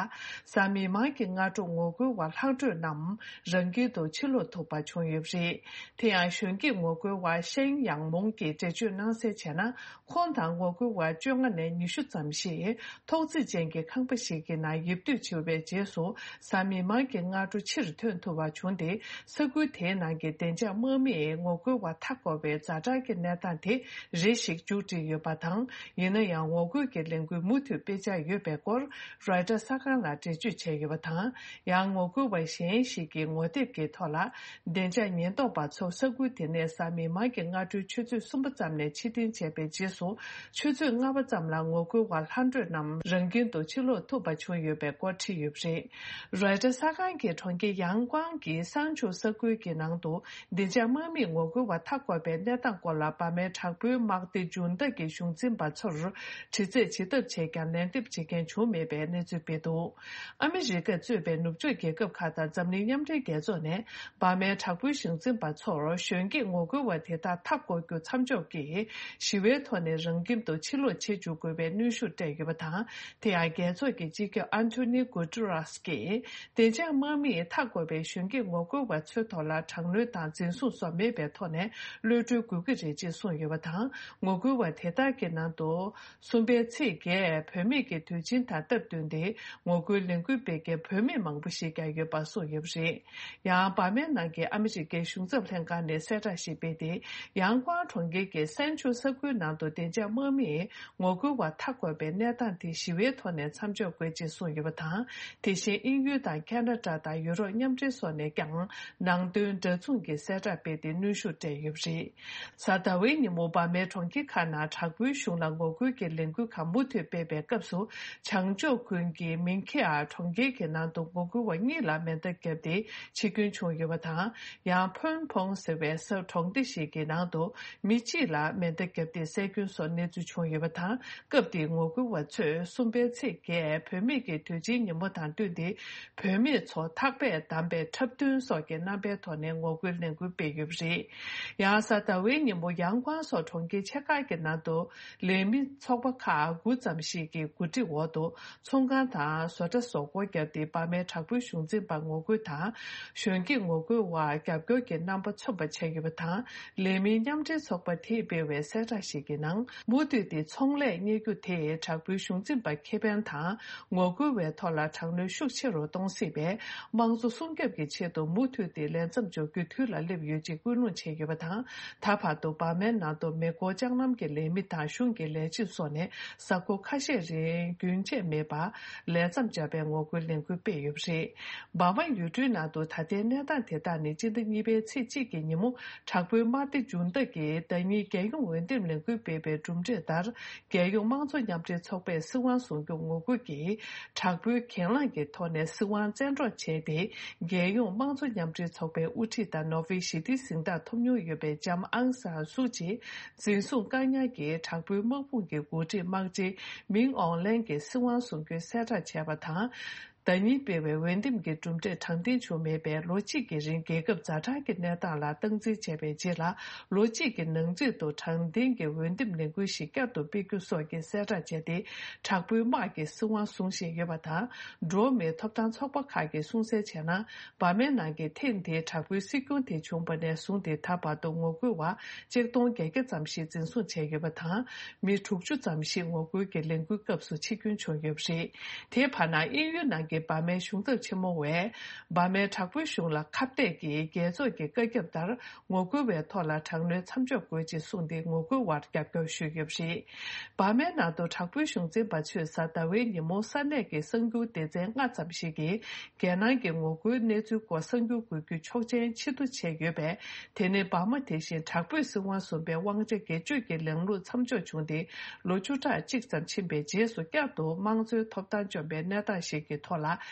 གཟའ་མིག་དམར་གྱི་སྔ་དྲོ་ངོ་རྒོལ་བ་ལྷག་འཕྲོས་རྣམས་རང་ཁྱིམ་དུ་ཕྱིར་ལོག་ཐུབ་པ་བྱུང་ཡོད་པ་རེད། དེ་ཡང་གཞོན་སྐྱེས་ངོ་རྒོལ་བ་ཤན་ཡང་མོང་གིས་འགྲེལ་བརྗོད་གནང་གསལ་བྱས་ན། ཁོང་དང་ངོ་རྒོལ་བ་བཅོ་ལྔ་ནས་ཉི་ཤུ་ཙམ་ཞིག་ཐོག་བརྩེགས་ཅན་གྱི་ཁང་པ་ཞིག་གི་ནང་ཡིབ་སྡོད་བྱས་པའི་རྗེས་སུ། གཟའ་མིག་དམར་གྱི་སྔ་དྲོ་ཕྱིར་ཐོན་ཐུབ་པ་བྱུང་སྟེ། ས་ཁུལ་དེའི་ནང་གི་བདེ་འཇགས་དམག་མིས་ངོ་རྒོལ་བ་མཐའ་བསྐོར་བའི་ཛ་དྲག་གི་གནས་སྟངས་དེ་རེ་ཞིག་མཇུག་སྒྲིལ་ཡོད་པ་དང་། ཡིན་ན་ཡང་ངོ་རྒོལ་གྱི་ལས་འགུལ་མུ་མཐུད་སྤེལ་འཆར་ཡོད་པའི་སྐོར། རོའི་ཊར་གསར་ཁང་ལ་འགྲེལ་བརྗོད་བྱས་ཡོད་པ་དང་། ཡང་ངོ་རྒོལ་བ་གཞན་ཞིག་གིས་ངོ་དེབ་ཀྱི་ཐོག་ལ། བདེ་འཇགས་ཉེན་རྟོག་པ་ཚོ་ས་ཁུལ་དེ་ནས་གཟའ་མིག་དམར་གྱི་སྔ་དྲོའི་ཆུ་ཚོད་གསུམ་པ་ཙམ་ནས་ཕྱིར་འཐེན་བྱས་པའི་རྗེས་སུ། ཆུ་ཚོད་ལྔ་པ་ཙམ་ལ་ངོ་རྒོལ་བ་ལྷག་འཕྲོས་རྣམས་རང་ཁྱིམ་དུ་ཕྱིར་ལོག་ཐུབ་པ་བྱུང་ཡོད་པའི་སྐོར་བྲིས་ཡོད་པ་རེད། རོའི་ཊར་གསར་ཁང་གིས་གྲོང་ཁྱེར་ཡང་ཀོང་གི་སང་ཆུ་ས་ཁུལ་གྱི་ནང་དུ། བདེ་འཇགས་དམག་མིས་ངོ་རྒོལ་བ་མཐའ་བསྐོར་བའི་གནས་སྟངས་སྐོར་ལ་འབར་མའི་དྲག་པོའི་དམག་སྡེ་འཇུ་འདག་གི་གཞུང་འཛིན་པ་ཚོར་དྲི་རྩད་བྱེད་ཐབས་བྱས་ཀྱང་ལན་འདེབས་བྱེད་མཁན་བྱུང་མེད་པའི་གནས་ཚུལ་སྤེལ་འདུག་ཨ་མི་རི་ཀས་གཙོས་པའི་ནུབ་ཕྱོགས་རྒྱལ་ཁབ་ཁག་དང་འཛམ་གླིང་མཉམ་འབྲེལ་རྒྱལ་ཚོགས་ནས་འབར་མའི་དྲག་པོའི་གཞུང་འཛིན་པ་ཚོར་གཞོན་སྐྱེས་ངོ་རྒོལ་བ་དེ་དག་མཐའ་བསྐོར་རྒྱུ་མཚམས་འཇོག་གིས་ཞི་བའི་ཐོག་ནས་རང་ཁྱིམ་དུ་ཕྱིར་ལོག་བྱེད་འཇུག་དགོས་པའི་གནོན་ཤུགས་སྤྲད་ཡོད་པ་དང་། དེ་ཡང་རྒྱལ་ཚོགས་ཀྱི་སྤྱི་ཁྱབ་ཨན་ཐོ་ནི་གུ་ཏུ་རཱས་ཀྱིས། བདེ་འཇགས་དམག་མིས་མཐའ་བསྐོར་བའི་གཞོན་སྐྱེས་ངོ་རྒོལ་བ་ཚོའི་ཐོག་ལ་དྲག་གནོན་དང་འཛིན་བཟུང་སོགས་མེད་པའི་ཐོག་ནས་གློད་གྲོལ་དགོས་ཀྱི་རེད་ཅེས་གསུངས་ཡོད་པ་དང་། ངོ་རྒོལ་བ་དེ་དག་གི་ནང་དུ། གསུམ་པའི་ཚེས་བརྒྱད་བུད་མེད་ཀྱི་དུས་ཆེན་དང་སྟབས་བསྟུན་ཏེ་ངོ་རྒོལ་ལས་འགུལ་སྤེལ་མཁན་བུད་མེད་མང་པོ་ཞིག་ཀྱང་ཡོད་པ་གསུངས་ཡོད་པ་རེད། ཡང་འབར་མའི་ནང་གི་ཨ་མི་རི་ཀའི་གཞུང་ཚབ་ལྷན་ཁང་ནས་གསལ་བསྒྲགས་ཤིག་སྤེལ་ཏེ། ཡང་ཀོང་གྲོང་ཁྱེར་གྱི་སན་ཆུ་ས་ཁུལ་ནང་དུ་བདེ་འཇགས་དམག་མིས་ངོ་རྒོལ་བ་མཐའ་བསྐོར་བའི་གནས་སྟངས་དེ་ཞི་བའི་ཐོག་ནས་མཚམས་འཇོག་དགོས་ཅེས་གསུངས་ཡོད་པ་དང་། དེ་བཞིན་དབྱིན་ཡུལ་དང་ཁ་ན་ཌ་དང་ཡུ་རོབ་མཉམ་འབྲེལ་སོགས་ནས་ཀྱང་ནང་དོན་འདྲ་མཚུངས་ཀྱི་གསལ་བསྒྲགས་སྤེལ་ཏེ་གནོན་ཤུགས་སྤྲད་ཡོད་པ་རེད། གཟའ་ཟླ་བའི་ཉིན་མོ་འབར་མའི་གྲོང་ཁྱེར་ཁག་ནང་དྲག་པོའི་གཞུང་ལ་ངོ་རྒོལ་གྱི་ལས་འགུལ་ཁག་མུ་མཐུད་སྤེལ་བའི་སྐབས་སུ། བྱང་ཕྱོགས་ཁུལ་གྱི་མིང་ཁེ་ཨར་གྲོང་ཁྱེར་གྱི་ནང་དུ་ངོ་རྒོལ་བ་གཉིས་ལ་མེ་མདའ་བརྒྱབ་སྟེ་འཆི་སྐྱོན་བྱུང་ཡོད་པ་དང་། ཡང་ཕོན་ཕོང་ཟེར་བའི་ས་གྲོང་སྡེ་ཞིག་གི་ནང་དུ་མི་གཅིག་ལ་མེ་མདའ་བརྒྱབ་སྟེ་བསད་སྐྱོན་སོགས་གནས་ཚུལ་བྱུང་ཡོད་པ་དང་། སྐབས་དེའི་ངོ་རྒོལ་བ་ཚོས་གསུམ་པའི་ཚེས་བརྒྱད་བུད་མེད་ཀྱི་དུས་ཆེན་ཉིན་མོ་དང་བསྟུན་ཏེ། བུད་མེད་ཚོ་ཐག་པས་བསྡམས་པའི་འཁྲབ་སྟོན་སོགས་ཀྱི་རྣམ་པའི་ཐོག་ནས་ངོ་རྒོལ་ལས་འགུལ་སྤེལ་ཡོད་པ་རེད། ཡང་གཟའ་ཟླ་བའི་ཉིན་མོ་ཡང་ཀོང་སོགས་གྲོང་ཁྱེར་ཆེ་ཁག་གི་ནང་དུ་ལས་མི་ཚོགས་པ་ཁག་དགུ་ཙམ་ཞིག་གི་གོ་སྒྲིག་འོག་ཏུ་ཚོང་ཁང་དང་བཟོ་གྲྭ་སོགས་སྒོ་བརྒྱབ་སྟེ་འབར་མའི་དྲག་པོའི་གཞུང་འཛིན་པར་ངོ་རྒོལ་དང་། གཞོན་སྐྱེས་ངོ་རྒོལ་བར་རྒྱབ་སྐྱོར་གྱི་རྣམ་པ་མཚོན་པ་བྱས་ཡོད་པ་དང་། ལས་མིའི་མཉམ་འབྲེལ་ཚོགས་པ་དེས་སྤེལ་བའི་གསལ་བསྒྲགས་ཤིག་གི་ནང་། མུ་མཐུད་དེ་ཚོང་ལས་གཉེར་རྒྱུ་དེས་དྲག་པོའི་གཞུང་འཛིན་པར་ཁེ་ཕན་དང་། ངོ་རྒོལ་བའི་ཐོག་ལ་དྲག་གནོན་ཤུགས་ཆེ་རུ་གཏོང་སྲིད་པས། དམངས་གཙོ་སྲུང་སྐྱོབ་ཀྱི་ཆེད་དུ་མུ་མཐུད་དེ་ལས་མཚམས་འཇོག་རྒྱུའི་དུས་ལ་སླེབས་ཡོད་ཅེས་སྐུལ་སློང་བྱས་ཡོད་པ་དང་། ད་བར་དུ་འབར་མའི་ནང་དུ་མེ་འཁོར་ལྕགས་ལམ་གྱི་ལས་མི་དང་གཞུང་གི་ལས་བྱེད་སོགས་ནས་གཟའ་འཁོར་ཁ་ཤས་རིང་རྒྱུན་ཆད་མེད་པར་ལས་མཚམས་སྦྱར་བའི་ངོ་རྒོལ་ལས་འགུལ་སྤེལ་ཡོད་པ་རེད། འབར་མ་ཡུལ་གྲུའི་ནང་དུ་ད་ལྟའི་གནས་སྟངས་དེ་དག་ནི་སྤྱི་ཟླ་གཉིས་པའི་ཚེས་གཅིག་གི་ཉིན་མོ་དྲག་པོའི་དམག་སྡེ་འཇུ་འདག་གིས་ཟླ་ཉིན་རྒྱལ་ཡོངས་འོས་འདེམས་ལས་འགུལ་སྤེལ་བའི་གྲུབ་འབྲས་ལྟར། རྒྱལ་ཡོངས་དམངས་གཙོ་མཉམ་འབྲེལ་ཚོགས་པས་སྲིད་དབང་བཟུང་རྒྱུ་ངོ་རྒོལ་གྱིས་དྲག་པོའི་གྱེན་ལངས་ཀྱི་ཐོག་ནས་སྲིད་དབང་བཙན་འཕྲོག་བྱས་ཏེ། རྒྱལ་ཡོངས་དམངས་གཙོ་མཉམ་འབྲེལ་ཚོགས་པའི་དབུ་ཁྲིད་དང་ནོ་བྷེལ་ཞི་བདེའི་གཟེངས་རྟགས་ཐོབ་མྱོང་ཡོད་པའི་ལྕམ་ཨང་སང་སུ་ཅི་འཛིན་བཟུང་བཀག་ཉར་གྱིས་དྲག་པོའི་དམག་དཔུང་གི་འགོ་ཁྲིད་དམག་སྤྱི་མིང་ཨོང་ལན་གྱི་སྲིད་དབང་བཟུང་རྒྱུའི་གསལ་བསྒྲགས་བྱས་པ་དང་། ཟླ་ཉིན་སྤེལ་བའི་འོས་འདེམས་ཀྱི་གྲུབ་འབྲས་དྲང་བདེན་བྱུང་མེད་པས། ལོ་གཅིག་གི་རིང་རྒྱལ་ཁབ་ཛ་དྲག་གི་གནས་སྟངས་ལ་སྟངས་འཛིན་བྱས་པའི་རྗེས་ལ། ལོ་གཅིག་གི་ནང་ཚུད་དུ་དྲང་བདེན་གྱི་འོས་འདེམས་ལས་འགུལ་ཞིག་བསྐྱར་དུ་སྤེལ་རྒྱུ་སོགས་ཀྱི་གསལ་བསྒྲགས་བྱས་ཏེ། དྲག་པོའི་དམག་གིས་སྲིད་དབང་བཟུང་བཞིན་ཡོད་པ་དང་། འགྲོ་བ་མིའི་ཐོབ་ཐང་ཚོགས་པ་ཁག་གིས་གསུངས་གསལ་བྱས་ན། འབར་མའི་ནང་གི་ཐེངས་འདིའི་དྲག་པོའི་སྲིད་སྐྱོང་དེ་བྱུང་བ་ནས་བཟུང་སྟེ། ད་བར་དུ་ངོ་རྒོལ་བ་ཆིག་སྟོང་བརྒྱད་བརྒྱ་ཙམ་ཞིག་འཛིན་བཟུང་བྱས་ཡོད་པ་དང་། མི་དྲུག་ཅུ་ཙམ་ཞིག་ངོ་རྒོལ་གྱི་ལས་འགུལ་སྐབས་སུ་འཆི་སྐྱོན་བྱུང་ཡོད་པ་རེད། དེའི་བར་ན། དབྱིན་ཡུལ་ནང་གི་འབར་མའི་གཞུང་ཚབ་ཆེན་མོ་བས་འབར་མའི་དྲག་པོའི་གཞུང་ལ་ཁ་གཏད་ཀྱིས་རྒྱལ་ཚོགས་ཀྱི་བཀའ་ཁྱབ་ལྟར་ངོ་རྒོལ་བའི་ཐོག་ལ་དྲག་གནོན་མཚམས་འཇོག་དགོས་ཅེས་གསུངས་ཏེ་ངོ་རྒོལ་བར་རྒྱབ་སྐྱོར་ཞུས་ཡོད་པ་རེད། འབར་མའི་ནང་དུ་དྲག་པོའི་གཞུང་འཛིན་པ་ཚོས་གཟའ་ཟླ་བའི་ཉིན་མོ་ས་གནས་ཀྱི་གསར་འགྱུར་སྡེ་ཚན་ལྔ་ཙམ་ཞིག་གིས་རྒྱལ་ནང་གི་ངོ་རྒོལ་གནས་ཚུལ་སྐོར་གསར་འགྱུར་འགོད་རྒྱུ་ཆོག་མཆན་ཕྱིར་བསྡུ་བྱས་ཡོད་པས། དེ་ནི་འབར་མ་དེ་བཞིན་དྲག་པོས་སྲིད་དབང་བཟུང་པའི་དབང་ཆ་སྒེར་གཅོད་ཀྱི་ལམ་ལུགས་མཚམས་འཇོག་བྱུང་སྟེ་ལོ་བཅུ་ཕྲག་གཅིག་ཙམ་ཕྱིན་པའི་རྗེས་སུ་བསྐྱར་དུ་དམངས་གཙོའི་ཐོབ་ཐང་བཅོམ་པའི་གནས་སྟངས་ཤིག་གི་ཐོག་ལ་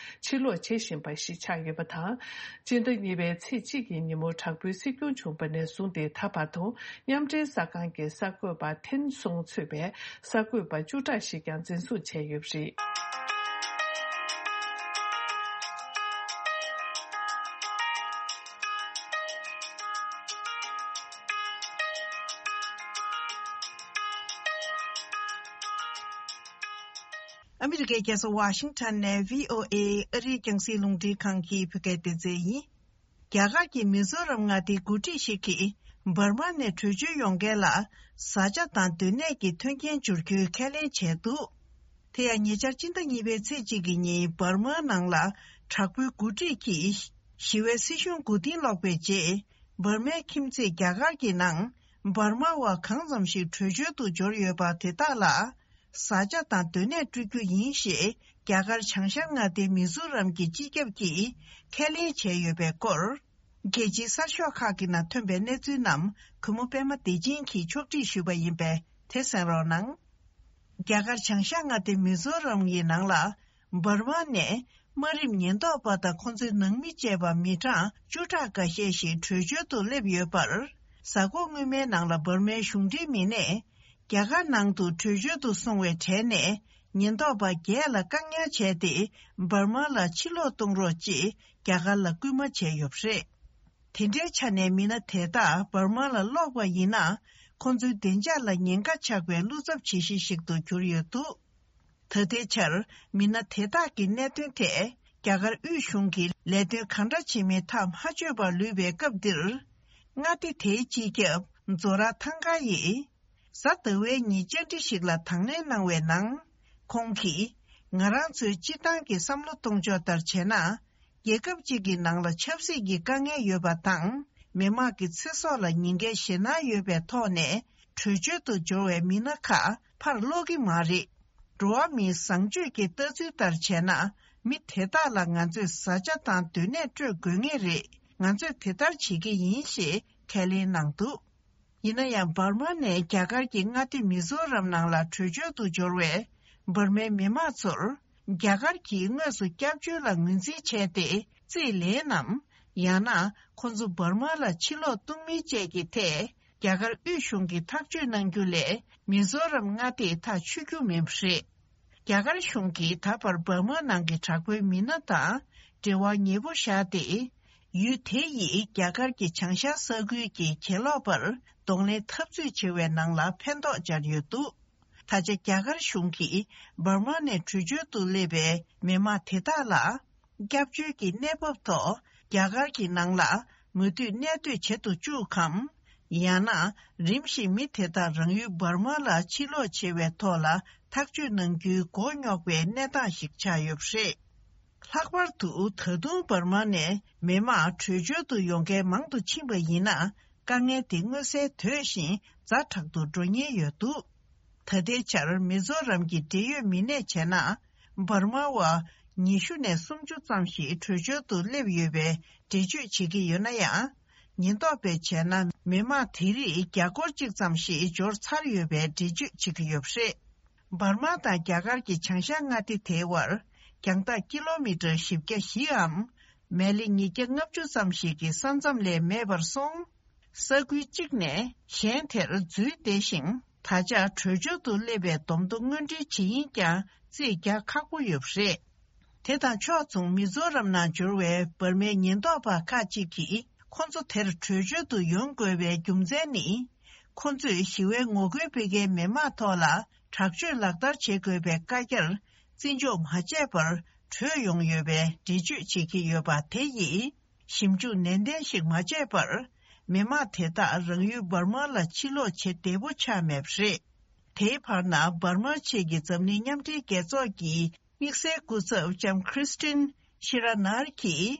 ཕྱིར་ལོག་བྱེད་བཞིན་པ་ཞིག་ཆགས་ཡོད་པ་དང་། སྤྱི་ཟླ་གཉིས་པའི་ཚེས་གཅིག་གི་ཉིན་མོ་དྲག་པོའི་སྲིད་སྐྱོང་བྱུང་བ་ནས་བཟུང་སྟེ་ད་བར་དུ་མཉམ་འབྲེལ་གསར་ཁང་གི་གསར་འགོད་པ་ཐེན་སུང་གཙོས་པའི་གསར་འགོད་པ་བཅུ་ཕྲག་ཞིག་ཀྱང་འཛིན་བཟུང་བྱས་ཡོད་པ་རེད། ཨ་མི་རི་ཀའི་རྒྱལ་ས་ཝ་ཤིང་ཊོན་ནས་བྷི་ཨོ་ཨེ་ཨ་རིའི་རྒྱང་སྲིང་རླུང་འཕྲིན་ཁང་གི་བོད་སྐད་སྡེ་ཚན་ཡིན། རྒྱ་གར་གྱི་མི་ཛོ་རམ་མངའ་སྡེའི་འགོ་ཁྲིད་ཞིག་གིས་འབར་མ་ནས་བྲོས་བྱོལ་ཡོང་མཁན་ལ་བཟའ་བཅའ་དང་སྡོད་གནས་ཀྱི་མཐུན་རྐྱེན་སྦྱོར་རྒྱུའི་ཁས་ལེན་བྱས་འདུག་དེ་ཡང་ཉེ་ཆར་སྤྱི་ཟླ་གཉིས་པའི་ཚེས་གཅིག་གི་ཉིན་འབར་མའི་ནང་ལ་དྲག་པོའི་འགོ་ཁྲིད་ཀྱིས་ཞི་བའི་སྲིད་གཞུང་མགོ་རྟིང་སློག་པའི་རྗེས། འབར་མའི་ཁྱིམ་མཚེས་རྒྱ་གར་གྱི་ནང་འབར་མ་བ་གང་ཙམ་ཞིག་བྲོས་བྱོལ་དུ་འབྱོར་ཡོད་པ་དེ་དག་ལ། བཟའ་བཅའ་དང་སྡོད་གནས་སྤྲོད་རྒྱུ་ཡིན་ཞེས་རྒྱ་གར་བྱང་ཤར་མངའ་སྡེའི་མི་ཛོ་རམ་གྱི་སྤྱི་ཁྱབ་ཀྱིས་ཁས་ལེན་བྱས་ཡོད་པའི་སྐོར། རྒྱལ་སྤྱིའི་གསར་ཤོག་ཁག་གི་ནང་ཐོན་པའི་གནས་ཚུལ་རྣམས་གུས་མོ་པད་མ་བདེ་ཆེན་གྱིས་ཕྱོགས་སྒྲིག་ཞུས་པ་ཡིན་པས་དེ་གསན་རོགས་གནང་། རྒྱ་གར་བྱང་ཤར་མངའ་སྡེ་མི་ཛོ་རམ་གྱི་ནང་ལ། འབར་མ་ནས་དམའ་རིམ་ཉེན་རྟོག་པ་དང་ཁོང་ཚོའི་ནང་མི་བཅས་པ་མི་གྲངས་བཅུ་ཕྲག་འགའ་ཤས་ཤིག་བྲོས་བྱོལ་དུ་སླེབས་ཡོད་པར། གཟའ་འཁོར་སྔོན་མའི་ནང་ལ་འབར་མའི་གཞུང་འབྲེལ་མི་སྣས། རྒྱ་གར་ནང་དུ་བྲོས་བྱོལ་དུ་སོང་བའི་གྲས་ནས་ཉེན་རྟོག་པ་བརྒྱད་ལ་བཀག་ཉར་བྱས་ཏེ། འབར་མ་ལ་ཕྱིར་ལོག་གཏོང་རོགས་ཅེས་རྒྱ་གར་ལ་སྐུལ་མ་བྱས་ཡོད་པ་རེད། དེ་འདྲའི་ཆ་ནས་མི་སྣ་དེ་དག་འབར་མ་ལ་ལོག་པ་ཡིན་ན། ཁོང་ཚོའི་བདེ་འཇགས་ལ་ཉེན་ཁ་ཆགས་པའི་བློ་འཚབ་བྱེད་གཞི་ཞིག་ཏུ་གྱུར་ཡོད་འདུག་ད་ལྟའི་ཆར་མི་སྣ་དེ་དག་གི་གནད་དོན་ཐད་རྒྱ་གར་དབུས་གཞུང་གིས་ལས་དོན་གང་འདྲ་བྱེད་མིན་ཐག་མ་ཆོད་པར་ལུས་པའི་སྐབས་འདིར། མངའ་སྡེ་དེའི་སྤྱི་ཁྱབ་ཛོ་ར་ཐང་ག་ཡིས། གཟའ་ཟླ་བའི་ཉིན་བཅར་འདྲི་ཞིག་ལ་དང་ལེན་གནང་བའི་ནང་། ཁོང་གིས། ང་རང་ཚོའི་སྤྱིར་བཏང་གི་བསམ་བློ་གཏོང་ཕྱོགས་ལྟར་བྱས་ན། རྒྱལ་ཁབ་ཅིག་གི་ནང་ལ་ཆབ་སྲིད་ཀྱི་དཀའ་ངལ་ཡོད་པ་དང་། མི་དམངས་ཀྱི་ཚེ་སྲོག་ལ་ཉེན་ཁའི་ཞེད་སྣང་ཡོད་པའི་ཐོག་ནས། བྲོས་བྱོལ་དུ་འབྱོར་བའི་མི་སྣ་ཁག་ཕར་སློག་གི་མ་རེད། འགྲོ་བ་མིའི་བཟང་སྤྱོད་ཀྱི་ལྟ་ཚུལ་ལྟར་བྱས་ན། མི་དེ་དག་ལ་ང་ཚོས་བཟའ་བཅའ་དང་སྡོད་གནས་སྤྲོད་དགོས་ངེས་རེད། ང་ཚོས་དེ་ལྟར་བྱེད་ཀྱི་ཡིན་ཞེས་ཁས་ལེན་གནང་འདུག་ཡིན་ན་ཡང་འབར་མ་ནས་རྒྱ་གར་གྱི་མངའ་སྡེ་མི་ཛོ་རམ་ནང་ལ་བྲོས་བྱོལ་དུ་འབྱོར་བའི་འབར་མའི་མི་དམངས་ཚོར། རྒྱ་གར་གྱིས་དངོས་སུ་སྐྱབས་བཅོལ་ལ་ངོས་འཛིན་བྱས་ཏེ་རྩིས་ལེན་ནམ། ཡང་ན་ཁོང་ཚོ་འབར་མ་ལ་ཕྱིར་ལོག་གཏོང་མིན་བཅས་ཀྱི་ཐད། རྒྱ་གར་དབུས་གཞུང་གིས་ཐག་གཅོད་གནང་རྒྱུ་ལས། མི་ཛོ་རམ་མངའ་སྡེས་ཐག་ཆོད་རྒྱུ་མིན་པ་རེད། རྒྱ་གར་གཞུང་གིས་ད་བར་འབར་མ་ནང་གི་དྲག་པོའི་མི་སྣ་དང་འབྲེལ་བ་ཉེ་པོ་བཞག་སྟེ། ཡུལ་དེ་ཡིས་རྒྱ་གར་གྱི་བྱང་ཤར་ས་ཁུལ་གྱི་གྱེན་ལོག་པར་གདོང་ལེན་འཐབ་རྩོད་བྱེད་པའི་ནང་ལ་ཕན་ཐོགས་སྦྱར་ཡོད་འདུག་ད་ཆ་རྒྱ་གར་གཞུང་གིས་འབར་མ་ནས་བྲོས་བྱོལ་དུ་སླེབས་པའི་མི་དམངས་དེ་དག་ལ། སྐྱབས་བཅོལ་གྱི་གནས་བབ་ཐོག་རྒྱ་གར་གྱི་ནང་ལ་མུ་མཐུད་གནས་སྡོད་བྱེད་དུ་བཅུག་གམ། ཡང་ན་རིམ་བཞིན་མི་དེ་དག་རང་ཡུལ་འབར་མ་ལ་ཕྱིར་ལོག་བྱེད་པའི་ཐོག་ལ་ཐག་གཅོད་གནང་རྒྱུའི་མགོ་རྙོག་པའི་གནས་སྟངས་ཤིག་ཆགས་ཡོད་པ་རེད། ལྷག་པར་དུ་ད་དུང་འབར་མ་ནས་མི་དམངས་བྲོས་བྱོལ་དུ་ཡོང་མཁན་མང་དུ་ཕྱིན་པ་ཡིན་ན། དཀའ་ངལ་དེ་མངོན་གསལ་དོད་བཞིན་ཛ་དྲག་ཏུ་འགྲོ་ཉེན་ཡོད་འདུག་ད་ལྟའི་ཆར་མི་ཛོ་རམ་གྱི་འབྲེལ་ཡོད་མི་སྣས་བྱས་ན། འབར་མ་བ་ཉི་ཤུ་ནས་སུམ་ཅུ་ཙམ་ཞིག་བྲོས་བྱོལ་དུ་སླེབས་ཡོད་པའི་འགྲེལ་བརྗོད་བྱེད་ཀྱི་ཡོད་ན་ཡང་། ཉེན་རྟོག་པས་བྱས་ན་མི་དམངས་དེ་རིགས་བརྒྱ་སྐོར་གཅིག་ཙམ་ཞིག་འབྱོར་ཚར་ཡོད་པའི་འགྲེལ་བརྗོད་བྱེད་ཀྱི་ཡོད་པ་རེད། འབར་མ་དང་རྒྱ་གར་གྱི་བྱང་ཤར་མངའ་སྡེ་དེའི་བར་རྒྱང་ཐག་ཀི་ལོ་མི་ཊར་བཞི་བརྒྱ་བཞིའམ། མལ་ལེ་ཉིས་བརྒྱ་ལྔ་བཅུ་ཙམ་ཞིག་གི་ས་མཚམས་ལས་མེད་པར་སོང་། ས་ཁུལ་གཅིག་ནས་གཞན་དེར་འཛུལ་བསྡད་ཤིང་། ད་ཆ་བྲོས་བྱོལ་དུ་སླེབས་པའི་བསྡོམས་ཐོ་དངོས་འབྲེལ་བྱེད་ཡིན་ཀྱང་རྩིས་རྒྱག་ཁག་པོ་ཡོད་པ་རེད། དེ་དང་ཕྱོགས་མཚུངས་མི་ཛོ་རམ་ནང་འབྱོར་བའི་འབར་མའི་ཉེན་རྟོག་པ་ཁག་ཅིག་གིས་ཁོ་ཚོ་དེར་བྲོས་བྱོལ་དུ་ཡོང་དགོས་པའི་རྒྱུ་མཚན་ནི། ཁོ་ཚོས་ཞི་བའི་ངོ་རྒོལ་སྤེལ་མཁན་མི་མང་ཐོག་ལ་དྲག་སྤྱོད་ལག་བསྟར་བྱེད་དགོས་པའི་བཀའ་རྒྱར་བརྩི་འཇོག་མ་བྱས་པར་བྲོས་ཡོང་ཡོད་པའི་འགྲེལ་བརྗོད་བྱེད་ཀྱི་ཡོད་པ་དེ་ཡིས། ཞིབ་འཇུག་ནན་ཏན་ཞིག་མ་བྱས་པར། མི་དམངས་དེ་དག་རང་ཡུལ་འབར་མ་ལ་ཕྱིར་ལོག་བྱེད་བདེ་པོ་ཆགས་མེད་པ་རེད། དེའི་བར་ན་འབར་མ་ཆེད་ཀྱི་འཛམ་གླིང་མཉམ་འབྲེལ་རྒྱལ་ཚོགས་ཀྱི་ དམིགས་བསལ་སྐུ་ཚབ་ལྕམ་ཁྲིས་ཏིན་ཤི་ར་ནར་གྱིས།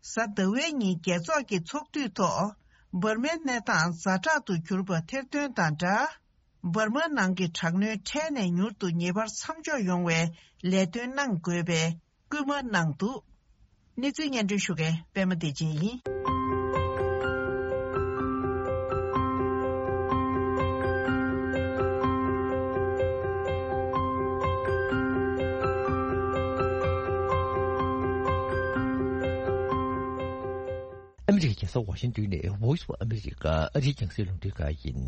གཟའ་ཟླ་བའི་ཉིན་རྒྱལ་ཚོགས་ཀྱི་ཚོགས་དུས་ཐོག་འབར་མའི་གནས་སྟངས་ཛ་དྲག་ཏུ་གྱུར་པ་ཐེར་འདོན་དང་སྦྲགས། འབར་མ་ནང་གི་དྲག་གནོན་འཕྲལ་ནས་མྱུར་དུ་ངེས་པར་མཚམས་འཇོག་ཡོང་བའི་ལས་དོན་གནང་དགོས་པའི་སྐུལ་མ་གནང་འདུག་གནས་ཚུལ་སྙན་སྒྲོན་ཞུ་མཁན་པད་མ་བདེ་ཆེན་ཡིན། ཨ་མི་རི་ཀའི་རྒྱལ་ས་ཝ་ཤིང་ཏོན་ནས་Voice of America ཨ་རིའི་རྒྱང་སྲིང་རླུང་འཕྲིན་ཁང་ཡིན།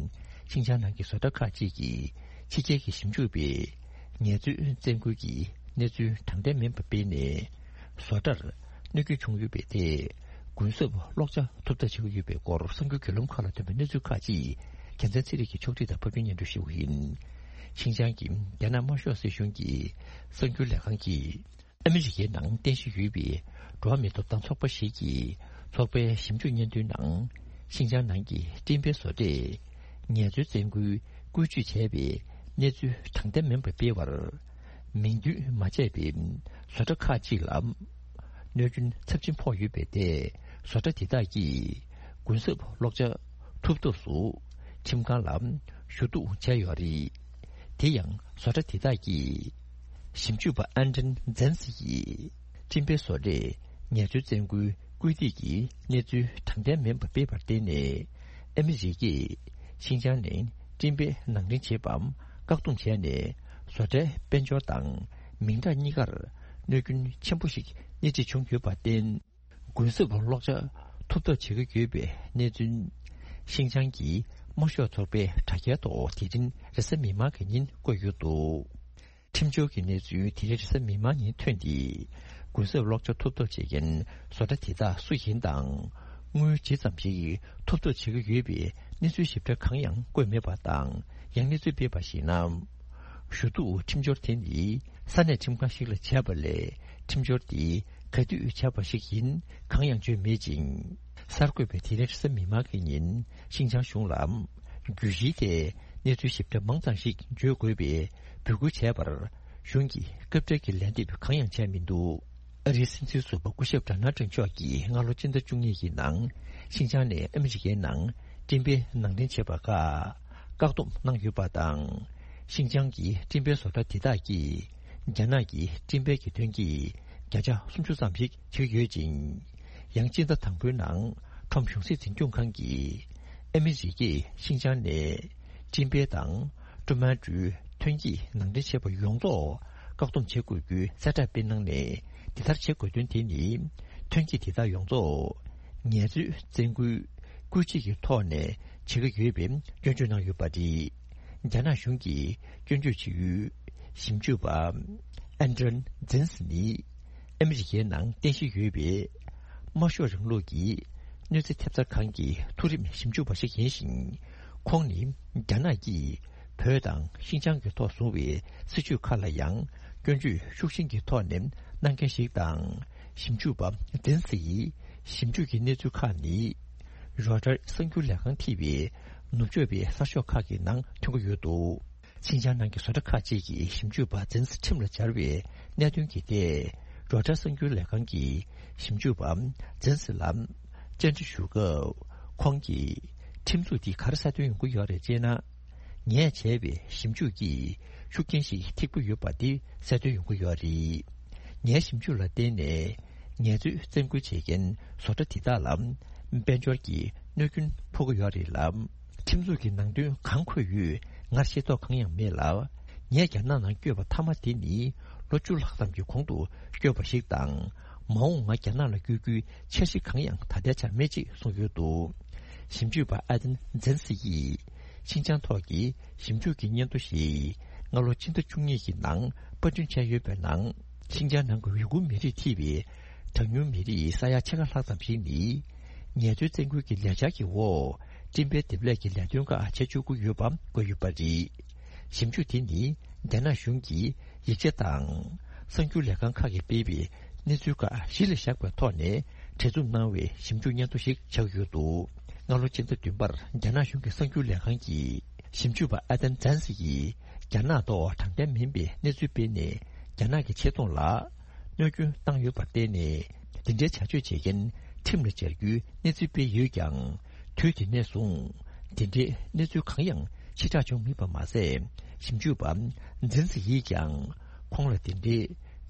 ཤིན་ཅང་ནང་གི་བཟོ་གྲྭ་ཁག་ཅིག་གིས་ཕྱི་རྒྱལ་གྱི་ཞིབ་འཇུག་པས་ངལ་རྩོལ་བཙན་སྐུལ་གྱི་གནས་ཚུལ་དྲང་བདེན་མིན་པ་སྤེལ་ནས། བཟོ་གྲྭར་གནོད་སྐྱོན་བྱུང་ཡོད་པའི་ཐད། གུན་གསབ་གློག་ཆ་ཐོབ་ཐབས་བྱེད་ཀྱི་ཡོད་པའི་སྐོར་གསར་འགྱུར་བརྒྱུད་ལམ་ཁག་ལ་ཐོན་པའི་གནས་ཚུལ་ཁག་ཅིག་རྒྱལ་མཚན་ཚེ་རིང་གིས་ཕྱོགས་སྒྲིག་དང་ཕབ་སྒྱུར་སྙན་སྒྲོན་ཞུ་བ་ཡིན། ཤིན་ཅང་གི་རྒྱ་ནག་དམར་ཤོག་སྲིད་གཞུང་གི་གསར་འགྱུར་ལས་ཁང་གིས། ཨ་མི་རི་ཀའི་ནང་རྟེན་གཞི་ཡོད་པའི་འགྲོ་བ་མིའི་ཐོབ་ཐང་ཚོགས་པ་ཞིག་གིས་ཚོགས་པའི་ཞིབ་འཇུག་སྙན་ཐོའི་ནང་། ཤིན་ཅང་ནང་གི་སྤྲིན་པའི་བཟོ་གྲས་ངལ་རྩོལ་བཙན་སྐུལ་བཀོལ་སྤྱོད་བྱས་པའི་གནས་ཚུལ་དྲང་བདེན་མིན་པ་སྤེལ་བར། མིང་འདོན་མ་བྱས་པའི་བཟོ་གྲྭ་ཁག་ཅིག་ལ་གནོད་སྐྱོན་ཚབས་ཆེན་ཕོག་ཡོད་པའི་ཐད། བཟོ་གྲྭ་དེ་དག་གིས་གུན་གསབ་གློག་ཆ་ཐོབ་ཐབས་སུ་ཁྲིམས་ཁང་ལ་ཞུ་གཏུག་བྱས་ཡོད་རེད། དེ་ཡང་བཟོ་གྲྭ་དེ་དག་གིས་ཞིབ་འཇུག་པ་ཨན་ཏན་ཛན་སི་ཡིས་སྤྲིན་པའི་བཟོ་གྲས་ངལ་རྩོལ་བཙན་སྐུལ་སྐུལ་འདེད་ཀྱི་གནས་ཚུལ་དྲང་བདེན་མིན་པ་སྤེལ་བར་བརྟེན་ནས། ཨ་མི་རི་ཀས་ཤིན་ཅང་ནས་སྤྲིན་པའི་ནང་འདྲེན་བྱེད་པའམ་བཀག་སྡོམ་བྱས་ནས། བཟོ་གྲྭའི་དཔལ་འབྱོར་དང་མིང་གྲགས་གཉིས་ཀར་གནོད་སྐྱོན་ཆེན་པོ་ཞིག་སྣེ་ཁྲིད་བྱུང་ཡོད་པར་བརྟེན། གུན་གསབ་གློག་ཆ་ཐོབ་ཐབས་བྱེད་ཀྱི་ཡོད་པའི་གནས་ཚུལ། ཤིན་ཅང་གི་དམར་ཤོག་ཚོགས་པའི་དྲ་རྒྱའི་ཐོག་དེ་རིང་རེས་གཟའ་མིག་དམར་གྱི་ཉིན་བཀོད་ཡོད་འདུག་ཁྲིམས་སྦྱོར་གྱི་གནས་ཚུལ་དེ་རིང་རེས་གཟའ་མིག་དམར་ཉིན་ཐོན་ཏེ། གུན་གསབ་གློག་ཆ་ཐོབ་ཐབས་བྱེད་མཁན་བཟོ་གྲྭ་དེ་དག་སུ་ཡིན་དང་། དངུལ་ཇི་ཙམ་ཞིག་ཐོབ་ཐབས་བྱེད་ཀྱི་ཡོད་པའི་གནས་ཚུལ་ཞིབ་ཕྲ་གང་ཡང་བཀོད་མེད་པ་དང་། ཡང་གནས་ཚུལ་སྤེལ་བར་གཞིགས་ན། ཞུ་གཏུག་ཁྲིམས་སྦྱོར་དེ་ནི་ས་གནས་ཁྲིམས་ཁང་ཞིག་ལ་བྱས་པ་ལས། ཁྲིམས་སྦྱོར་དེ་ག་དུས་བྱས་པ་ཞིག་ཡིན་གང་ཡང་བརྗོད་མེད་ཅིང་། གསར་འགོད་པས་དེ་རིང་རེས་གཟའ་མིག་དམར་གྱི་ཉིན་ཤིན་ཅང་གཞུང་ལ། བརྗོད་གཞིའི་ཐད་གནས་ཚུལ་ཞིབ་ཕྲ་མང་ཙམ་ཞིག་བརྗོད་དགོས་པའི་འབོད་སྐུལ་བྱས་པར། གཞུང་གིས་སྐབས་འཕྲལ་གྱི་ལན་འདེབས་གང་ཡང་བྱས་མི་འདུག་ཨ་རིའི་སྲིད་འཛིན་ཟུར་པ་སྐུ་ཞབས་ཌོ་ནལ་ཊམ་མཆོག་གིས་སྔ་ལོ་སྤྱི་ཟླ་བཅུ་གཉིས་ཀྱི་ནང་ཤིན་ཅང་ནས་ཨ་མི་རི་ཀའི་ནང་སྤྲིན་པའི་ནང་འདྲེན་བྱེད་པ་ཁག་བཀག་སྡོམ་གནང་ཡོད་པ་དང་། ཤིན་ཅང་གི་སྤྲིན་པའི་བཟོ་གྲྭ་དེ་དག་གིས་རྒྱ་ནག་གི་སྤྲིན་པའི་གི་ཐོན་སྐྱེད་བརྒྱ་ཆ་སུམ་ཅུ་ཙམ་ཞིག་བྱེད་ཀྱི་ཡོད་ཅིང་། ཡང་སྤྱི་ཟླ་དང་པོའི་ནང་ཁྲོམ་གཞུང་སྲིད་འཛིན་སྐྱོང་ཁང་གིས་ཨ་མི་རི་ཀས་ཤིན་ཅང་ནས་སྤྲིན་པའི་དང་ཀྲུ་མན་ཀྲུའུ་ཐོན་སྐྱེད་ནང་འདྲེན་བྱེད་པ་ཡོངས་རྫོགས་བཀག་སྡོམ་བྱེད་དགོས་རྒྱུའི་གསལ་བསྒྲགས་སྤེལ་གནང་ནས། དེ་ལྟར་བྱེད་དགོས་དོན་དེ་ནི་ཐོན་སྐྱེད་དེ་དག་ཡོངས་རྫོགས་ངལ་རྩོལ་བཙན་སྐུལ་སྐུལ་བྱེད་ཀྱི་ཐོག་ནས་བྱེད་ཀྱི་ཡོད་པའི་སྐྱོན་བརྗོད་གནང་ཡོད་པ་རེད། རྒྱ་ནག་གཞུང་གིས་སྐྱོན་བརྗོད་བྱེད་ཡུལ་ཞིབ་འཇུག་པ་ཨན་ཏྲན་ཛིན་སི་ནི་ཨ་མི་རི་ཀའི་ནང་རྟེན་གཞི་ཡོད་པའི་དམར་ཤོག་རིང་ལུགས་ཀྱི་གནོད་འཚེ་ཐེབས་རྩ་ཁང་གི་མཐོ་རིམ་ཞིབ་འཇུག་པ་ཞིག་ཡིན་ཞིང་། ཁོང་ནི་རྒྱ་ནག་གིས་བོད་དང་ཤིན་ཅང་གི་ཐོག་བཟུང་བའི་སྲིད་བྱུས་ཁག་ལ་ཡང་སྐྱོན་བརྗོད་ཤུགས་ཆེན་གྱི་ཐོག་ནས་གནང་མཁན་ཞིག་དང་། ཞིབ་འཇུག་པ་ཛིན་སི་ཡིས་ཞིབ་འཇུག་གི་གནས་ཚུལ་ཁག་ནི་རོའི་ཊར་གསར་འགྱུར་ལས་ཁང་ཐེ་བའི་ནུབ་ཕྱོགས་པའི་གསར་ཤོག་ཁག་གི་ནང་ཐོན་གྱི་ཡོད་འདུག་ཤིན་ཅང་ནང་གི་བཟོ་གྲྭ་ཁག་ཅིག་གིས་ཞིབ་འཇུག་པ་ཛིན་སི་ཁྲིམས་ལ་སྦྱར་བའི་གནད་དོན་གྱི་ཐད། རོའི་ཊར་གསར་འགྱུར་ལས་ཁང་གིས་ཞིབ་འཇུག་པ་ཛིན་སི་ལ་བཅར་འདྲི་ཞུ་སྐབས། ཁོང་གིས་ཁྲིམས་འཛུགས་འདི་ག་རེ་གསལ་སྟོན་ཡོང་གི་ཡོད་རེད་ཅེ་ན། ངས་བྱས་པའི་ཞིབ་འཇུག་གིས་ཤུགས་རྐྱེན་ཞིག་ཐེབས་ཀྱི་ཡོད་པ་འདི་གསལ་སྟོན་ཡོང་གི་ཡོད་རེད། ངའི་ཞིབ་འཇུག་ལ་བརྟེན་ནས་ངལ་རྩོལ་བཙན་སྐུལ་བྱེད་མཁན་བཟོ་གྲྭ་དེ་དག་ལ་དཔལ་འབྱོར་གྱི་གནོད་སྐྱོན་ཕོག་གི་ཡོད་རེད་ལ། ཁྲིམས་འཛུགས་ཀྱི་ནང་དོན་གང་འཁོད་ཡོད་ངར་ཤེས་རྟོགས་གང་ཡང་མེད་ལ། ངས་རྒྱ་ནག་ནང་བསྐྱོད་པ་མཐའ་མ་དེ་ནི་ལོ་བཅུ་ལྷག་ཙམ་གྱི་གོང་དུ་བསྐྱོད་པ་ཞིག་དང་། མ་འོངས་ང་རྒྱ་ནག་ལ་བསྐྱོད་རྒྱུའི་འཆར་གཞི་གང་ཡང་ད་ལྟའི་ཆར་མེད་ཅེས་གསུངས་ཡོད་འདུག་ཞིབ་འཇུག་པ་ཨ་དན་ཛན་སི་ཡིས་ཤིན་ཅང་ཐོག་གི་ཞིབ་འཇུག་གི་སྙན་ཐོ་ཞིག་སྔ་ལོ་ཕྱི་ཟླ་བཅུ་གཉིས་ཀྱི་ནང་པར་སྐྲུན་བྱས་ཡོད་པའི་ནང་། ཤིན་ཅང་ནང་གི་ཝི་གུར་མི་རིགས་ཐེ་བའི་གྲངས་ཉུང་མི་རིགས་ས་ཡ་ཕྱེད་ཀ་ལྷག་ཙམ་ཞིག་ནི། ངལ་རྩོལ་བཙན་སྐུལ་གྱི་ལས་འཆར་གྱི་འོག་སྤྲིན་པའི་འདེབས་ལས་ཀྱི་ལས་དོན་ཁག་བྱེད་བཅུག་གི་ཡོད་པ་བཀོད་ཡོད་པ་རེད། ཞིབ་འཇུག་དེ་ནི་རྒྱ་ནག་གཞུང་གིས་ཡིག་ཆ་དང་གསར་འགྱུར་ལས་ཁང་ཁག་གིས་སྤེལ་བའི་གནས་ཚུལ་ཁག་གཞི་ལ་བཞག་པའི་ཐོག་ནས་གྲལ་འཛུགས་གནང་བའི་ཞིབ་འཇུག་སྙན་ཐོ་ཞིག་ཆགས་ཡོད་འདུག་སྔ་ལོ་ཕྱི་ཟླ་བདུན་པར་རྒྱ་ནག་གཞུང་གི་གསར་འགྱུར་ལས་ཁང་གིས་ཞིབ་འཇུག་པ་ཨ་དན་ཛན་སི་ཡིས་རྒྱ་ནག་ཐོག་དྲང་བདེན་མིན་པའི་གནས་ཚུལ་སྤེལ་ནས། རྒྱ་ནག་གི་ཆེ་མཐོང་ལ་གནོད་སྐྱོན་བཏང་ཡོད་པར་བརྟེན་ནས། འདི་འདྲའི་བྱ་སྤྱོད་བྱེད་མཁན་ཁྲིམས་ལ་སྦྱར་རྒྱུའི་གནས་ཚུལ་སྤེལ་ཡོད་ཀྱང་། དུས་དེ་ནས་བཟུང་འདི་འདྲའི་གནས་ཚུལ་གང་ཡང་ཕྱིར་བསྒྲགས་བྱུང་མེད་པ་མ་ཟད། ཞིབ་འཇུག་པ་འཛིན་ཚི་ཡིས་ཀྱང་ཁོང་ལ་འདི་འདྲའི་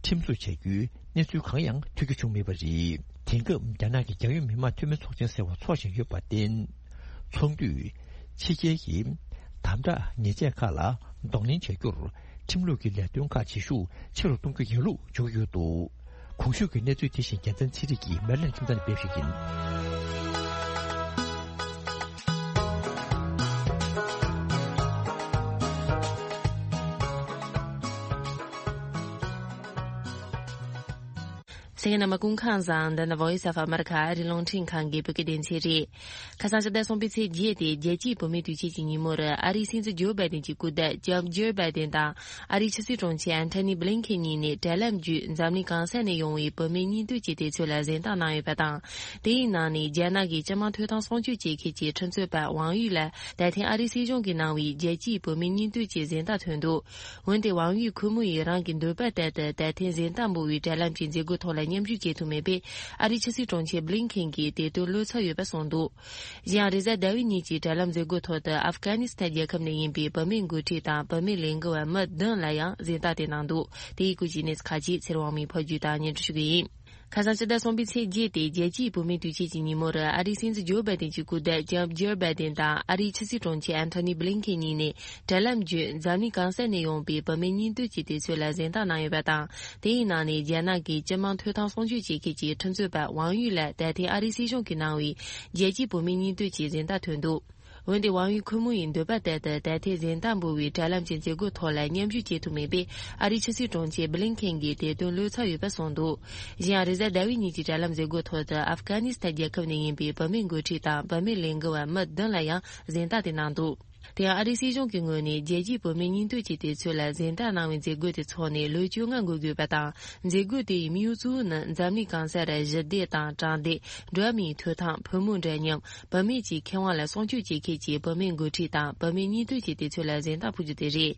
ཁྲིམས་བཟོ་བྱ་རྒྱུའི་གནས་ཚུལ་གང་ཡང་ཐོས་རྒྱུ་བྱུང་མེད་པ་རེད། དེང་སྐབས་རྒྱ་ནག་གི་རྒྱལ་ཡོངས་མི་དམངས་འཐུས་མི་ཚོགས་ཆེན་ཟེར་བ་འཚོགས་བཞིན་ཡོད་པར་བརྟེན། ཚོགས་འདུས་ཕྱི་རྒྱལ་གྱི་དམ་དྲག་ཉེས་ཆད་ཁག་ལ་གདོང་ལེན་བྱ་རྒྱུར་ཁྲིམས་ལུགས་ཀྱི་ལས་དོན་ཁག་བྱེད་ཤུགས་ཆེ་རུ་གཏོང་རྒྱུ་ཡིན་ལུགས་བརྗོད་ཀྱི་ཡོད་འདུག་གོང་ཞུས་ཀྱི་གནས་ཚུལ་དེ་བཞིན་རྒྱལ་མཚན་ཚེ་རིང་གིས་མེ་ལན་ཁྱིམ་ཚང་ནས་སྤེལ་ཞིག་ཡིན། གསན་མཁན་རྣམ་པ་སྐུ་ཁམས་བཟང་། འདི་ནི་Voice of America ཨ་རིའི་རླུང་འཕྲིན་ཁང་གི་བོད་སྐད་སྡེ་ཚན་རེད། ཁ་སང་ཕྱི་ཟླ་གསུམ་པའི་ཚེས་བརྒྱད་དེ་རྒྱལ་སྤྱིའི་བུད་མེད་དུས་ཆེན་གྱི་ཉིན་མོར། ཨ་རིའི་སྲིད་འཛིན་ཇོ་བྷའི་ཌེན་གྱི་སྐུ་ཟླ་ལྕམ་ཇིལ་བྷའི་ཌེན་དང་། ཨ་རིའི་ཕྱི་སྲིད་དྲུང་ཆེ་ཨན་ཐོ་ནི་བྷི་ལིན་ཁེན་གཉིས་ནས་དྲ་ལམ་བརྒྱུད་འཛམ་གླིང་གང་ས་ནས་ཡོང་བའི་བུད་མེད་གཉིས་འདོད་ཀྱི་དུས་ཚོད་ལ་གཟེངས་རྟགས་གནང་ཡོད་པ་དང་། དེའི་ནང་ནས་རྒྱ་ནག་གི་སྤྱི་དམངས་ཐོབ་ཐང་སྲུང་སྐྱོབ་བྱེད་མཁན་གྱི་ཁྲིམས་རྩོད་པ་ཝང་ཡུས་ལ་ད་ཐེངས་ཨ་རིའི་སྲིད་གཞུང་གིས་གནང་བའི་རྒྱལ་སྤྱིའི་བུད་མེད་གཉིས་འདོད་ཀྱི་གཟེངས་རྟགས་ཐོན་འདུག་འོན་ཏེ་ཝང་ཡུས་ཁོ་མོ་ཡིས་རང་གི་འདོད་པ་ལྟར་དུ་ད་ཐེངས་གཟེངས་རྟགས་འབུལ་བའི་དྲ་ལམ་གྱི་མཛད་སྒོ་ཐོག་ལ་མཉམ་ཞུགས་བྱེད་ཐུབ་མེད་པས། ཨ་རིའི་ཕྱི་སྲིད་དྲུང་ཆེ་བྷི་ལིན་ཁེན་གྱིས་དེ་དོན་བློ་འཚབ་ཡོད་པ་གསུངས་འདུག་གཞན་ཡང་རེས་གཟའ་ཟླ་བའི་ཉིན་གྱི་དྲ་ལམ་མཛད་སྒོ་ཐོག་ཏུ་ཨབ་གྷ་ནི་སི་ཐན་རྒྱལ་ཁབ་ནས་ཡིན་པའི་བུད་མེད་འགོ་ཁྲིད་དང་བུད་མེད་ལས་འགུལ་བ་མི་བདུན་ལ་ཡང་གཟེངས་རྟགས་དེ་གནང་འདུག་དེ་ཡི་སྐོར་གྱི་གནས་ཚུལ་ཁག་ཅིག་ཚེ་རིང་དབང་མོས་ཕབ་སྒྱུར་དང་སྙན་སྒྲོན་ཞུ་གི་ཡིན། ཁ་སང་ཕྱི་ཟླ་གསུམ་པའི་ཚེས་བརྒྱད་དེ་རྒྱལ་སྤྱིའི་བུད་མེད་དུས་ཆེན་གྱི་ཉིན་མོར་ཨ་རིའི་སྲིད་འཛིན་ཇོ་བྷའི་ཌེན་གྱི་སྐུ་ཟླ་ལྕམ་ཇིལ་བྷའི་ཌེན་དང་ཨ་རིའི་ཕྱི་སྲིད་དྲུང་ཆེ་ཨན་ཐོ་ནི་བྷི་ལིན་ཁེན་གཉིས་ནས་དྲ་ལམ་བརྒྱུད་འཛམ་གླིང་གང་ས་ནས་ཡོང་པའི་བུད་མེད་གཉིས་འདོད་ཀྱི་དུས་ཚོད་ལ་གཟེངས་རྟགས་གནང་ཡོད་པ་དང་། དེའི་ནང་ནས་རྒྱ་ནག་གི་སྤྱི་དམངས་ཐོབ་ཐང་སྲུང་སྐྱོབ་བྱེད་མཁན་གྱི་ཁྲིམས་རྩོད་པ་ཝང་ཡུས་ལ་ད་ཐེངས་ཨ་རིའི་སྲིད་གཞུང་གིས་གནང་བའི་རྒྱལ་སྤྱིའི་བུད་མེད་གཉིས་འདོད་ཀྱི་གཟེངས་རྟགས་ཐོན་འདུག་འོན་ཏེ་ཝང་ཡུས་ཁོ་མོ་ཡི་འདོད་པ་ལྟར་དུ་ད་ཐེངས་གཟེངས་རྟགས་འབུལ་བའི་དྲ་ལམ་གྱི་མཛད་སྒོ་ཐོག་ལ་མཉམ་ཞུགས་བྱེད་ཐུབ་མེད་པས། ཨ་རིའི་ཕྱི་སྲིད་དྲུང་ཆེ་བྷི་ལིན་ཁེན་གྱིས་དེ་དོན་བློ་འཚབ་ཡོད་པ་གསུངས་འདུག་གཞན་ཡང་རེས་གཟའ་ཟླ་བའི་ཉིན་གྱི་དྲ་ལམ་མཛད་སྒོ་ཐོག་ཏུ་ཨབ་གྷ་ནི་སི་ཐན་རྒྱལ་ཁབ་ནས་ཡིན་པའི་བུད་མེད་འགོ་ཁྲིད་དང་བུད་མེད་ལས་འགུལ་བ་མི་བདུན་ལ་ཡང་གཟེངས་རྟགས་དེ་གནང་འདུག་དེ་ཡང་ཨ་རིའི་སྲིད་གཞུང་གི་ངོས་ནས་རྒྱལ་སྤྱིའི་བུད་མེད་གཉིས་འདོད་ཀྱི་དུས་ཚོད་ལ་གཟེངས་རྟགས་གནང་བའི་མཛད་སྒོ་དེ་འཚོགས་ནས་ལོ་བཅོ་ལྔ་འགོར་དགོས་པ་དང་། མཛད་སྒོ་དེ་ཡི་དམིགས་ཡུལ་གཙོ་བོ་ནི་འཛམ་གླིང་གང་སར་ཞི་བདེ་དང་དྲང་བདེན། འགྲོ་བ་མིའི་ཐོབ་ཐང་། བུ་མོ་འདྲ་མཉམ། བུད་མེད་ཀྱི་ཁེ་དབང་ལ་སྲུང་སྐྱོབ་བྱེད་མཁན་གྱི་བུད་མེད་འགོ་ཁྲིད་དང་བུད་མེད་གཉིས་འདོད་ཀྱི་དུས་ཚོད་ལ་གཟེངས་རྟགས་ཕུལ་རྒྱུ་དེ་རེད།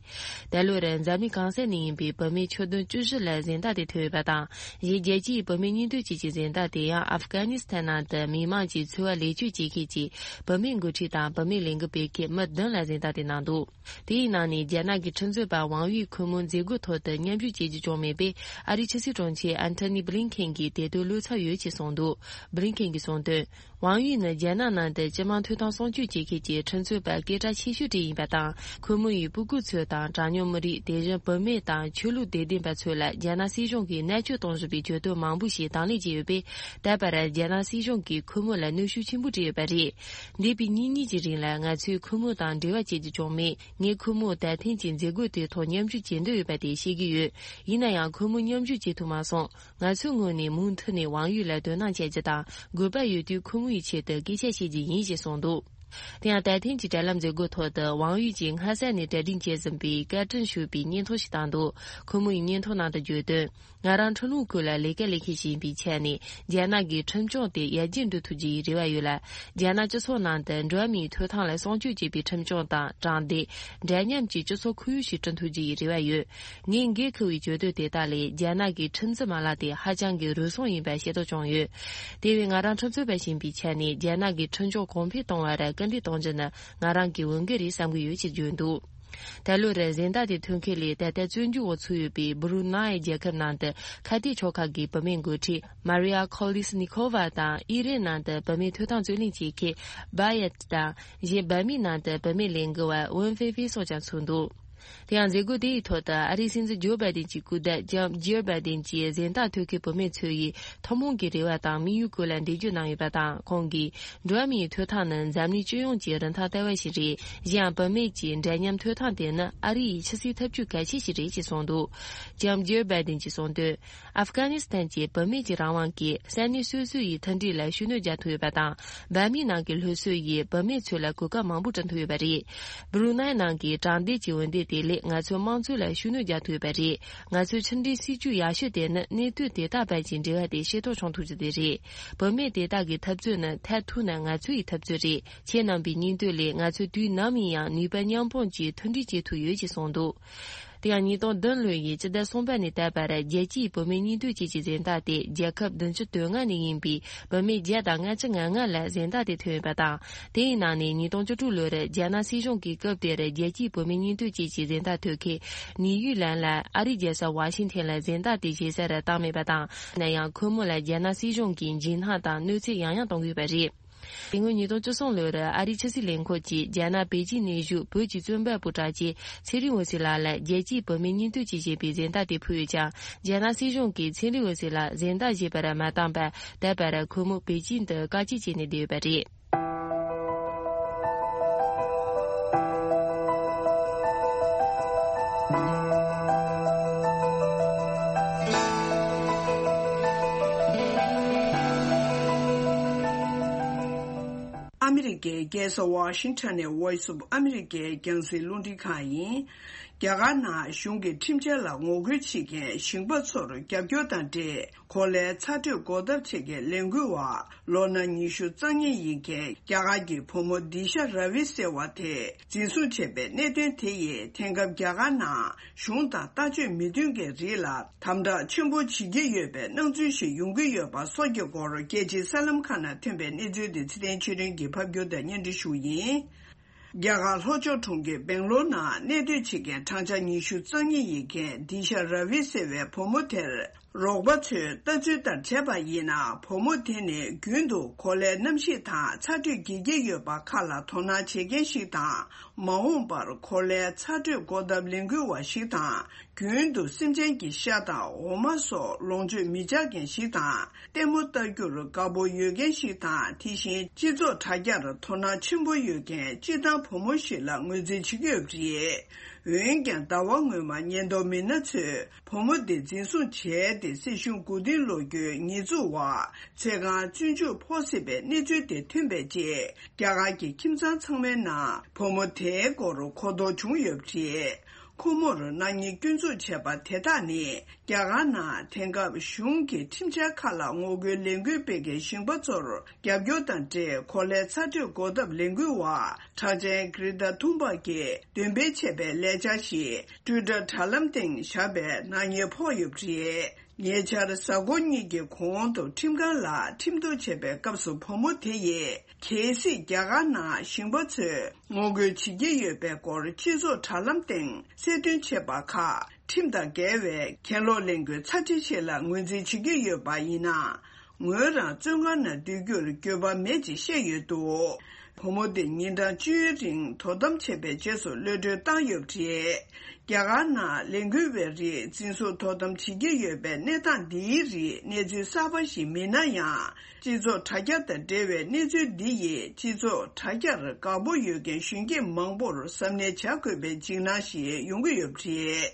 ད་ལོར་འཛམ་གླིང་གང་ས་ནས་ཡིན་པའི་བུད་མེད་ཁྱོན་བསྡོམས་བཅུ་བཞི་ལ་གཟེངས་རྟགས་དེ་ཐོབ་ཡོད་པ་དང་། གཞན་རྒྱལ་སྤྱིའི་བུད་མེད་གཉིས་འདོད་ཀྱི་གཟེངས་རྟགས་དེ་ཡང་ཨབ་གྷ་ནི་སི་ཐན་ནང་དུ་མི་དམངས་ཀྱི་འཚོ་བ་ལེགས་བཅོས་བྱེད་མཁན་གྱི་བུད་མེད་འགོ་ཁྲིད་དང་བུད་མེད་ལས་འགུལ་སྤེལ་མཁན་མི་བདུན་ལ་གཟེངས་རྟགས་དེ་གནང་འདུག་དེའི་ནང་ནས་རྒྱ་ནག་གི་ཁྲིམས་རྩོད་པ་ཝང་ཡུས་ཁོ་མོ་མཛད་སྒོའི་ཐོག་ཏུ་མཉམ་ཞུགས་བྱེད་རྒྱུ་བྱུང་མེད་པས། ཨ་རིའི་ཕྱི་སྲིད་དྲུང་ཆེ་ཨན་ཐོ་ནི་བྷི་ལིན་ཁེན་གྱིས་དེ་དོན་བློ་འཚབ་ཡོད་ཅེས་གསུངས་འདུག་བྷི་ལིན་ཁེན་གྱིས་གསུངས་དོན། ཝང་ཡུས་ནི་རྒྱ་ནག་ནང་དུ་སྤྱི་དམངས་ཐོབ་ཐང་སྲུང་སྐྱོབ་བྱེད་མཁན་གྱི་ཁྲིམས་རྩོད་པ་སྐད་གྲགས་ཆེ་ཤོས་དེ་ཡིན་པ་དང་། ཁོ་མོ་ཡིས་སྤུ་གུ་ཚོ་དང་གྲངས་ཉུང་མི་རིགས། དེ་བཞིན་བུད་མེད་དང་ཆོས་ལུགས་དད་ལྡན་པ་ཚོ་ལ་རྒྱ་ནག་སྲིད་གཞུང་གིས་མནར་གཅོད་གཏོང་བཞིན་པའི་གྱོད་དོན་མང་པོ་ཞིག་དང་ལེན་བྱས་ཡོད་པས། ད་བར་རྒྱ་ནག་སྲིད་གཞུང་གིས་ཁོ་མོ་ལ་གནོན་ཤུགས་ཆེན་པོ་སྤྲད་ཡོད་པ་རེད། འདས་པའི་ཉིན་གཉིས་ཀྱི་རིང་ལ་ང་ཚོས་ཁོ་མོ་དང་འབྲེལ་བ་བྱེད་རྒྱུ་བྱུང་མེད། ངས་ཁོ་མོ་ད་ཐེངས་ཀྱི་མཛད་སྒོ་དེའི་ཐོག་མཉམ་ཞུགས་བྱེད་འདོད་ཡོད་པ་དེ་ཤེས་ཀྱི་ཡོད། ཡིན་ན་ཡང་ཁོ་མོ་མཉམ་ཞུགས་བྱེད་ཐུབ་མ་སོང་། ང་ཚོའི་ངོས་ནས་མུ་མཐུད་ནས་ཝང་ཡུས་ལ་དོ་སྣང་བྱ་རྒྱུ་དང་། དགོས་པ་ཡོད་དུས་ཁོ་མོ་ཡི་ཆེད་དུ་སྐད་ཆ་བཤད་རྒྱུ་ཡིན་ཞེས་གསུངས་འདུག་དེ་ཡང་ད་ཐེངས་ཀྱི་དྲ་ལམ་མཛད་སྒོའི་ཐོག་ཏུ་ཝང་ཡུས་ཀྱིས་སྔ་ས་ནས་གྲ་སྒྲིག་བྱས་ཟིན་པའི་བཀའ་དྲིན་ཞུ་བའི་བརྙན་ཐུང་ཞིག་བཏང་འདུག་ཁོ་མོ་ཡིས་བརྙན་ཐུང་ནང་དུ་བརྗོད་དོན། ང་རང་ཁྲིམས་ལུགས་ཁུལ་ལ་ལས་ཀ་ལས་མཁན་ཞིག་ཡིན་པའི་ཆ་ནས། རྒྱ་ནག་གི་ཁྲིམས་སྐྱོང་དེ་ཡར་རྒྱས་འགྲོ་ཐུབ་རྒྱུ་ཡི་རེ་བ་ཡོད་ལ། རྒྱ་ནག་སྤྱི་ཚོགས་ནང་དུ་འགྲོ་བ་མིའི་ཐོབ་ཐང་ལ་སྲུང་སྐྱོབ་བྱེད་པའི་ཁྲིམས་སྐྱོང་དང་དྲང་བདེན། འདྲ་མཉམ་གྱི་སྤྱི་ཚོགས་ཁོར་ཡུག་ཞིག་བསྐྲུན་ཐུབ་རྒྱུ་ཡི་རེ་བ་ཡོད། ངས་འགན་འཁུར་བའི་གྱོད་དོན་དེ་དག་ལས་རྒྱ་ནག་གི་ཁྲིམས་འཛིན་མ་ལག་དེ་ཧ་ཅང་གི་རུལ་སུངས་ཡིན་པ་ཤེས་རྟོགས་བྱུང་ཡོད། དེ་བས་ང་རང་ཁྲིམས་རྩོད་པ་ཞིག་ཡིན་པའི་ཆ་ནས་རྒྱ་ནག་གི་ཁྲིམས་སྐྱོང་གོང་འཕེལ་གཏོང་བར་སྐུལ་འདེད་གཏོང་རྒྱུ་ནི་ང་རང་གི་འོས་འགན་རེད་བསམ་གྱི་ཡོད་ཅེས་བརྗོད་འདུག་ད་ལོར་གཟེངས་རྟགས་དེ་ཐོན་མཁན་ལས་ད་ལྟ་བཙོན་འཇུག་འོག་ཚུད་ཡོད་པའི་སྦུ་རུ་ནའི་རྒྱལ་ཁབ་ནང་དུ་ཁ་གཏད་ཆོག་ཁག་གི་བུད་མེད་འགོ་ཁྲིད་མ་རི་ཡ་ཁོ་ལི་སི་ནི་ཁོ་ཝ་དང་། ཨི་རན་ནང་དུ་བུད་མེད་ཐོབ་ཐང་རྩོད་ལེན་བྱེད་མཁན་བྷ་ཡད་དང་། གཞན་བྷ་མིའི་ནང་དུ་བུད་མེད་ལས་འགུལ་བ་ཝུན་ཧྥེ་ཧྥེ་སོགས་ཀྱང་ཚུད་འདུག་དེ་ཡང་མཛད་སྒོ་དེ་ཡི་ཐོག་ཏུ་ཨ་རིའི་སྲིད་འཛིན་ཇོ་བྷའི་ཌེན་གྱི་སྐུ་ཟླ་ལྕམ་ཇིལ་བྷའི་ཌེན་གྱིས་གཟེངས་རྟགས་ཐོབ་མཁན་བུད་མེད་ཚོ་ཡི་ཐུན་མོང་གི་རེ་བ་དང་དམིགས་ཡུལ་སྐོར་ལ་འགྲེལ་བརྗོད་གནང་ཡོད་པ་དང་། ཁོང་གིས། འགྲོ་བ་མིའི་ཐོབ་ཐང་ནི་འཛམ་གླིང་སྤྱི་ཡོངས་ཀྱི་རིན་ཐང་ལྟ་བ་ཞིག་རེད། གཞན་ཡང་བུད་མེད་ཀྱི་འདྲ་མཉམ་ཐོབ་ཐང་དེ་ནི་ཨ་རི་ཡི་ཕྱི་སྲིད་འཐབ་ཇུས་གལ་ཆེ་ཞིག་རེད་ཅེས་གསུངས་འདུག་ལྕམ་ཇིལ་བྷའི་ཌེན་གྱིས་གསུངས་དོན། ཨབ་གྷ་ནི་སི་ཐན་གྱི་བུད་མེད་ཀྱི་རང་དབང་གིས་ས་གནས་སོ་སོ་ཡི་མཐུན་སྒྲིལ་ལ་ཤུགས་སྣོན་རྒྱག་ཐུབ་ཡོད་པ་དང་། བྷ་མིའི་ནང་གི་སློབ་གསོ་ཡིས་བུད་མེད་ཚོ་ལ་གོ་སྐབས་མང་པོ་བསྐྲུན་ཐུབ་ཡོད་པ་རེད། སྦུ་རུ་ནའི་ནང་གི་དྲང་བདེན་གྱི་འོས་འདེམས་དེ་ལས་ང་ཚོའི་དམངས་གཙོ་ལ་ཤུགས་སྣོན་རྒྱག་ཐུབ་ཡོད་པ་རེད། ང་ཚོའི་ཕྱི་འབྲེལ་སྲིད་ཇུས་ཡག་ཤོས་དེ་ནི་གནད་དོན་དེ་དག་བར་གྱི་འབྲེལ་བ་དེ་ཤེས་རྟོགས་བྱུང་ཐུབ་རྒྱུ་དེ་རེད། བུད་མེད་དེ་དག་གི་འཐབ་རྩོད་ནི་མཐར་ཐུག་ན་ང་ཚོ་ཡི་འཐབ་རྩོད་རེད། ཁྱེད་རྣམ་པའི་སྙིང་འདོད་ལས་ང་ཚོས་དུས་ནམ་ཡིན་ཡང་ནུས་པ་མཉམ་སྤུངས་ཀྱིས་མཐུན་སྒྲིལ་བྱེད་ཐུབ་ཡོད་ཅེས་གསུངས་འདུག་དེ་ཡང་ཉིས་སྟོང་བདུན་ལོ་ཡི་སྤྱི་ཟླ་གསུམ་པ་ནས་ད་བར་རྒྱལ་སྤྱིའི་བུད་མེད་གཉེན་སྟོན་ཅེས་ཀྱི་གཟེངས་རྟགས་དེ་རྒྱལ་ཁབ་བདུན་ཅུ་དོན་ལྔ་ནས་ཡིན་པའི་བུད་མེད་བརྒྱ་དང་ལྔ་བཅུ་ང་ལྔ་ལ་གཟེངས་རྟགས་དེ་ཐོབ་ཡོད་པ་དང་། དེའི་ནང་ནས་ཉིས་སྟོང་བཅུ་དྲུག་ལོར་རྒྱ་ནག་སྲིད་གཞུང་གིས་སྐབས་དེར་རྒྱལ་སྤྱིའི་བུད་མེད་གཉེན་སྟོན་ཅེས་ཀྱི་གཟེངས་རྟགས་ཐོབ་མཁན་ནིའུ་ཡི་ལན་ལ་ཨ་རིའི་རྒྱལ་ས་ཝ་ཤིང་ཐན་ལ་གཟེངས་རྟགས་དེ་བཞེས་ས་རུ་བཏང་མེད་པ་དང་། ཡིན་ན་ཡང་ཁོ་མོ་ལ་རྒྱ་ནག་སྲིད་གཞུང་གིས་འཇིགས་སྣང་དང་གནོད་འཚེ་ཡང་ཡང་གཏོང་གི་ཡོད་པ་རེད། དེ་སྔོན་ཉིས་སྟོང་བཅུ་གསུམ་ལོར་ཨ་རིའི་ཕྱི་སྲིད་ལས་ཁུངས་ཀྱིས་རྒྱ་ནག་པེ་ཅིང་ནས་བཞུགས་བོད་ཀྱི་རྩོམ་པ་པོ་གྲགས་ཅན་ཚེ་རིང་འོད་ཟེར་ལགས་ལ་རྒྱལ་སྤྱིའི་བུད་མེད་གཉེན་སྟོན་ཅེས་བྱས་པའི་གཟེངས་རྟགས་དེ་ཕུལ་ཡོད་ཀྱང་། རྒྱ་ནག་སྲིད་གཞུང་གིས་ཚེ་རིང་འོད་ཟེར་ལགས་གཟེངས་རྟགས་བཞེས་པར་མ་བཏང་བར། ད་བར་ཁོ་མོ་པེ་ཅིང་དུ་བཀག་སྐྱིལ་བྱས་ནས་བསྡད་ཡོད་པ་རེད། ཨ་མི་རི་ཀའི་རྒྱལ་ས་ཝ་ཤིང་ཊོན་ནས་Voice of America རྒྱང་སྲིང་རླུང་འཕྲིན་ཁང་ཡིན། རྒྱ་གར་ནང་གཞུང་གི་ཁྲིམས་འཆར་ལ་ངོ་རྒོལ་བྱེད་མཁན་ཞིང་པ་ཚོར་རྒྱབ་སྐྱོར་དང་འབྲེལ། གོ་ལའི་ཚ་དྲོད་འགོག་ཐབས་བྱེད་མཁན་ལས་འགུལ་བ་ལོ་ན་ཉི་ཤུ་རྩ་གཉིས་ཡིན་མཁན་རྒྱ་གར་གྱི་བུ་མོ་དི་ཤ་ར་བི་ཟེར་བ་དེ་འཛིན་བཟུང་བྱས་པའི་གནད་དོན་དེ་ཡིས་དེང་སྐབས་རྒྱ་གར་ནང་གཞུང་དང་ལྟ་སྤྱོད་མི་མཐུན་མཁན་རིགས་ལ་དམ་དྲག་ཆེན་པོ་བྱེད་ཀྱི་ཡོད་པའི་སྣང་ཚུལ་ཞིག་ཡོང་གི་ཡོད་པ་སོགས་ཀྱི་སྐོར་རྒྱལ་སྤྱིའི་གསར་ལམ་ཁག་ནང་ཐོན་པའི་གནས་ཚུལ་དེ་ཚེ་བརྟན་ཆོས་སྒྲོན་གྱིས་ཕབ་སྒྱུར་དང་སྙན་སྒྲོན་ཞུ་ཡིན། རྒྱ་གར་ལྷོ་ཕྱོགས་གྲོང་ཁྱེར་སྦེང་ལོར་ནང་གནས་སྡོད་བྱེད་མཁན་བགྲང་བྱ་ཉི་ཤུ་རྩ་གཉིས་ཡིན་མཁན་དི་ཤ་ར་བི་ཟེར་བའི་བུ་མོ་དེར། རོགས་པ་ཚོས་ལྟ་ཚུལ་ལྟར་བྱས་པ་ཡིན་ན། བུ་མོ་དེ་ནི་རྒྱུན་དུ་གོ་ལའི་གནམ་གཤིས་དང་ཚ་དྲོད་འགྱེལ་གྱི་ཡོད་པ་ཁག་ལ་དོ་སྣང་བྱེད་མཁན་ཞིག་དང་། མ་འོངས་པར་གོ་ལའི་ཚ་དྲོད་འགོག་ཐབས་ལས་འགུལ་བ་ཞིག་དང་། རྒྱུན་དུ་སེམས་ཅན་གྱི་ཤ་དང་འོ་མ་སོགས་ལོངས་སྤྱོད་མི་བྱ་མཁན་ཞིག་དང་། ལྟད་མོ་ལྟ་རྒྱུར་དགའ་པོ་ཡོད་མཁན་ཞིག་དང་། དེ་བཞིན་སྤྱི་ཚོགས་དྲ་རྒྱར་དོ་སྣང་ཆེན་པོ་ཡོད་མཁན་སྤྱིར་བཏང་བུ་མོ་ཞིག་ལ་ངོས་འཛིན་བྱེད་ཀྱི་ཡོད་པ་རེད། འོན་ཀྱང་ཟླ་བ་སྔོན་མ་ཉེན་རྟོག་མི་སྣ་ཚོས་བུ་མོ་དེ་འཛིན་བཟུང་བྱས་ཏེ། སྲིད་གཞུང་མགོ་རྟིང་སློག་རྒྱུའི་ཉེས་འཛུགས་འོག་ཚེ་གང་བཙོན་འཇུག་ཕོག་སྲིད་པའི་གནས་ཚུལ་དེ་ཐོན་པའི་རྗེས། རྒྱ་གར་གྱི་ཁྱིམ་ཚང་ཚང་མའི་ནང་བུ་མོ་དེའི་སྐོར་གོ་རྟོགས་བྱུང་ཡོད་པ་རེད། ཁོ་མོར་ནག་ཉེས་སྐྱོན་འཛུགས་བྱས་པ་དེ་དག་ནི། རྒྱ་གར་ནང་དེང་སྐབས་གཞུང་གི་ཁྲིམས་འཆར་ཁག་ལ་ངོ་རྒོལ་ལས་འགུལ་སྤེལ་མཁན་ཞིང་པ་ཚོར་རྒྱབ་སྐྱོར་དང་འབྲེལ། གོ་ལའི་ཚ་དྲོད་འགོག་ཐབས་ལས་འགུལ་བ་གྲགས་ཅན་གྷི་རེ་ཏཱ་ཐུན་བྷག་གིས་འདོན་སྤེལ་བྱས་པའི་ལས་འཆར་ཞིག་ཊུའི་ཊར་དྲ་ལམ་སྟེང་བཞག་པའི་ནག་ཉེས་ཕོག་ཡོད་པ་རེད། ཉེ་ཆར་གཟའ་འཁོར་གཉིས་ཀྱི་གོང་དུ་ཁྲིམས་ཁང་ལ་ཁྲིམས་གཏུག་བྱས་པའི་སྐབས་སུ་བུ་མོ་དེ་ཡིས། གལ་སྲིད་རྒྱ་གར་ནང་ཞིང་པ་ཚོས་ངོ་རྒོལ་བྱེད་ཀྱི་ཡོད་པའི་སྐོར་སྤྱི་ཚོགས་དྲ་ལམ་སྟེང་གསལ་སྟོན་བྱས་པ་ཁག་ཁྲིམས་དང་འགལ་བའི་གྱེན་ལོག་ལས་འགུལ་ཚར་ཁྲི་ཞིག་ལ་ངོས་འཛིན་བྱེད་ཀྱི་ཡོད་པ་ཡིན་ན། ངོས་རང་བཙོན་ཁང་ནང་སྡོད་རྒྱུར་འགྱོད་པ་མེད་ཅེས་བཤད་ཡོད་འདུག་བུ་མོ་དེ་ཉིན་གྲངས་བཅུའི་རིང་དོ་དམ་བྱས་པའི་རྗེས་སུ་གློད་གྲོལ་བཏང་ཡོད་པ་རེད། རྒྱ་གར་ནང་ལས་འགུལ་བའི་རིགས་འཛིན་བཟུང་དོ་དམ་བྱེད་ཀྱི་ཡོད་པའི་གནས་སྟངས་འདིའི་རིགས་གནས་ཚུལ་གསར་པ་ཞིག་མིན་ན་ཡང་། སྤྱི་ཚོགས་དྲ་རྒྱ་དང་འབྲེལ་བའི་གནས་ཚུལ་འདི་ཡིས་སྤྱི་ཚོགས་དྲ་རྒྱར་དགའ་པོ་ཡོད་མཁན་གཞོན་སྐྱེས་མང་པོར་གཟབ་ནན་བྱ་དགོས་པའི་འཇིགས་སྣང་ཞིག་ཡོང་གི་ཡོད་པ་རེད།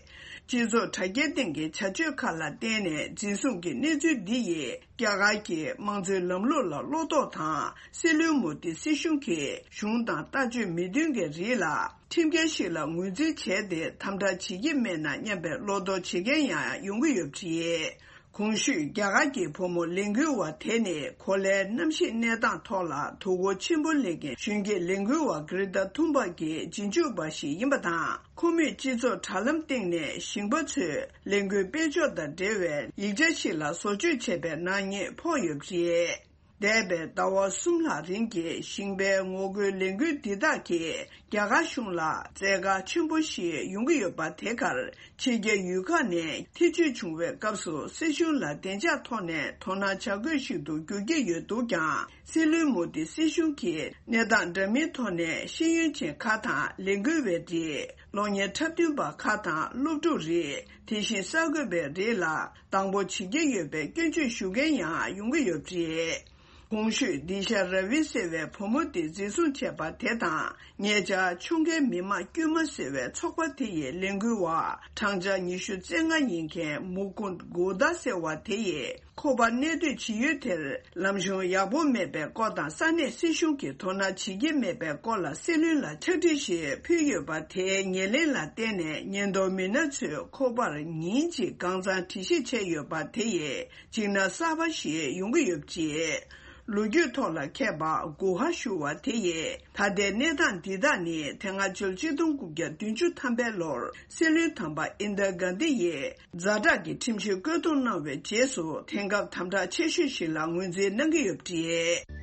སྤྱི་ཚོགས་དྲ་རྒྱའི་སྟེང་གི་བྱ་སྤྱོད་ཁག་ལ་བརྟེན་ནས་འཛིན་བཟུང་གི་གནས་ཚུལ་འདི་ཡིས་རྒྱ་གར་གྱི་དམངས་གཙོའི་ལམ་ལུགས་ལ་བློ་དོགས་དང་། སྲིད་བློན་མོ་དི་སྲིད་གཞུང་གིས་གཞུང་དང་ལྟ་སྤྱོད་མི་མཐུན་མཁན་རིགས་ལ་ཁྲིམས་འགལ་ཞིག་ལ་ངོས་འཛིན་བྱས་ཏེ་དམ་དྲག་བྱེད་ཀྱི་མེད་ན་སྙམ་པའི་བློ་དོགས་བྱེད་མཁན་ཡང་ཡོང་གི་ཡོད་པ་རེད། གོང་ཞུས་རྒྱ་གར་གྱི་བུ་མོ་ལས་འགུལ་བ་དེ་ནི་གོ་ལའི་གནམ་གཤིས་གནས་སྟངས་ཐོག་ལ་དོ་ཁུར་ཆེན་པོ་ལེན་མཁན་གཞོན་སྐྱེས་ལས་འགུལ་བ་གྷི་རེ་ཏཱ་ཐུན་བྷག་གི་རྗེས་འཇུག་པ་ཞིག་ཡིན་པ་དང་། ཁོ་མོས་སྤྱི་ཚོགས་དྲ་ལམ་སྟེང་ནས་ཞིང་པ་ཚོས་ལས་འགུལ་སྤེལ་ཕྱོགས་དང་འབྲེལ་བའི་ཡིག་ཆ་ཞིག་ལ་བཟོ་བཅོས་བྱས་པའི་ནག་ཉེས་ཕོག་ཡོད་པ་རེད། འདས་པའི་ཟླ་བ་གསུམ་ལྷག་རིང་གི་ཞིང་པའི་ངོ་རྒོལ་ལས་འགུལ་འདི་དག་གིས་རྒྱ་གར་གཞུང་ལ་བཙན་བཀའ་ཆེན་པོ་ཞིག་ཡོང་གི་ཡོད་པ་དེ་གར་ཕྱི་རྒྱལ་ཡུལ་ཁག་ནས་ཐེ་བྱུས་བྱུང་བའི་སྐབས་སུ་སྲིད་གཞུང་ལ་བདེ་འཇགས་ཐོག་ནས་དོ་སྣང་བྱ་དགོས་ཤིག་ཏུ་འགྱུར་གྱི་ཡོད་འདུག་ཀྱང་། སྲིད་བློན་མོ་དི་སྲིད་གཞུང་གིས་གནས་སྟངས་འདྲ་མིན་ཐོག་ནས་ཤེས་ཡོན་ཅན་ཁག་དང་། ལས་འགུལ་བའི་རིགས། གློག་བརྙན་འཁྲབ་སྟོན་པ་ཁག་དང་། སློབ་ཕྲུག་རིགས། དེ་བཞིན་གསར་འགོད་པའི་རིགས་ལ་སྡང་པོ་བྱེད་ཀྱི་ཡོད་པའི་སྐྱོན་བརྗོད་ཞུ་མཁན་ཡང་ཡོང་གི་ཡོད་པ་རེད། གོང་ཞུས་དི་ཤ་ར་བི་ཟེར་བའི་བུ་མོ་དེ་འཛིན་བཟུང་བྱས་པ་དེ་དང་། ཉེ་ཆར་ཕྱོགས་འགལ་མི་དམངས་དཀྱུས་མ་ཟེར་བའི་ཚོགས་པ་དེ་ཡི་ལས་འགུལ་བ་བགྲང་བྱ་ཉི་ཤུ་རྩ་ལྔ་ཡིན་མཁན་མུ་ཀུན་གོ་ད་ཟེར་བ་དེ་ཡིས། ཁོ་པ་གནས་སྡོད་བྱེད་ཡུལ་དེར་ལམ་གཞུང་ཡག་པོ་མེད་པའི་སྐོར་དང་། ས་གནས་སྲིད་གཞུང་གིས་དོ་སྣང་བྱེད་ཀྱི་མེད་པའི་སྐོར་ལ་སྲིད་བློན་ལ་ཕྱག་བྲིས་ཤིག་ཕུལ་ཡོད་པ་དེའི་ཉེར་ལེན་ལ་བརྟེན་ནས། ཉེན་རྟོག་མི་སྣ་ཚོས་ཁོ་པར་ཉིན་གཅིག་གང་འཚམ་དྲི་ཞིབ་བྱས་ཡོད་པ་དེ་ཡིས་འཇིགས་སྣང་གསར་པ་ཞིག་ཡོང་གི་ཡོད་པ་རེད། ལོ་རྒྱུས་ཐོག་ལ་མཁས་པ་གུ་ཧ་ཞུ་བ་དེ་ཡིས། ད་ལྟའི་གནས་སྟངས་འདི་དག་ནི་དེ་སྔ་ཕྱི་ལོ་ཆིག་སྟོང་དགུ་བརྒྱ་བདུན་ཅུ་ཐམ་པའི་ལོར་སྲིད་བློན་དམ་པ་ཨིན་དྲ་གྷན་དྷི་ཡིས་ཛ་དྲག་གི་ཁྲིམས་གཞི་བཀོད་གཏོང་གནང་བའི་རྗེས་སུ། དེང་སྐབས་དམ་དྲག་ཆེ་ཤོས་ཤིག་ལ་ངོས་འཛིན་གནང་གི་ཡོད་པ་རེད།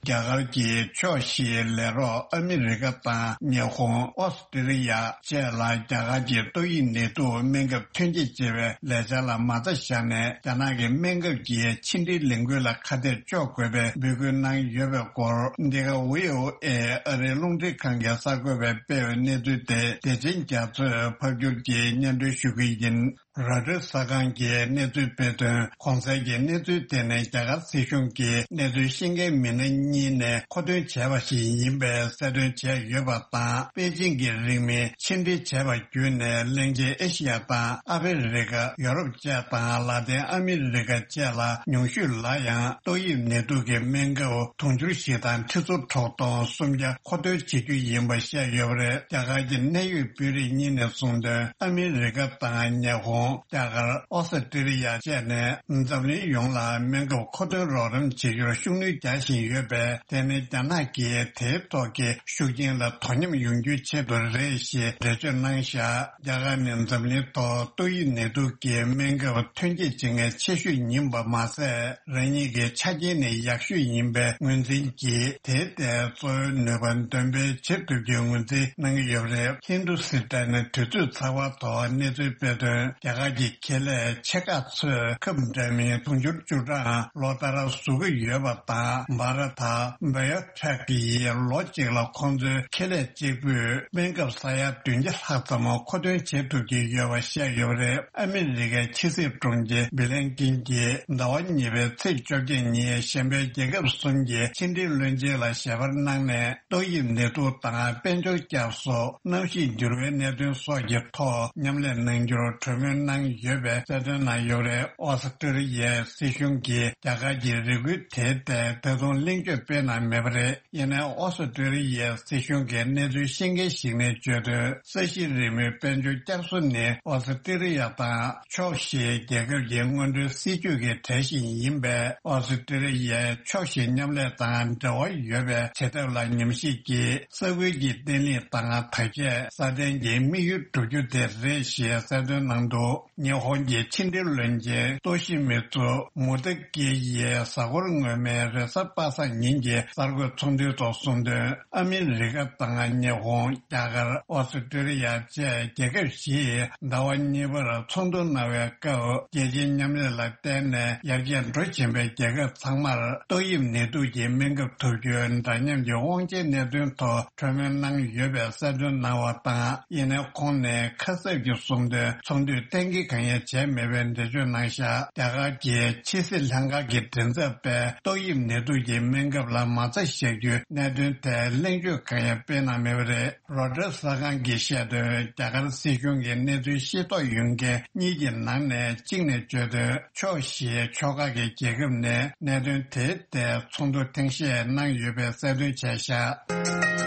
རྒྱ་གར་གྱི་ཕྱོགས་བཞིའི་ལས་རོགས་ཨ་མི་རི་ཀ་དང་ཉི་ཧོང་། ཨོ་སི་ཀྲི་ལི་ཡ་བཅས་ལ་རྒྱ་གར་གྱི་ཏོག་དབྱིབས་ནད་དུག་སྨན་ཁབ་ཐོན་སྐྱེད་བྱེད་པའི་ལས་འཆར་ལ་མ་རྩ་བཞག་ནས། རྒྱ་ནག་གི་སྨན་ཁབ་ཀྱི་ཕྱི་འབྲེལ་ལས་འགུལ་ལ་ཁ་གཏད་གཅོག་དགོས་པའི་འབོད་སྐུལ་གནང་ཡོད་པའི་སྐོར། འདི་ག་བྷི་ཨོ་ཨེ་ཨ་རིའི་རླུང་འཕྲིན་ཁང་གི་གསར་འགོད་པས་སྤེལ་བའི་གནས་ཚུལ་དེ། བདེ་ཆེན་རྒྱ་མཚོས་ཕབ་སྒྱུར་གྱིས་སྙན་སྒྲོན་ཞུ་གི་ཡིན། རོའི་ཊར་གསར་ཁང་གིས་གནས་ཚུལ་སྤེལ་དོན། གོང་གསལ་གྱི་གནས་ཚུལ་དེ་ནི་རྒྱ་གར་སྲིད་གཞུང་གིས་གནས་ཚུལ་ཤེས་མཁན་མི་སྣ་གཉིས་ནས་མཁོ་འདོན་བྱས་པ་ཞིག་ཡིན་པའི་གསལ་སྟོན་བྱས་ཡོད་པ་དང་། པེ་ཅིང་གི་རིང་མིན་ཕྱིར་འབྲེལ་བྱས་པ་བརྒྱུད་ནས། གླིང་ཆེན་ཨེ་ཤི་ཡ་དང་ཨ་ཧྥེ་རི་ཀ། ཡོ་རོབ་བཅས་དང་ལ་ཏིན་ཨ་མི་རི་ཀ་བཅས་ལ་ཉུང་ཤོས་ལ་ཡང་ཏོག་དབྱིབས་ནད་དུག་གི་སྨན་ཁབ་དུང་ཕྱུར་བཞི་དང་ཁྲི་ཚོ་དྲུག་སྟོང་སུམ་བརྒྱ་མཁོ་འདོན་བྱེད་རྒྱུ་ཡིན་པ་བཤད་ཡོད་པ་རེད། རྒྱ་གར་གྱི་གནད་ཡོད་དཔོན་རིགས་གཉིས་ནས་གསུངས་དོན། ཨ་མི་རི་ཀ་དང་ཉི་ཧོང་། རྒྱ་གར། ཨོ་སི་ཀྲི་ལི་ཡ་བཅས་ནས་འཛམ་གླིང་ཡོངས་ལ་སྨན་ཁབ་མཁོ་འདོན་རོགས་རམ་བྱེད་རྒྱུར་ཤུགས་སྣོན་རྒྱག་བཞིན་ཡོད་པས། དེ་ནི་རྒྱ་ནག་གིས་དེའི་ཐོག་གི་ཤུགས་རྐྱེན་ལ་དོ་མཉམ་ཡོང་རྒྱུའི་ཆེད་དུ་རེད་ཞེས་འགྲེལ་བརྗོད་གནང་བཞག་རྒྱ་གར་ནི་འཛམ་གླིང་ཐོག་ཏོག་དབྱིབས་ནད་དུག་གི་སྨན་ཁབ་ཐོན་སྐྱེད་བྱེད་མཁན་ཆེ་ཤོས་ཡིན་པ་མ་ཟད། རང་ཉིད་ཀྱི་ཆ་རྐྱེན་ནི་ཡག་ཤོས་ཡིན་པའི་ངོས་འཛིན་གྱིས། དེའི་ཐད་གཙོ་བོའི་ནུས་པ་འདོན་སྤེལ་བྱེད་ཐུབ་རྒྱུའི་ངོས་འཛིན་གནང་གི་ཡོད་པ་རེད། ཧིན་དུ་སི་ཏན་ནས་དུས་ཚོད་ཚགས་པར་ཐོག་གནས་ཚུལ་སྤེལ་དོན། རྒྱ་གར་གྱི་ཁེ་ལས་ཆེ་ཁག་ཚོས་ཁབ་འདྲ་མིན་དུང་ཕྱུར་བཅུ་གྲངས་ལོ་ལྟར་བཟོ་གི་ཡོད་པ་དང་། བྷ་ར་ཐ་བྷ་ཡོ་ཊེག་ཡིས་ལོ་གཅིག་ལ་ཁོང་ཚོའི་ཁེ་ལས་གཅིག་པུས་སྨན་ཁབ་ས་ཡ་བདུན་བརྒྱ་ལྷག་ཙམ་མཁོ་འདོན་བྱེད་ཐུབ་ཀྱི་ཡོད་པ་བཤད་ཡོད་པ་རེད། ཨ་མི་རི་ཀའི་ཕྱི་སྲིད་དྲུང་ཆེ་སྦི་ལན་ཀིན་གྱིས་ཟླ་བ་གཉིས་པའི་ཚེས་བཅོ་བརྒྱད་ཉིན་གཞན་པའི་རྒྱལ་ཁབ་གསུམ་གྱི་ཕྱི་འབྲེལ་བློན་ཆེན་ལ་ཞལ་པར་གནང་ནས། ཏོག་དབྱིབས་ནད་དུག་དང་དཔལ་འབྱོར་བསྐྱར་གསོ། གནམ་གཤིས་འགྱུར་བའི་གནད་དོན་སོགས་ཀྱི་ཐོག་མཉམ་ལས་གནང་རྒྱུར་གྲོས་མོལ་གནང་ཡོད་པའི་གསལ་སྟོན་གནང་ཡོད་པ་རེད། ཨོ་སི་ཀྲི་ལི་ཡའི་སྲིད་གཞུང་གིས་རྒྱ་གར་གྱི་རེ་སྐུལ་དེའི་ཐད་ད་དུང་གླེང་བརྗོད་སྤེལ་གནང་མེད་པ་རེད། ཡིན་ནའི་ཨོ་སི་ཀྲི་ལི་ཡའི་སྲིད་གཞུང་གི་གནས་ཚུལ་ཤེས་མཁན་ཞིག་ནས་བརྗོད་དོན། ས་གཞི་རིལ་མོའི་དཔལ་འབྱོར་བསྐྱར་གསོ་ནི་ཨོ་སི་ཀྲི་ལི་ཡ་དང་ཕྱོགས་བཞིའི་རྒྱལ་ཁབ་ཀྱི་སྔོན་འགྲོའི་སྲིད་ཇུས་ཀྱི་གྲས་ཤིག་ཡིན་པས། ཨོ་སི་ཀྲི་ལི་ཡའི་ཕྱོགས་བཞིའི་མཉམ་ལས་དང་འབྲེལ་བ་ཡོད་པའི་བྱེད་ཐབས་ལ་ཉམས་ཞིབ་ཀྱིས། ས་ཁུལ་གྱི་བརྟན་ལྷིང་དང་དར་རྒྱས། སྲ་བརྟན་གྱི་དམིགས་ཡུལ་བསྒྲུབ་རྒྱུ་དེ་རེད་ཞེས་གསལ་སྟོན་གནང་འདུག་ཉི་ཧོང་གི་ཕྱི་འབྲེལ་བློན་ཆེན་ཏོ་ཤི་མི་ཙུ་མུ་ཏེ་ཀེ་ཡིས་གཟའ་འཁོར་སྔོན་མའི་རེས་གཟའ་པ་སངས་ཉིན་གྱི་གསར་འགོད་ཚོགས་འདུའི་ཐོག་གསུངས་དོན། ཨ་མི་རི་ཀ་དང་ཉི་ཧོང་། རྒྱ་གར། ཨོ་སི་ཀྲི་ལི་ཡ་བཅས་རྒྱལ་ཁབ་བཞིས་ཟླ་བ་གཉིས་པར་ཚོགས་འདུ་གནང་བའི་སྐབས། རྒྱལ་སྤྱིའི་མཉམ་ལས་ལ་བརྟེན་ནས་ཡར་རྒྱས་འགྲོ་བཞིན་པའི་རྒྱལ་ཁབ་ཚང་མར་ཏོག་དབྱིབས་ནད་དུག་གི་སྨན་ཁབ་ཐོབ་རྒྱུའི་འདྲ་མཉམ་གྱི་དབང་ཆའི་གནད་དོན་ཐོག་གྲོས་མོལ་གནང་ཡོད་པའི་གསལ་སྟོན་གནང་བ་དང་། ཡིན་ནའི་ཁོང་ནས་ཁ་གསབ་ཀྱིས་གསུངས་དོན། ཚོགས་འདུས་གཏན་འཁེལ་གང་ཡང་བྱས་མེད་པའི་འགྲེལ་བརྗོད་གནང་བཞག་རྒྱ་གར་གྱི་ཕྱི་སྲིད་ལྷན་ཁང་གི་མགྲིན་ཚབ་པས་ཏོག་དབྱིབས་ནད་དུག་གི་སྨན་ཁབ་ལ་མ་རྩ་བཞག་རྒྱུའི་གནད་དོན་ཐད་གླེང་བརྗོད་གང་ཡང་སྤེལ་གནང་མེད་པ་རེད། རོའི་ཊར་གསར་ཁང་གིས་བཤད་དོན། རྒྱ་གར་སྲིད་གཞུང་གི་གནས་ཚུལ་ཤེས་རྟོགས་ཡོད་མཁན་གཉིས་ཀྱི་ནང་ནས་གཅིག་ནས་བརྗོད་དོན། ཕྱོགས་བཞིའི་ཕྱོགས་ཁག་གི་རྒྱལ་ཁབ་ནས་གནད་དོན་དེའི་ཐད་ཚོགས་འདུ་ཐེངས་ཤས་གནང་ཡོད་པའི་གསལ་སྟོན་བྱས་བཞག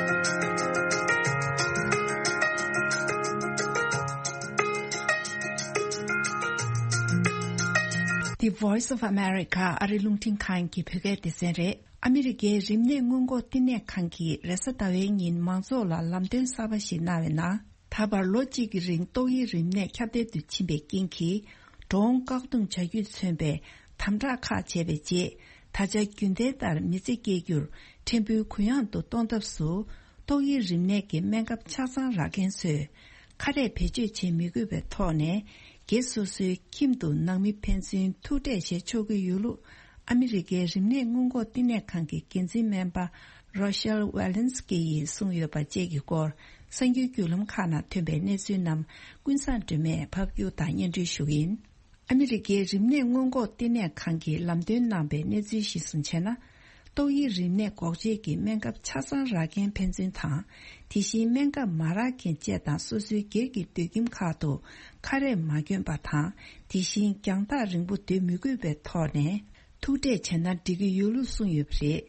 The Voice of America ཨ་རི་རླུང་འཕྲིན་ཁང་གི་བོད་སྐད་སྡེ་ཚན་རེད། ཨ་མི་རི་ཀའི་རིམས་ནད་སྔོན་འགོག་བསྟི་གནས་ཁང་གིས་རེས་གཟའ་ཟླ་བའི་ཉིན་མང་ཚོགས་ལ་ལམ་སྟོན་གསར་པ་ཞིག་གནང་བའི་ནང་། ད་བར་ལོ་གཅིག་གི་རིང་ཏོག་དབྱིབས་རིམས་ནད་ཁྱབ་གདལ་དུ་ཕྱིན་པའི་རྐྱེན་གྱིས། འགྲོ་འོང་བཀག་སྡོམ་བྱ་རྒྱུས་མཚོན་པའི་དམ་དྲག་ཁག་བྱས་པའི་རྗེས། ད་ཆ་རྒྱུན་ལྡན་ལྟར་མི་ཚེ་སྐྱེལ་རྒྱུར་ཕྲན་བུ་གུ་ཡངས་དུ་གཏོང་ཐབས་སུ། ཏོག་དབྱིབས་རིམས་ནད་ཀྱི་སྨན་ཁབ་ཆ་ཚང་རག་མཁན་ཚོས་ཁ་རས་བེད་སྤྱོད་བྱེད་མི་དགོས་པའི་ཐོག་ནས། སྒེར་སོ་སོའི་ཁྱིམ་དུ་ནང་མི་ཕན་ཚུན་ཐུག་འཕྲད་བྱེད་ཆོག་གི་ཡོད་ལུགས། ཨ་མི་རི་ཀའི་རིམས་ནད་སྔོན་འགོག་བསྟི་གནས་ཁང་གི་འགན་འཛིན་སྨན་པ་Rochelle Walensky ཡིས་གསུངས་ཡོད་པ་བཅས་ཀྱི་སྐོར། གསར་འགྱུར་བརྒྱུད་ལམ་ཁག་ནང་ཐོན་པའི་གནས་ཚུལ་རྣམས་ཀུན་བཟང་སྒྲོལ་མས་ཕབ་སྒྱུར་དང་སྙན་སྒྲོན་ཞུ་གི་ཡིན། ཨ་མི་རི་ཀའི་རིམས་ནད་སྔོན་འགོག་བསྟི་གནས་ཁང་གིས་ལམ་སྟོན་གནང་པའི་གནས་ཚུལ་གཞིར་བཟུང་བྱས་ན། ཏོག་དབྱིབས་རིམས་ནད་འགོག་བྱེད་ཀྱི་སྨན་ཁབ་ཆ་ཚང་རག་མཁན་ཕན་ཚུན་དང་། དེ་བཞིན་སྨན་ཁབ་མ་རག་མཁན་བཅས་དང་སོ་སོའི་སྒེར་གྱི་སྡོད་ཁྱིམ་ཁག་ཏུ་ཁ་རས་མ་གྱོན་པ་དང་། དེ་བཞིན་རྒྱང་ཐག་རིང་པོ་སྡོད་མི་དགོས་པའི་ཐོག་ནས་ཐུག་འཕྲད་བྱས་ན་འགྲིག་གི་ཡོད་ལུགས་གསུངས་ཡོད་པ་རེད།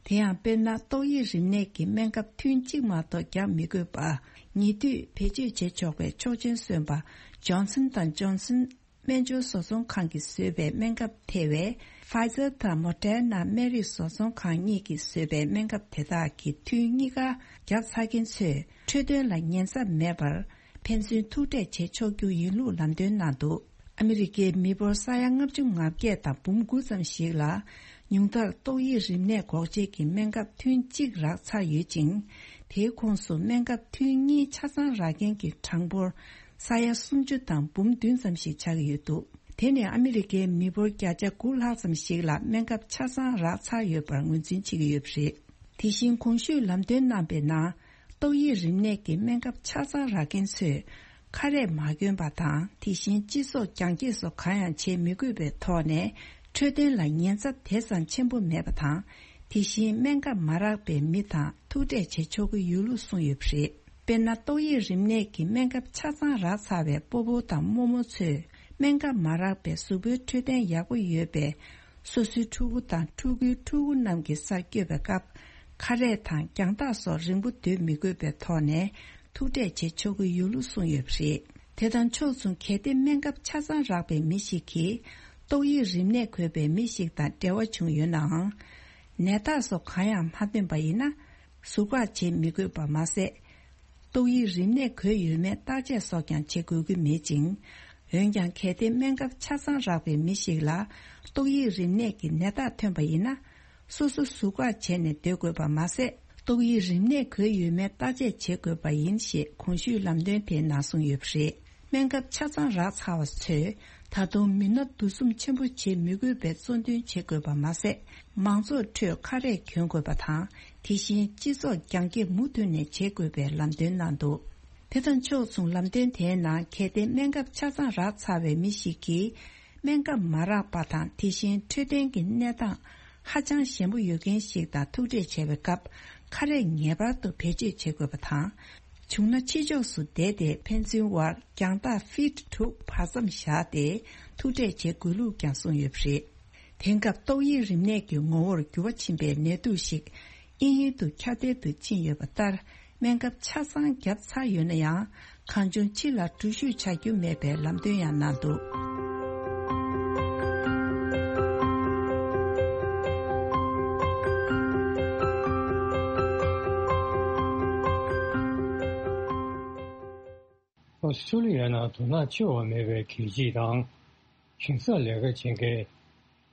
དེ་ཡང་དཔེར་ན། ཏོག་དབྱིབས་རིམས་ནད་ཀྱི་སྨན་ཁབ་ཐུན་གཅིག་མ་གཏོགས་རྒྱག་མི་དགོས་པར་ཉེ་དུས་བེད་སྤྱོད་བྱེད་ཆོག་པའི་ཆོག་མཆན་སོན་པ་Johnson and Johnson སྨན་སྦྱོར་བཟོ་ཚོང་ཁང་གིས་བཟོས་པའི་སྨན་ཁབ་ཐེ་བའི་Pfizer དང་Moderna སྨན་རིགས་བཟོ་ཚོང་ཁང་གཉིས་ཀྱིས་བཟོས་པའི་སྨན་ཁབ་དེ་དག་གི་ཐུན་གཉིས་ཀ་བརྒྱབ་ཚར་མཁན་ཚོས་འཕྲོད་བསྟེན་ལ་ཉེན་ཚབས་མེད་པར་ཕན་ཚུན་ཐུག་འཕྲད་བྱེད་ཆོག་རྒྱུ་ཡིན་ལུགས་ལམ་སྟོན་གནང་འདུག་ཨ་མི་རི་ཀའི་མི་འབོར་ས་ཡ་ལྔ་བཅུ་ང་བརྒྱད་དང་འབུམ་དགུ་ཙམ་ཞིག་ལ་ཉུང་མཐར་ཏོག་དབྱིབས་རིམས་ནད་འགོག་བྱེད་ཀྱི་སྨན་ཁབ་ཐུན་གཅིག་རག་ཚར་ཡོད་ཅིང་། དེའི་ཁོངས་སུ་སྨན་ཁབ་ཐུན་གཉིས་ཆ་ཚང་རག་མཁན་གྱི་གྲངས་འབོར་ས་ཡ་སུམ་ཅུ་དང་འབུམ་བདུན་ཙམ་ཞིག་ཆགས་ཀྱི་ཡོད་འདུག་དེ་ནི་ཨ་མི་རི་ཀའི་མི་འབོར་བརྒྱ་ཆ་དགུ་ལྷག་ཙམ་ཞིག་ལ་སྨན་ཁབ་ཆ་ཚང་རག་ཚར་ཡོད་པར་ངོས་འཛིན་བྱེད་ཀྱི་ཡོད་པ་རེད། དེ་བཞིན་གོང་ཞུས་ལམ་སྟོན་གནང་པའི་ནང་། ཏོག་དབྱིབས་རིམས་ནད་ཀྱི་སྨན་ཁབ་ཆ་ཚང་རག་མཁན་ཚོས་ཁ་རས་མ་གྱོན་པ་དང་། དེ་བཞིན་སྤྱི་ཚོགས་རྒྱང་སྐྱེད་སོགས་གང་ཡང་བྱེད་མི་དགོས་པའི་ཐོག་ནས་འཕྲོད་བསྟེན་ལ་ཉེན་ཚབས་དེ་ཙམ་ཆེན་པོ་མེད་པ་དང་། དེ་བཞིན་སྨན་ཁབ་མ་རག་པའི་མི་དང་ཐུག་འཕྲད་བྱེད་ཆོག་གི་ཡོད་ལུགས་གསུངས་ཡོད་པ་རེད། དཔེར་ན། ཏོག་དབྱིབས་རིམས་ནད་ཀྱི་སྨན་ཁབ་ཆ་ཚང་རག་ཚར་བའི་སྤོ་བོ་དང་རྨོ་མོ་ཚོས་སྨན་ཁབ་མ་རག་པའི་གཟུགས་པོའི་འཕྲོད་བསྟེན་ཡག་པོ་ཡོད་པའི་སོ་སོའི་ཕྲུ་གུ་དང་ཕྲུ་གུའི་ཕྲུ་གུ་རྣམས་ཀྱི་སར་བསྐྱོད་པའི་སྐབས། ཁ་རས་དང་རྒྱང་ཐག་སོགས་རིང་པོ་སྡོད་མི་དགོས་པའི་ཐོག་ནས་ཐུག་འཕྲད་བྱེད་ཆོག་གི་ཡོད་ལུགས་གསུངས་ཡོད་པ་རེད། དེ་དང་ཕྱོགས་མཚུངས། གལ་ཏེ་སྨན་ཁབ་ཆ་ཚང་རག་པའི་མི་ཞིག་གིས་ཏོག་དབྱིབས་རིམས་ནད་འགོས་པའི་མི་ཞིག་དང་འབྲེལ་བ་བྱུང་ཡོད་ནའང་། ནད་རྟགས་སོགས་གང་ཡང་མ་ཐོན་པ་ཡིན་ན། ཟུར་བཀག་བྱེད་མི་དགོས་པ་མ་ཟད། ཏོག་དབྱིབས་རིམས་ནད་འགོས་ཡོད་མེད་བརྟག་དཔྱད་སོགས་ཀྱང་བྱེད་དགོས་ཀྱི་མེད་ཅིང་། འོན་ཀྱང་། གལ་ཏེ་སྨན་ཁབ་ཆ་ཚང་རག་པའི་མི་ཞིག་ལ་ཏོག་དབྱིབས་རིམས་ནད་ཀྱི་ནད་རྟགས་ཐོན་པ་ཡིན་ན། སོ་སོ་ཟུར་བཀག་བྱས་ནས་སྡོད་དགོས་པ་མ་ཟད། ཏོག་དབྱིབས་རིམས་ནད་འགོས་ཡོད་མེད་བརྟག་དཔྱད་བྱེད་དགོས་པ་ཡིན་ཞེས་གོང་ཞུས་ལམ་སྟོན་དེའི་ནང་གསུངས་ཡོད་པ་རེད། སྨན་ཁབ་ཆ་ཚང་རག་ཚར་བ་ཚོས་ད་དུང་མི་སྣ་འདུ་འཛོམས་ཆེན་པོ་བྱེད་མི་དགོས་པའི་གཙོ་འདོན་བྱེད་དགོས་པ་མ་ཟད། མང་ཚོགས་ཁྲོད་ཁ་རས་གྱོན་དགོས་པ་དང་། དེ་བཞིན་སྤྱི་ཚོགས་རྒྱང་སྐྱེད་མུ་མཐུད་ནས་བྱེད་དགོས་པའི་ལམ་སྟོན་གནང་འདུག་དེ་དང་ཕྱོགས་མཚུངས། ལམ་སྟོན་དེའི་ནང་། གལ་ཏེ་སྨན་ཁབ་ཆ་ཚང་རག་ཚར་བའི་མི་ཞིག་གིས་སྨན་ཁབ་མ་རག་པ་དང་། དེ་བཞིན་འཕྲོད་བསྟེན་གྱི་གནས་སྟངས་ཧ་ཅང་ཞན་པོ་ཡོད་མཁན་ཞིག་དང་ཐུག་འཕྲད་བྱས་པའི་སྐབས། ཁ་རས་ངེས་པར་དུ་བེད་སྤྱོད་བྱེད་དགོས་པ་དང་། བྱུང་ན་ཕྱི་ཕྱོགས་སུ་བསྡད་དེ། ཕན་ཚུན་དབར་རྒྱང་ཐག་ཕིཊ་དྲུག་བར་མཚམས་བཞག་སྟེ་ཐུག་འཕྲད་བྱེད་དགོས་ལུགས་ཀྱང་གསུངས་ཡོད་པ་རེད། དེང་སྐབས་ཏོག་དབྱིབས་རིམས་ནད་ཀྱི་ངོ་བོར་འགྱུར་བ་ཕྱིན་པའི་ནད་དུག་ཞིག་དབྱིན་ཡུལ་དུ་ཁྱབ་གདལ་དུ་ཕྱིན་ཡོད་པ་ལྟར། སྨན་ཁབ་ཆ་ཚང་བརྒྱབ་ཚར་ཡོད་ན་ཡང་། གང་བྱུང་ཕྱི་ལ་འགྲུལ་བཞུད་བྱ་རྒྱུ་མེད་པའི་ལམ་སྟོན་ཡང་གནང་འདུག་ཨོ་སི་ཀྲུ་ལི་ཡ་ནང་དུ་ནག་ཆེ་བ་མེད་པའི་གད་ཕྱིས་དང་། ཞིང་སར་ལས་ཀ་བྱེད་མཁན་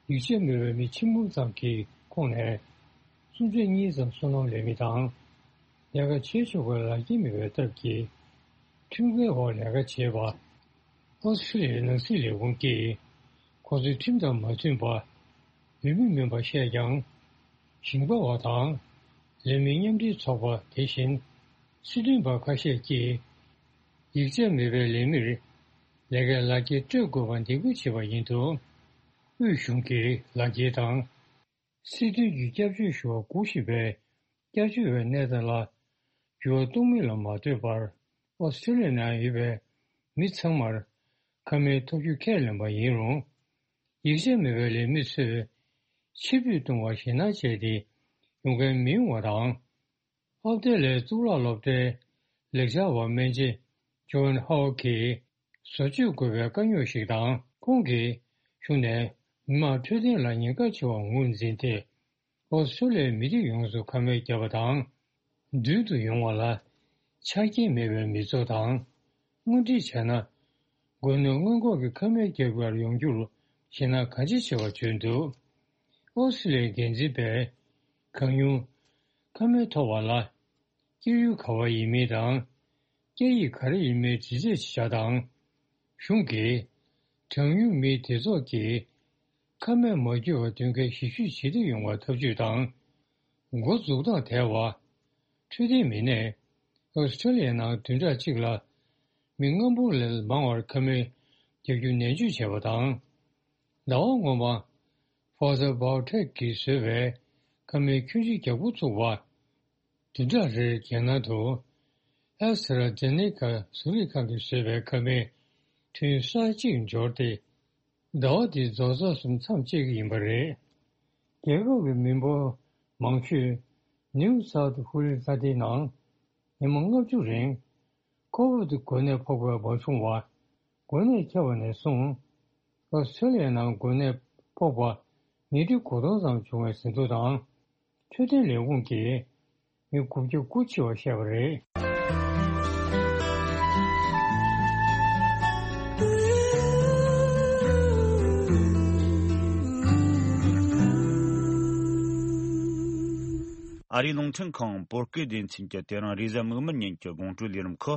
ཡིག་ཆ་མེད་པའི་མི་ཆེན་པོ་ཙམ་གྱི་ཁོངས་ནས་སུམ་ཆ་གཉིས་ཙམ་སོ་ནམ་ལས་མི་དང་། ལས་ཀ་བྱེད་ཆོག་པའི་ལག་འཁྱེར་མེད་པའི་སྟབས་ཀྱིས་ཁྲིམས་འགལ་འོག་ལས་ཀ་བྱེད་པ། ཨོ་སི་ཀྲུ་ལི་ཡའི་ནང་སྲིད་ལས་ཁུངས་ཀྱིས་ཁོ་ཚོའི་ཁྲིམས་དང་མ་མཐུན་པ། འོས་མི་མིན་པ་བཤད་ཀྱང་། ཞིང་པ་བ་དང་ལས་མི་མཉམ་འབྲེལ་ཚོགས་པ། དེ་བཞིན་སྲིད་དོན་པ་ཁ་ཤས་ཀྱིས་ཡིག་ཆ་མེད་པའི་ལས་མིར་ལས་ཀའི་ལག་འཁྱེར་སྤྲོད་དགོས་པ་འདེད་སྐུལ་བྱས་པ་ཡིན་འདུག་དབུས་གཞུང་གིས་ལག་འཁྱེར་དང་། སྲིད་དོན་གྱི་སྐྱབས་བཅོལ་ཞུ་བ་སྒུག་བཞིན་པའི་སྐྱབས་བཅོལ་བའི་གནས་སྟངས་ལ་འགྱུར་བ་གཏོང་མིན་ལ་མ་ལྟོས་པར། ཨོ་སི་ཀྲུ་ལི་ཡ་ནང་ཡོད་པའི་མི་ཚང་མར་ཁ་མའི་ཐོབ་རྒྱུ་ཁས་ལེན་པ་ཡིན་རུང་། ཡིག་ཆ་མེད་པའི་ལས་མི་ཚོས་ཕྱིར་འབུད་གཏོང་བར་ཞེད་སྣང་བྱས་ཏེ་ཡོང་མཁན་མི་ཡོང་བ་དང་། ཨོ་སི་ཀྲུ་ལི་ཡའི་གཙུག་ལག་སློབ་གྲྭའི་ལེགས་སྦྱར་བ་སྨན་ཆེན་ཇོན་ཧའོ་གིས་བཟོ་བཅོས་དགོས་པའི་དཀའ་རྙོག་ཞིག་དང་། ཁོང་གིས་གཞུང་ནས་མི་མང་འཕྲོད་བསྟེན་ལ་ཉེན་ཁ་ཆེ་བར་ངོས་འཛིན་ཏེ། ཨོ་སི་ཀྲུ་ལི་ཡའི་མི་རིགས་ཡོངས་སུ་ཁ་མལ་བརྒྱབ་པ་དང་། མདུན་དུ་ཡོང་བ་ལ་ཆ་རྐྱེན་མེད་པའི་མི་ཚོགས་དང་། དངོས་འབྲེལ་བྱས་ན། སྒོ་ནས་སྔོན་འགོག་གི་ཁ་མལ་རྒྱག་པར་ཡོང་རྒྱུར་ཞེད་སྣང་གང་ཆེ་ཆེ་བ་བྱུང་འདུག་ཨོ་སི་ཀྲུ་ལི་ཡའི་འགན་འཛིན་པས་གང་མྱུར་ཁ་མལ་ཐོབ་པ་ལ་སྐྱེས་ཡུལ་ག་བ་ཡིན་མིན་དང་། སྐད་ཡིག་ག་རེ་ཡིན་མིན་འདྲི་རྩད་བྱ་བ་དང་། གཞུང་གིས་གྲངས་ཉུང་མིའི་སྡེ་ཚོགས་ཀྱིས་ཁ་མལ་མ་བརྒྱུད་པར་སྡོད་མཁན་ཞིབ་དཔྱོད་བྱེད་ཐུབ་ཡོང་བར་ཐབས་ཇུས་དང་། འགོ་འཛུགས་སྟངས་དལ་བ། འཕྲོད་བསྟེན་མི་སྣས་ཨོ་སི་ཀྲུ་ལི་ཡའི་ནང་བདུན་ཕྲག་གཅིག་ལ་མི་ལྔ་འབུམ་ལས་མང་བར་ཁ་མལ་རྒྱག་རྒྱུ་ནན་བརྗོད་བྱས་པ་དང་། ཟླ་བ་སྔོན་མ་Pfizer BioNTech གིས་བཟོས་པའི་ཁ་མལ་ཁྱོན་ཆེ་རྒྱག་འགོ་ཚུགས་པ། བདུན་ཕྲག་རེར་རྒྱལ་ནང་དུ་ཨེ་སི་ཊ་ར་ཛེ་ནེ་ཀ་གཟུགས་རིག་ཁང་གིས་བཟོས་པའི་ཁ་མལ་ཐུན་གསར་གཅིག་འབྱོར་ཏེ། ཟླ་བ་འདིའི་རྫོགས་ཚར་སོང་མཚམས་བཅད་ཀྱི་ཡིན་པ་རེད། རྒྱལ་ཁབ་ཀྱི་མི་འབོར་ མང་ཤོས་ནིའུ་སའུཐ་ཧུ་ལི་ས་མཐོའི་ནང་ཉི་མ་ལྔ་བཅུ་རིང་ཀོ་བིད་འགོས་ནད་ཕོག་པའི་བབ་བྱུང་བ། འགོས་ནད་ཁྱབ་པ་ནས་བཟུང་ཨོ་སི་ཁྲེ་ལི་ཡའི་ནང་འགོས་ནད་ཕོག་པ་ཉིས་ཁྲི་དགུ་སྟོང་ཙམ་བྱུང་བའི་ཟིན་ཐོ་དང་། འཕྲོད་བསྟེན་ལས་ཁུངས་ཀྱིས་མི་དགུ་བརྒྱ་དགུ་འཆི་བ་བཤད་པ་རེད། ཨ་རིའི་རླུང་འཕྲིན་ཁང་བོད་སྐད་སྡེ་ཚན་གྱི་དེ་རིང་རེས་གཟའ་མིག་དམར་ཉིན་གྱི་དགོང་དྲོའི་ལས་རིམ་ཁག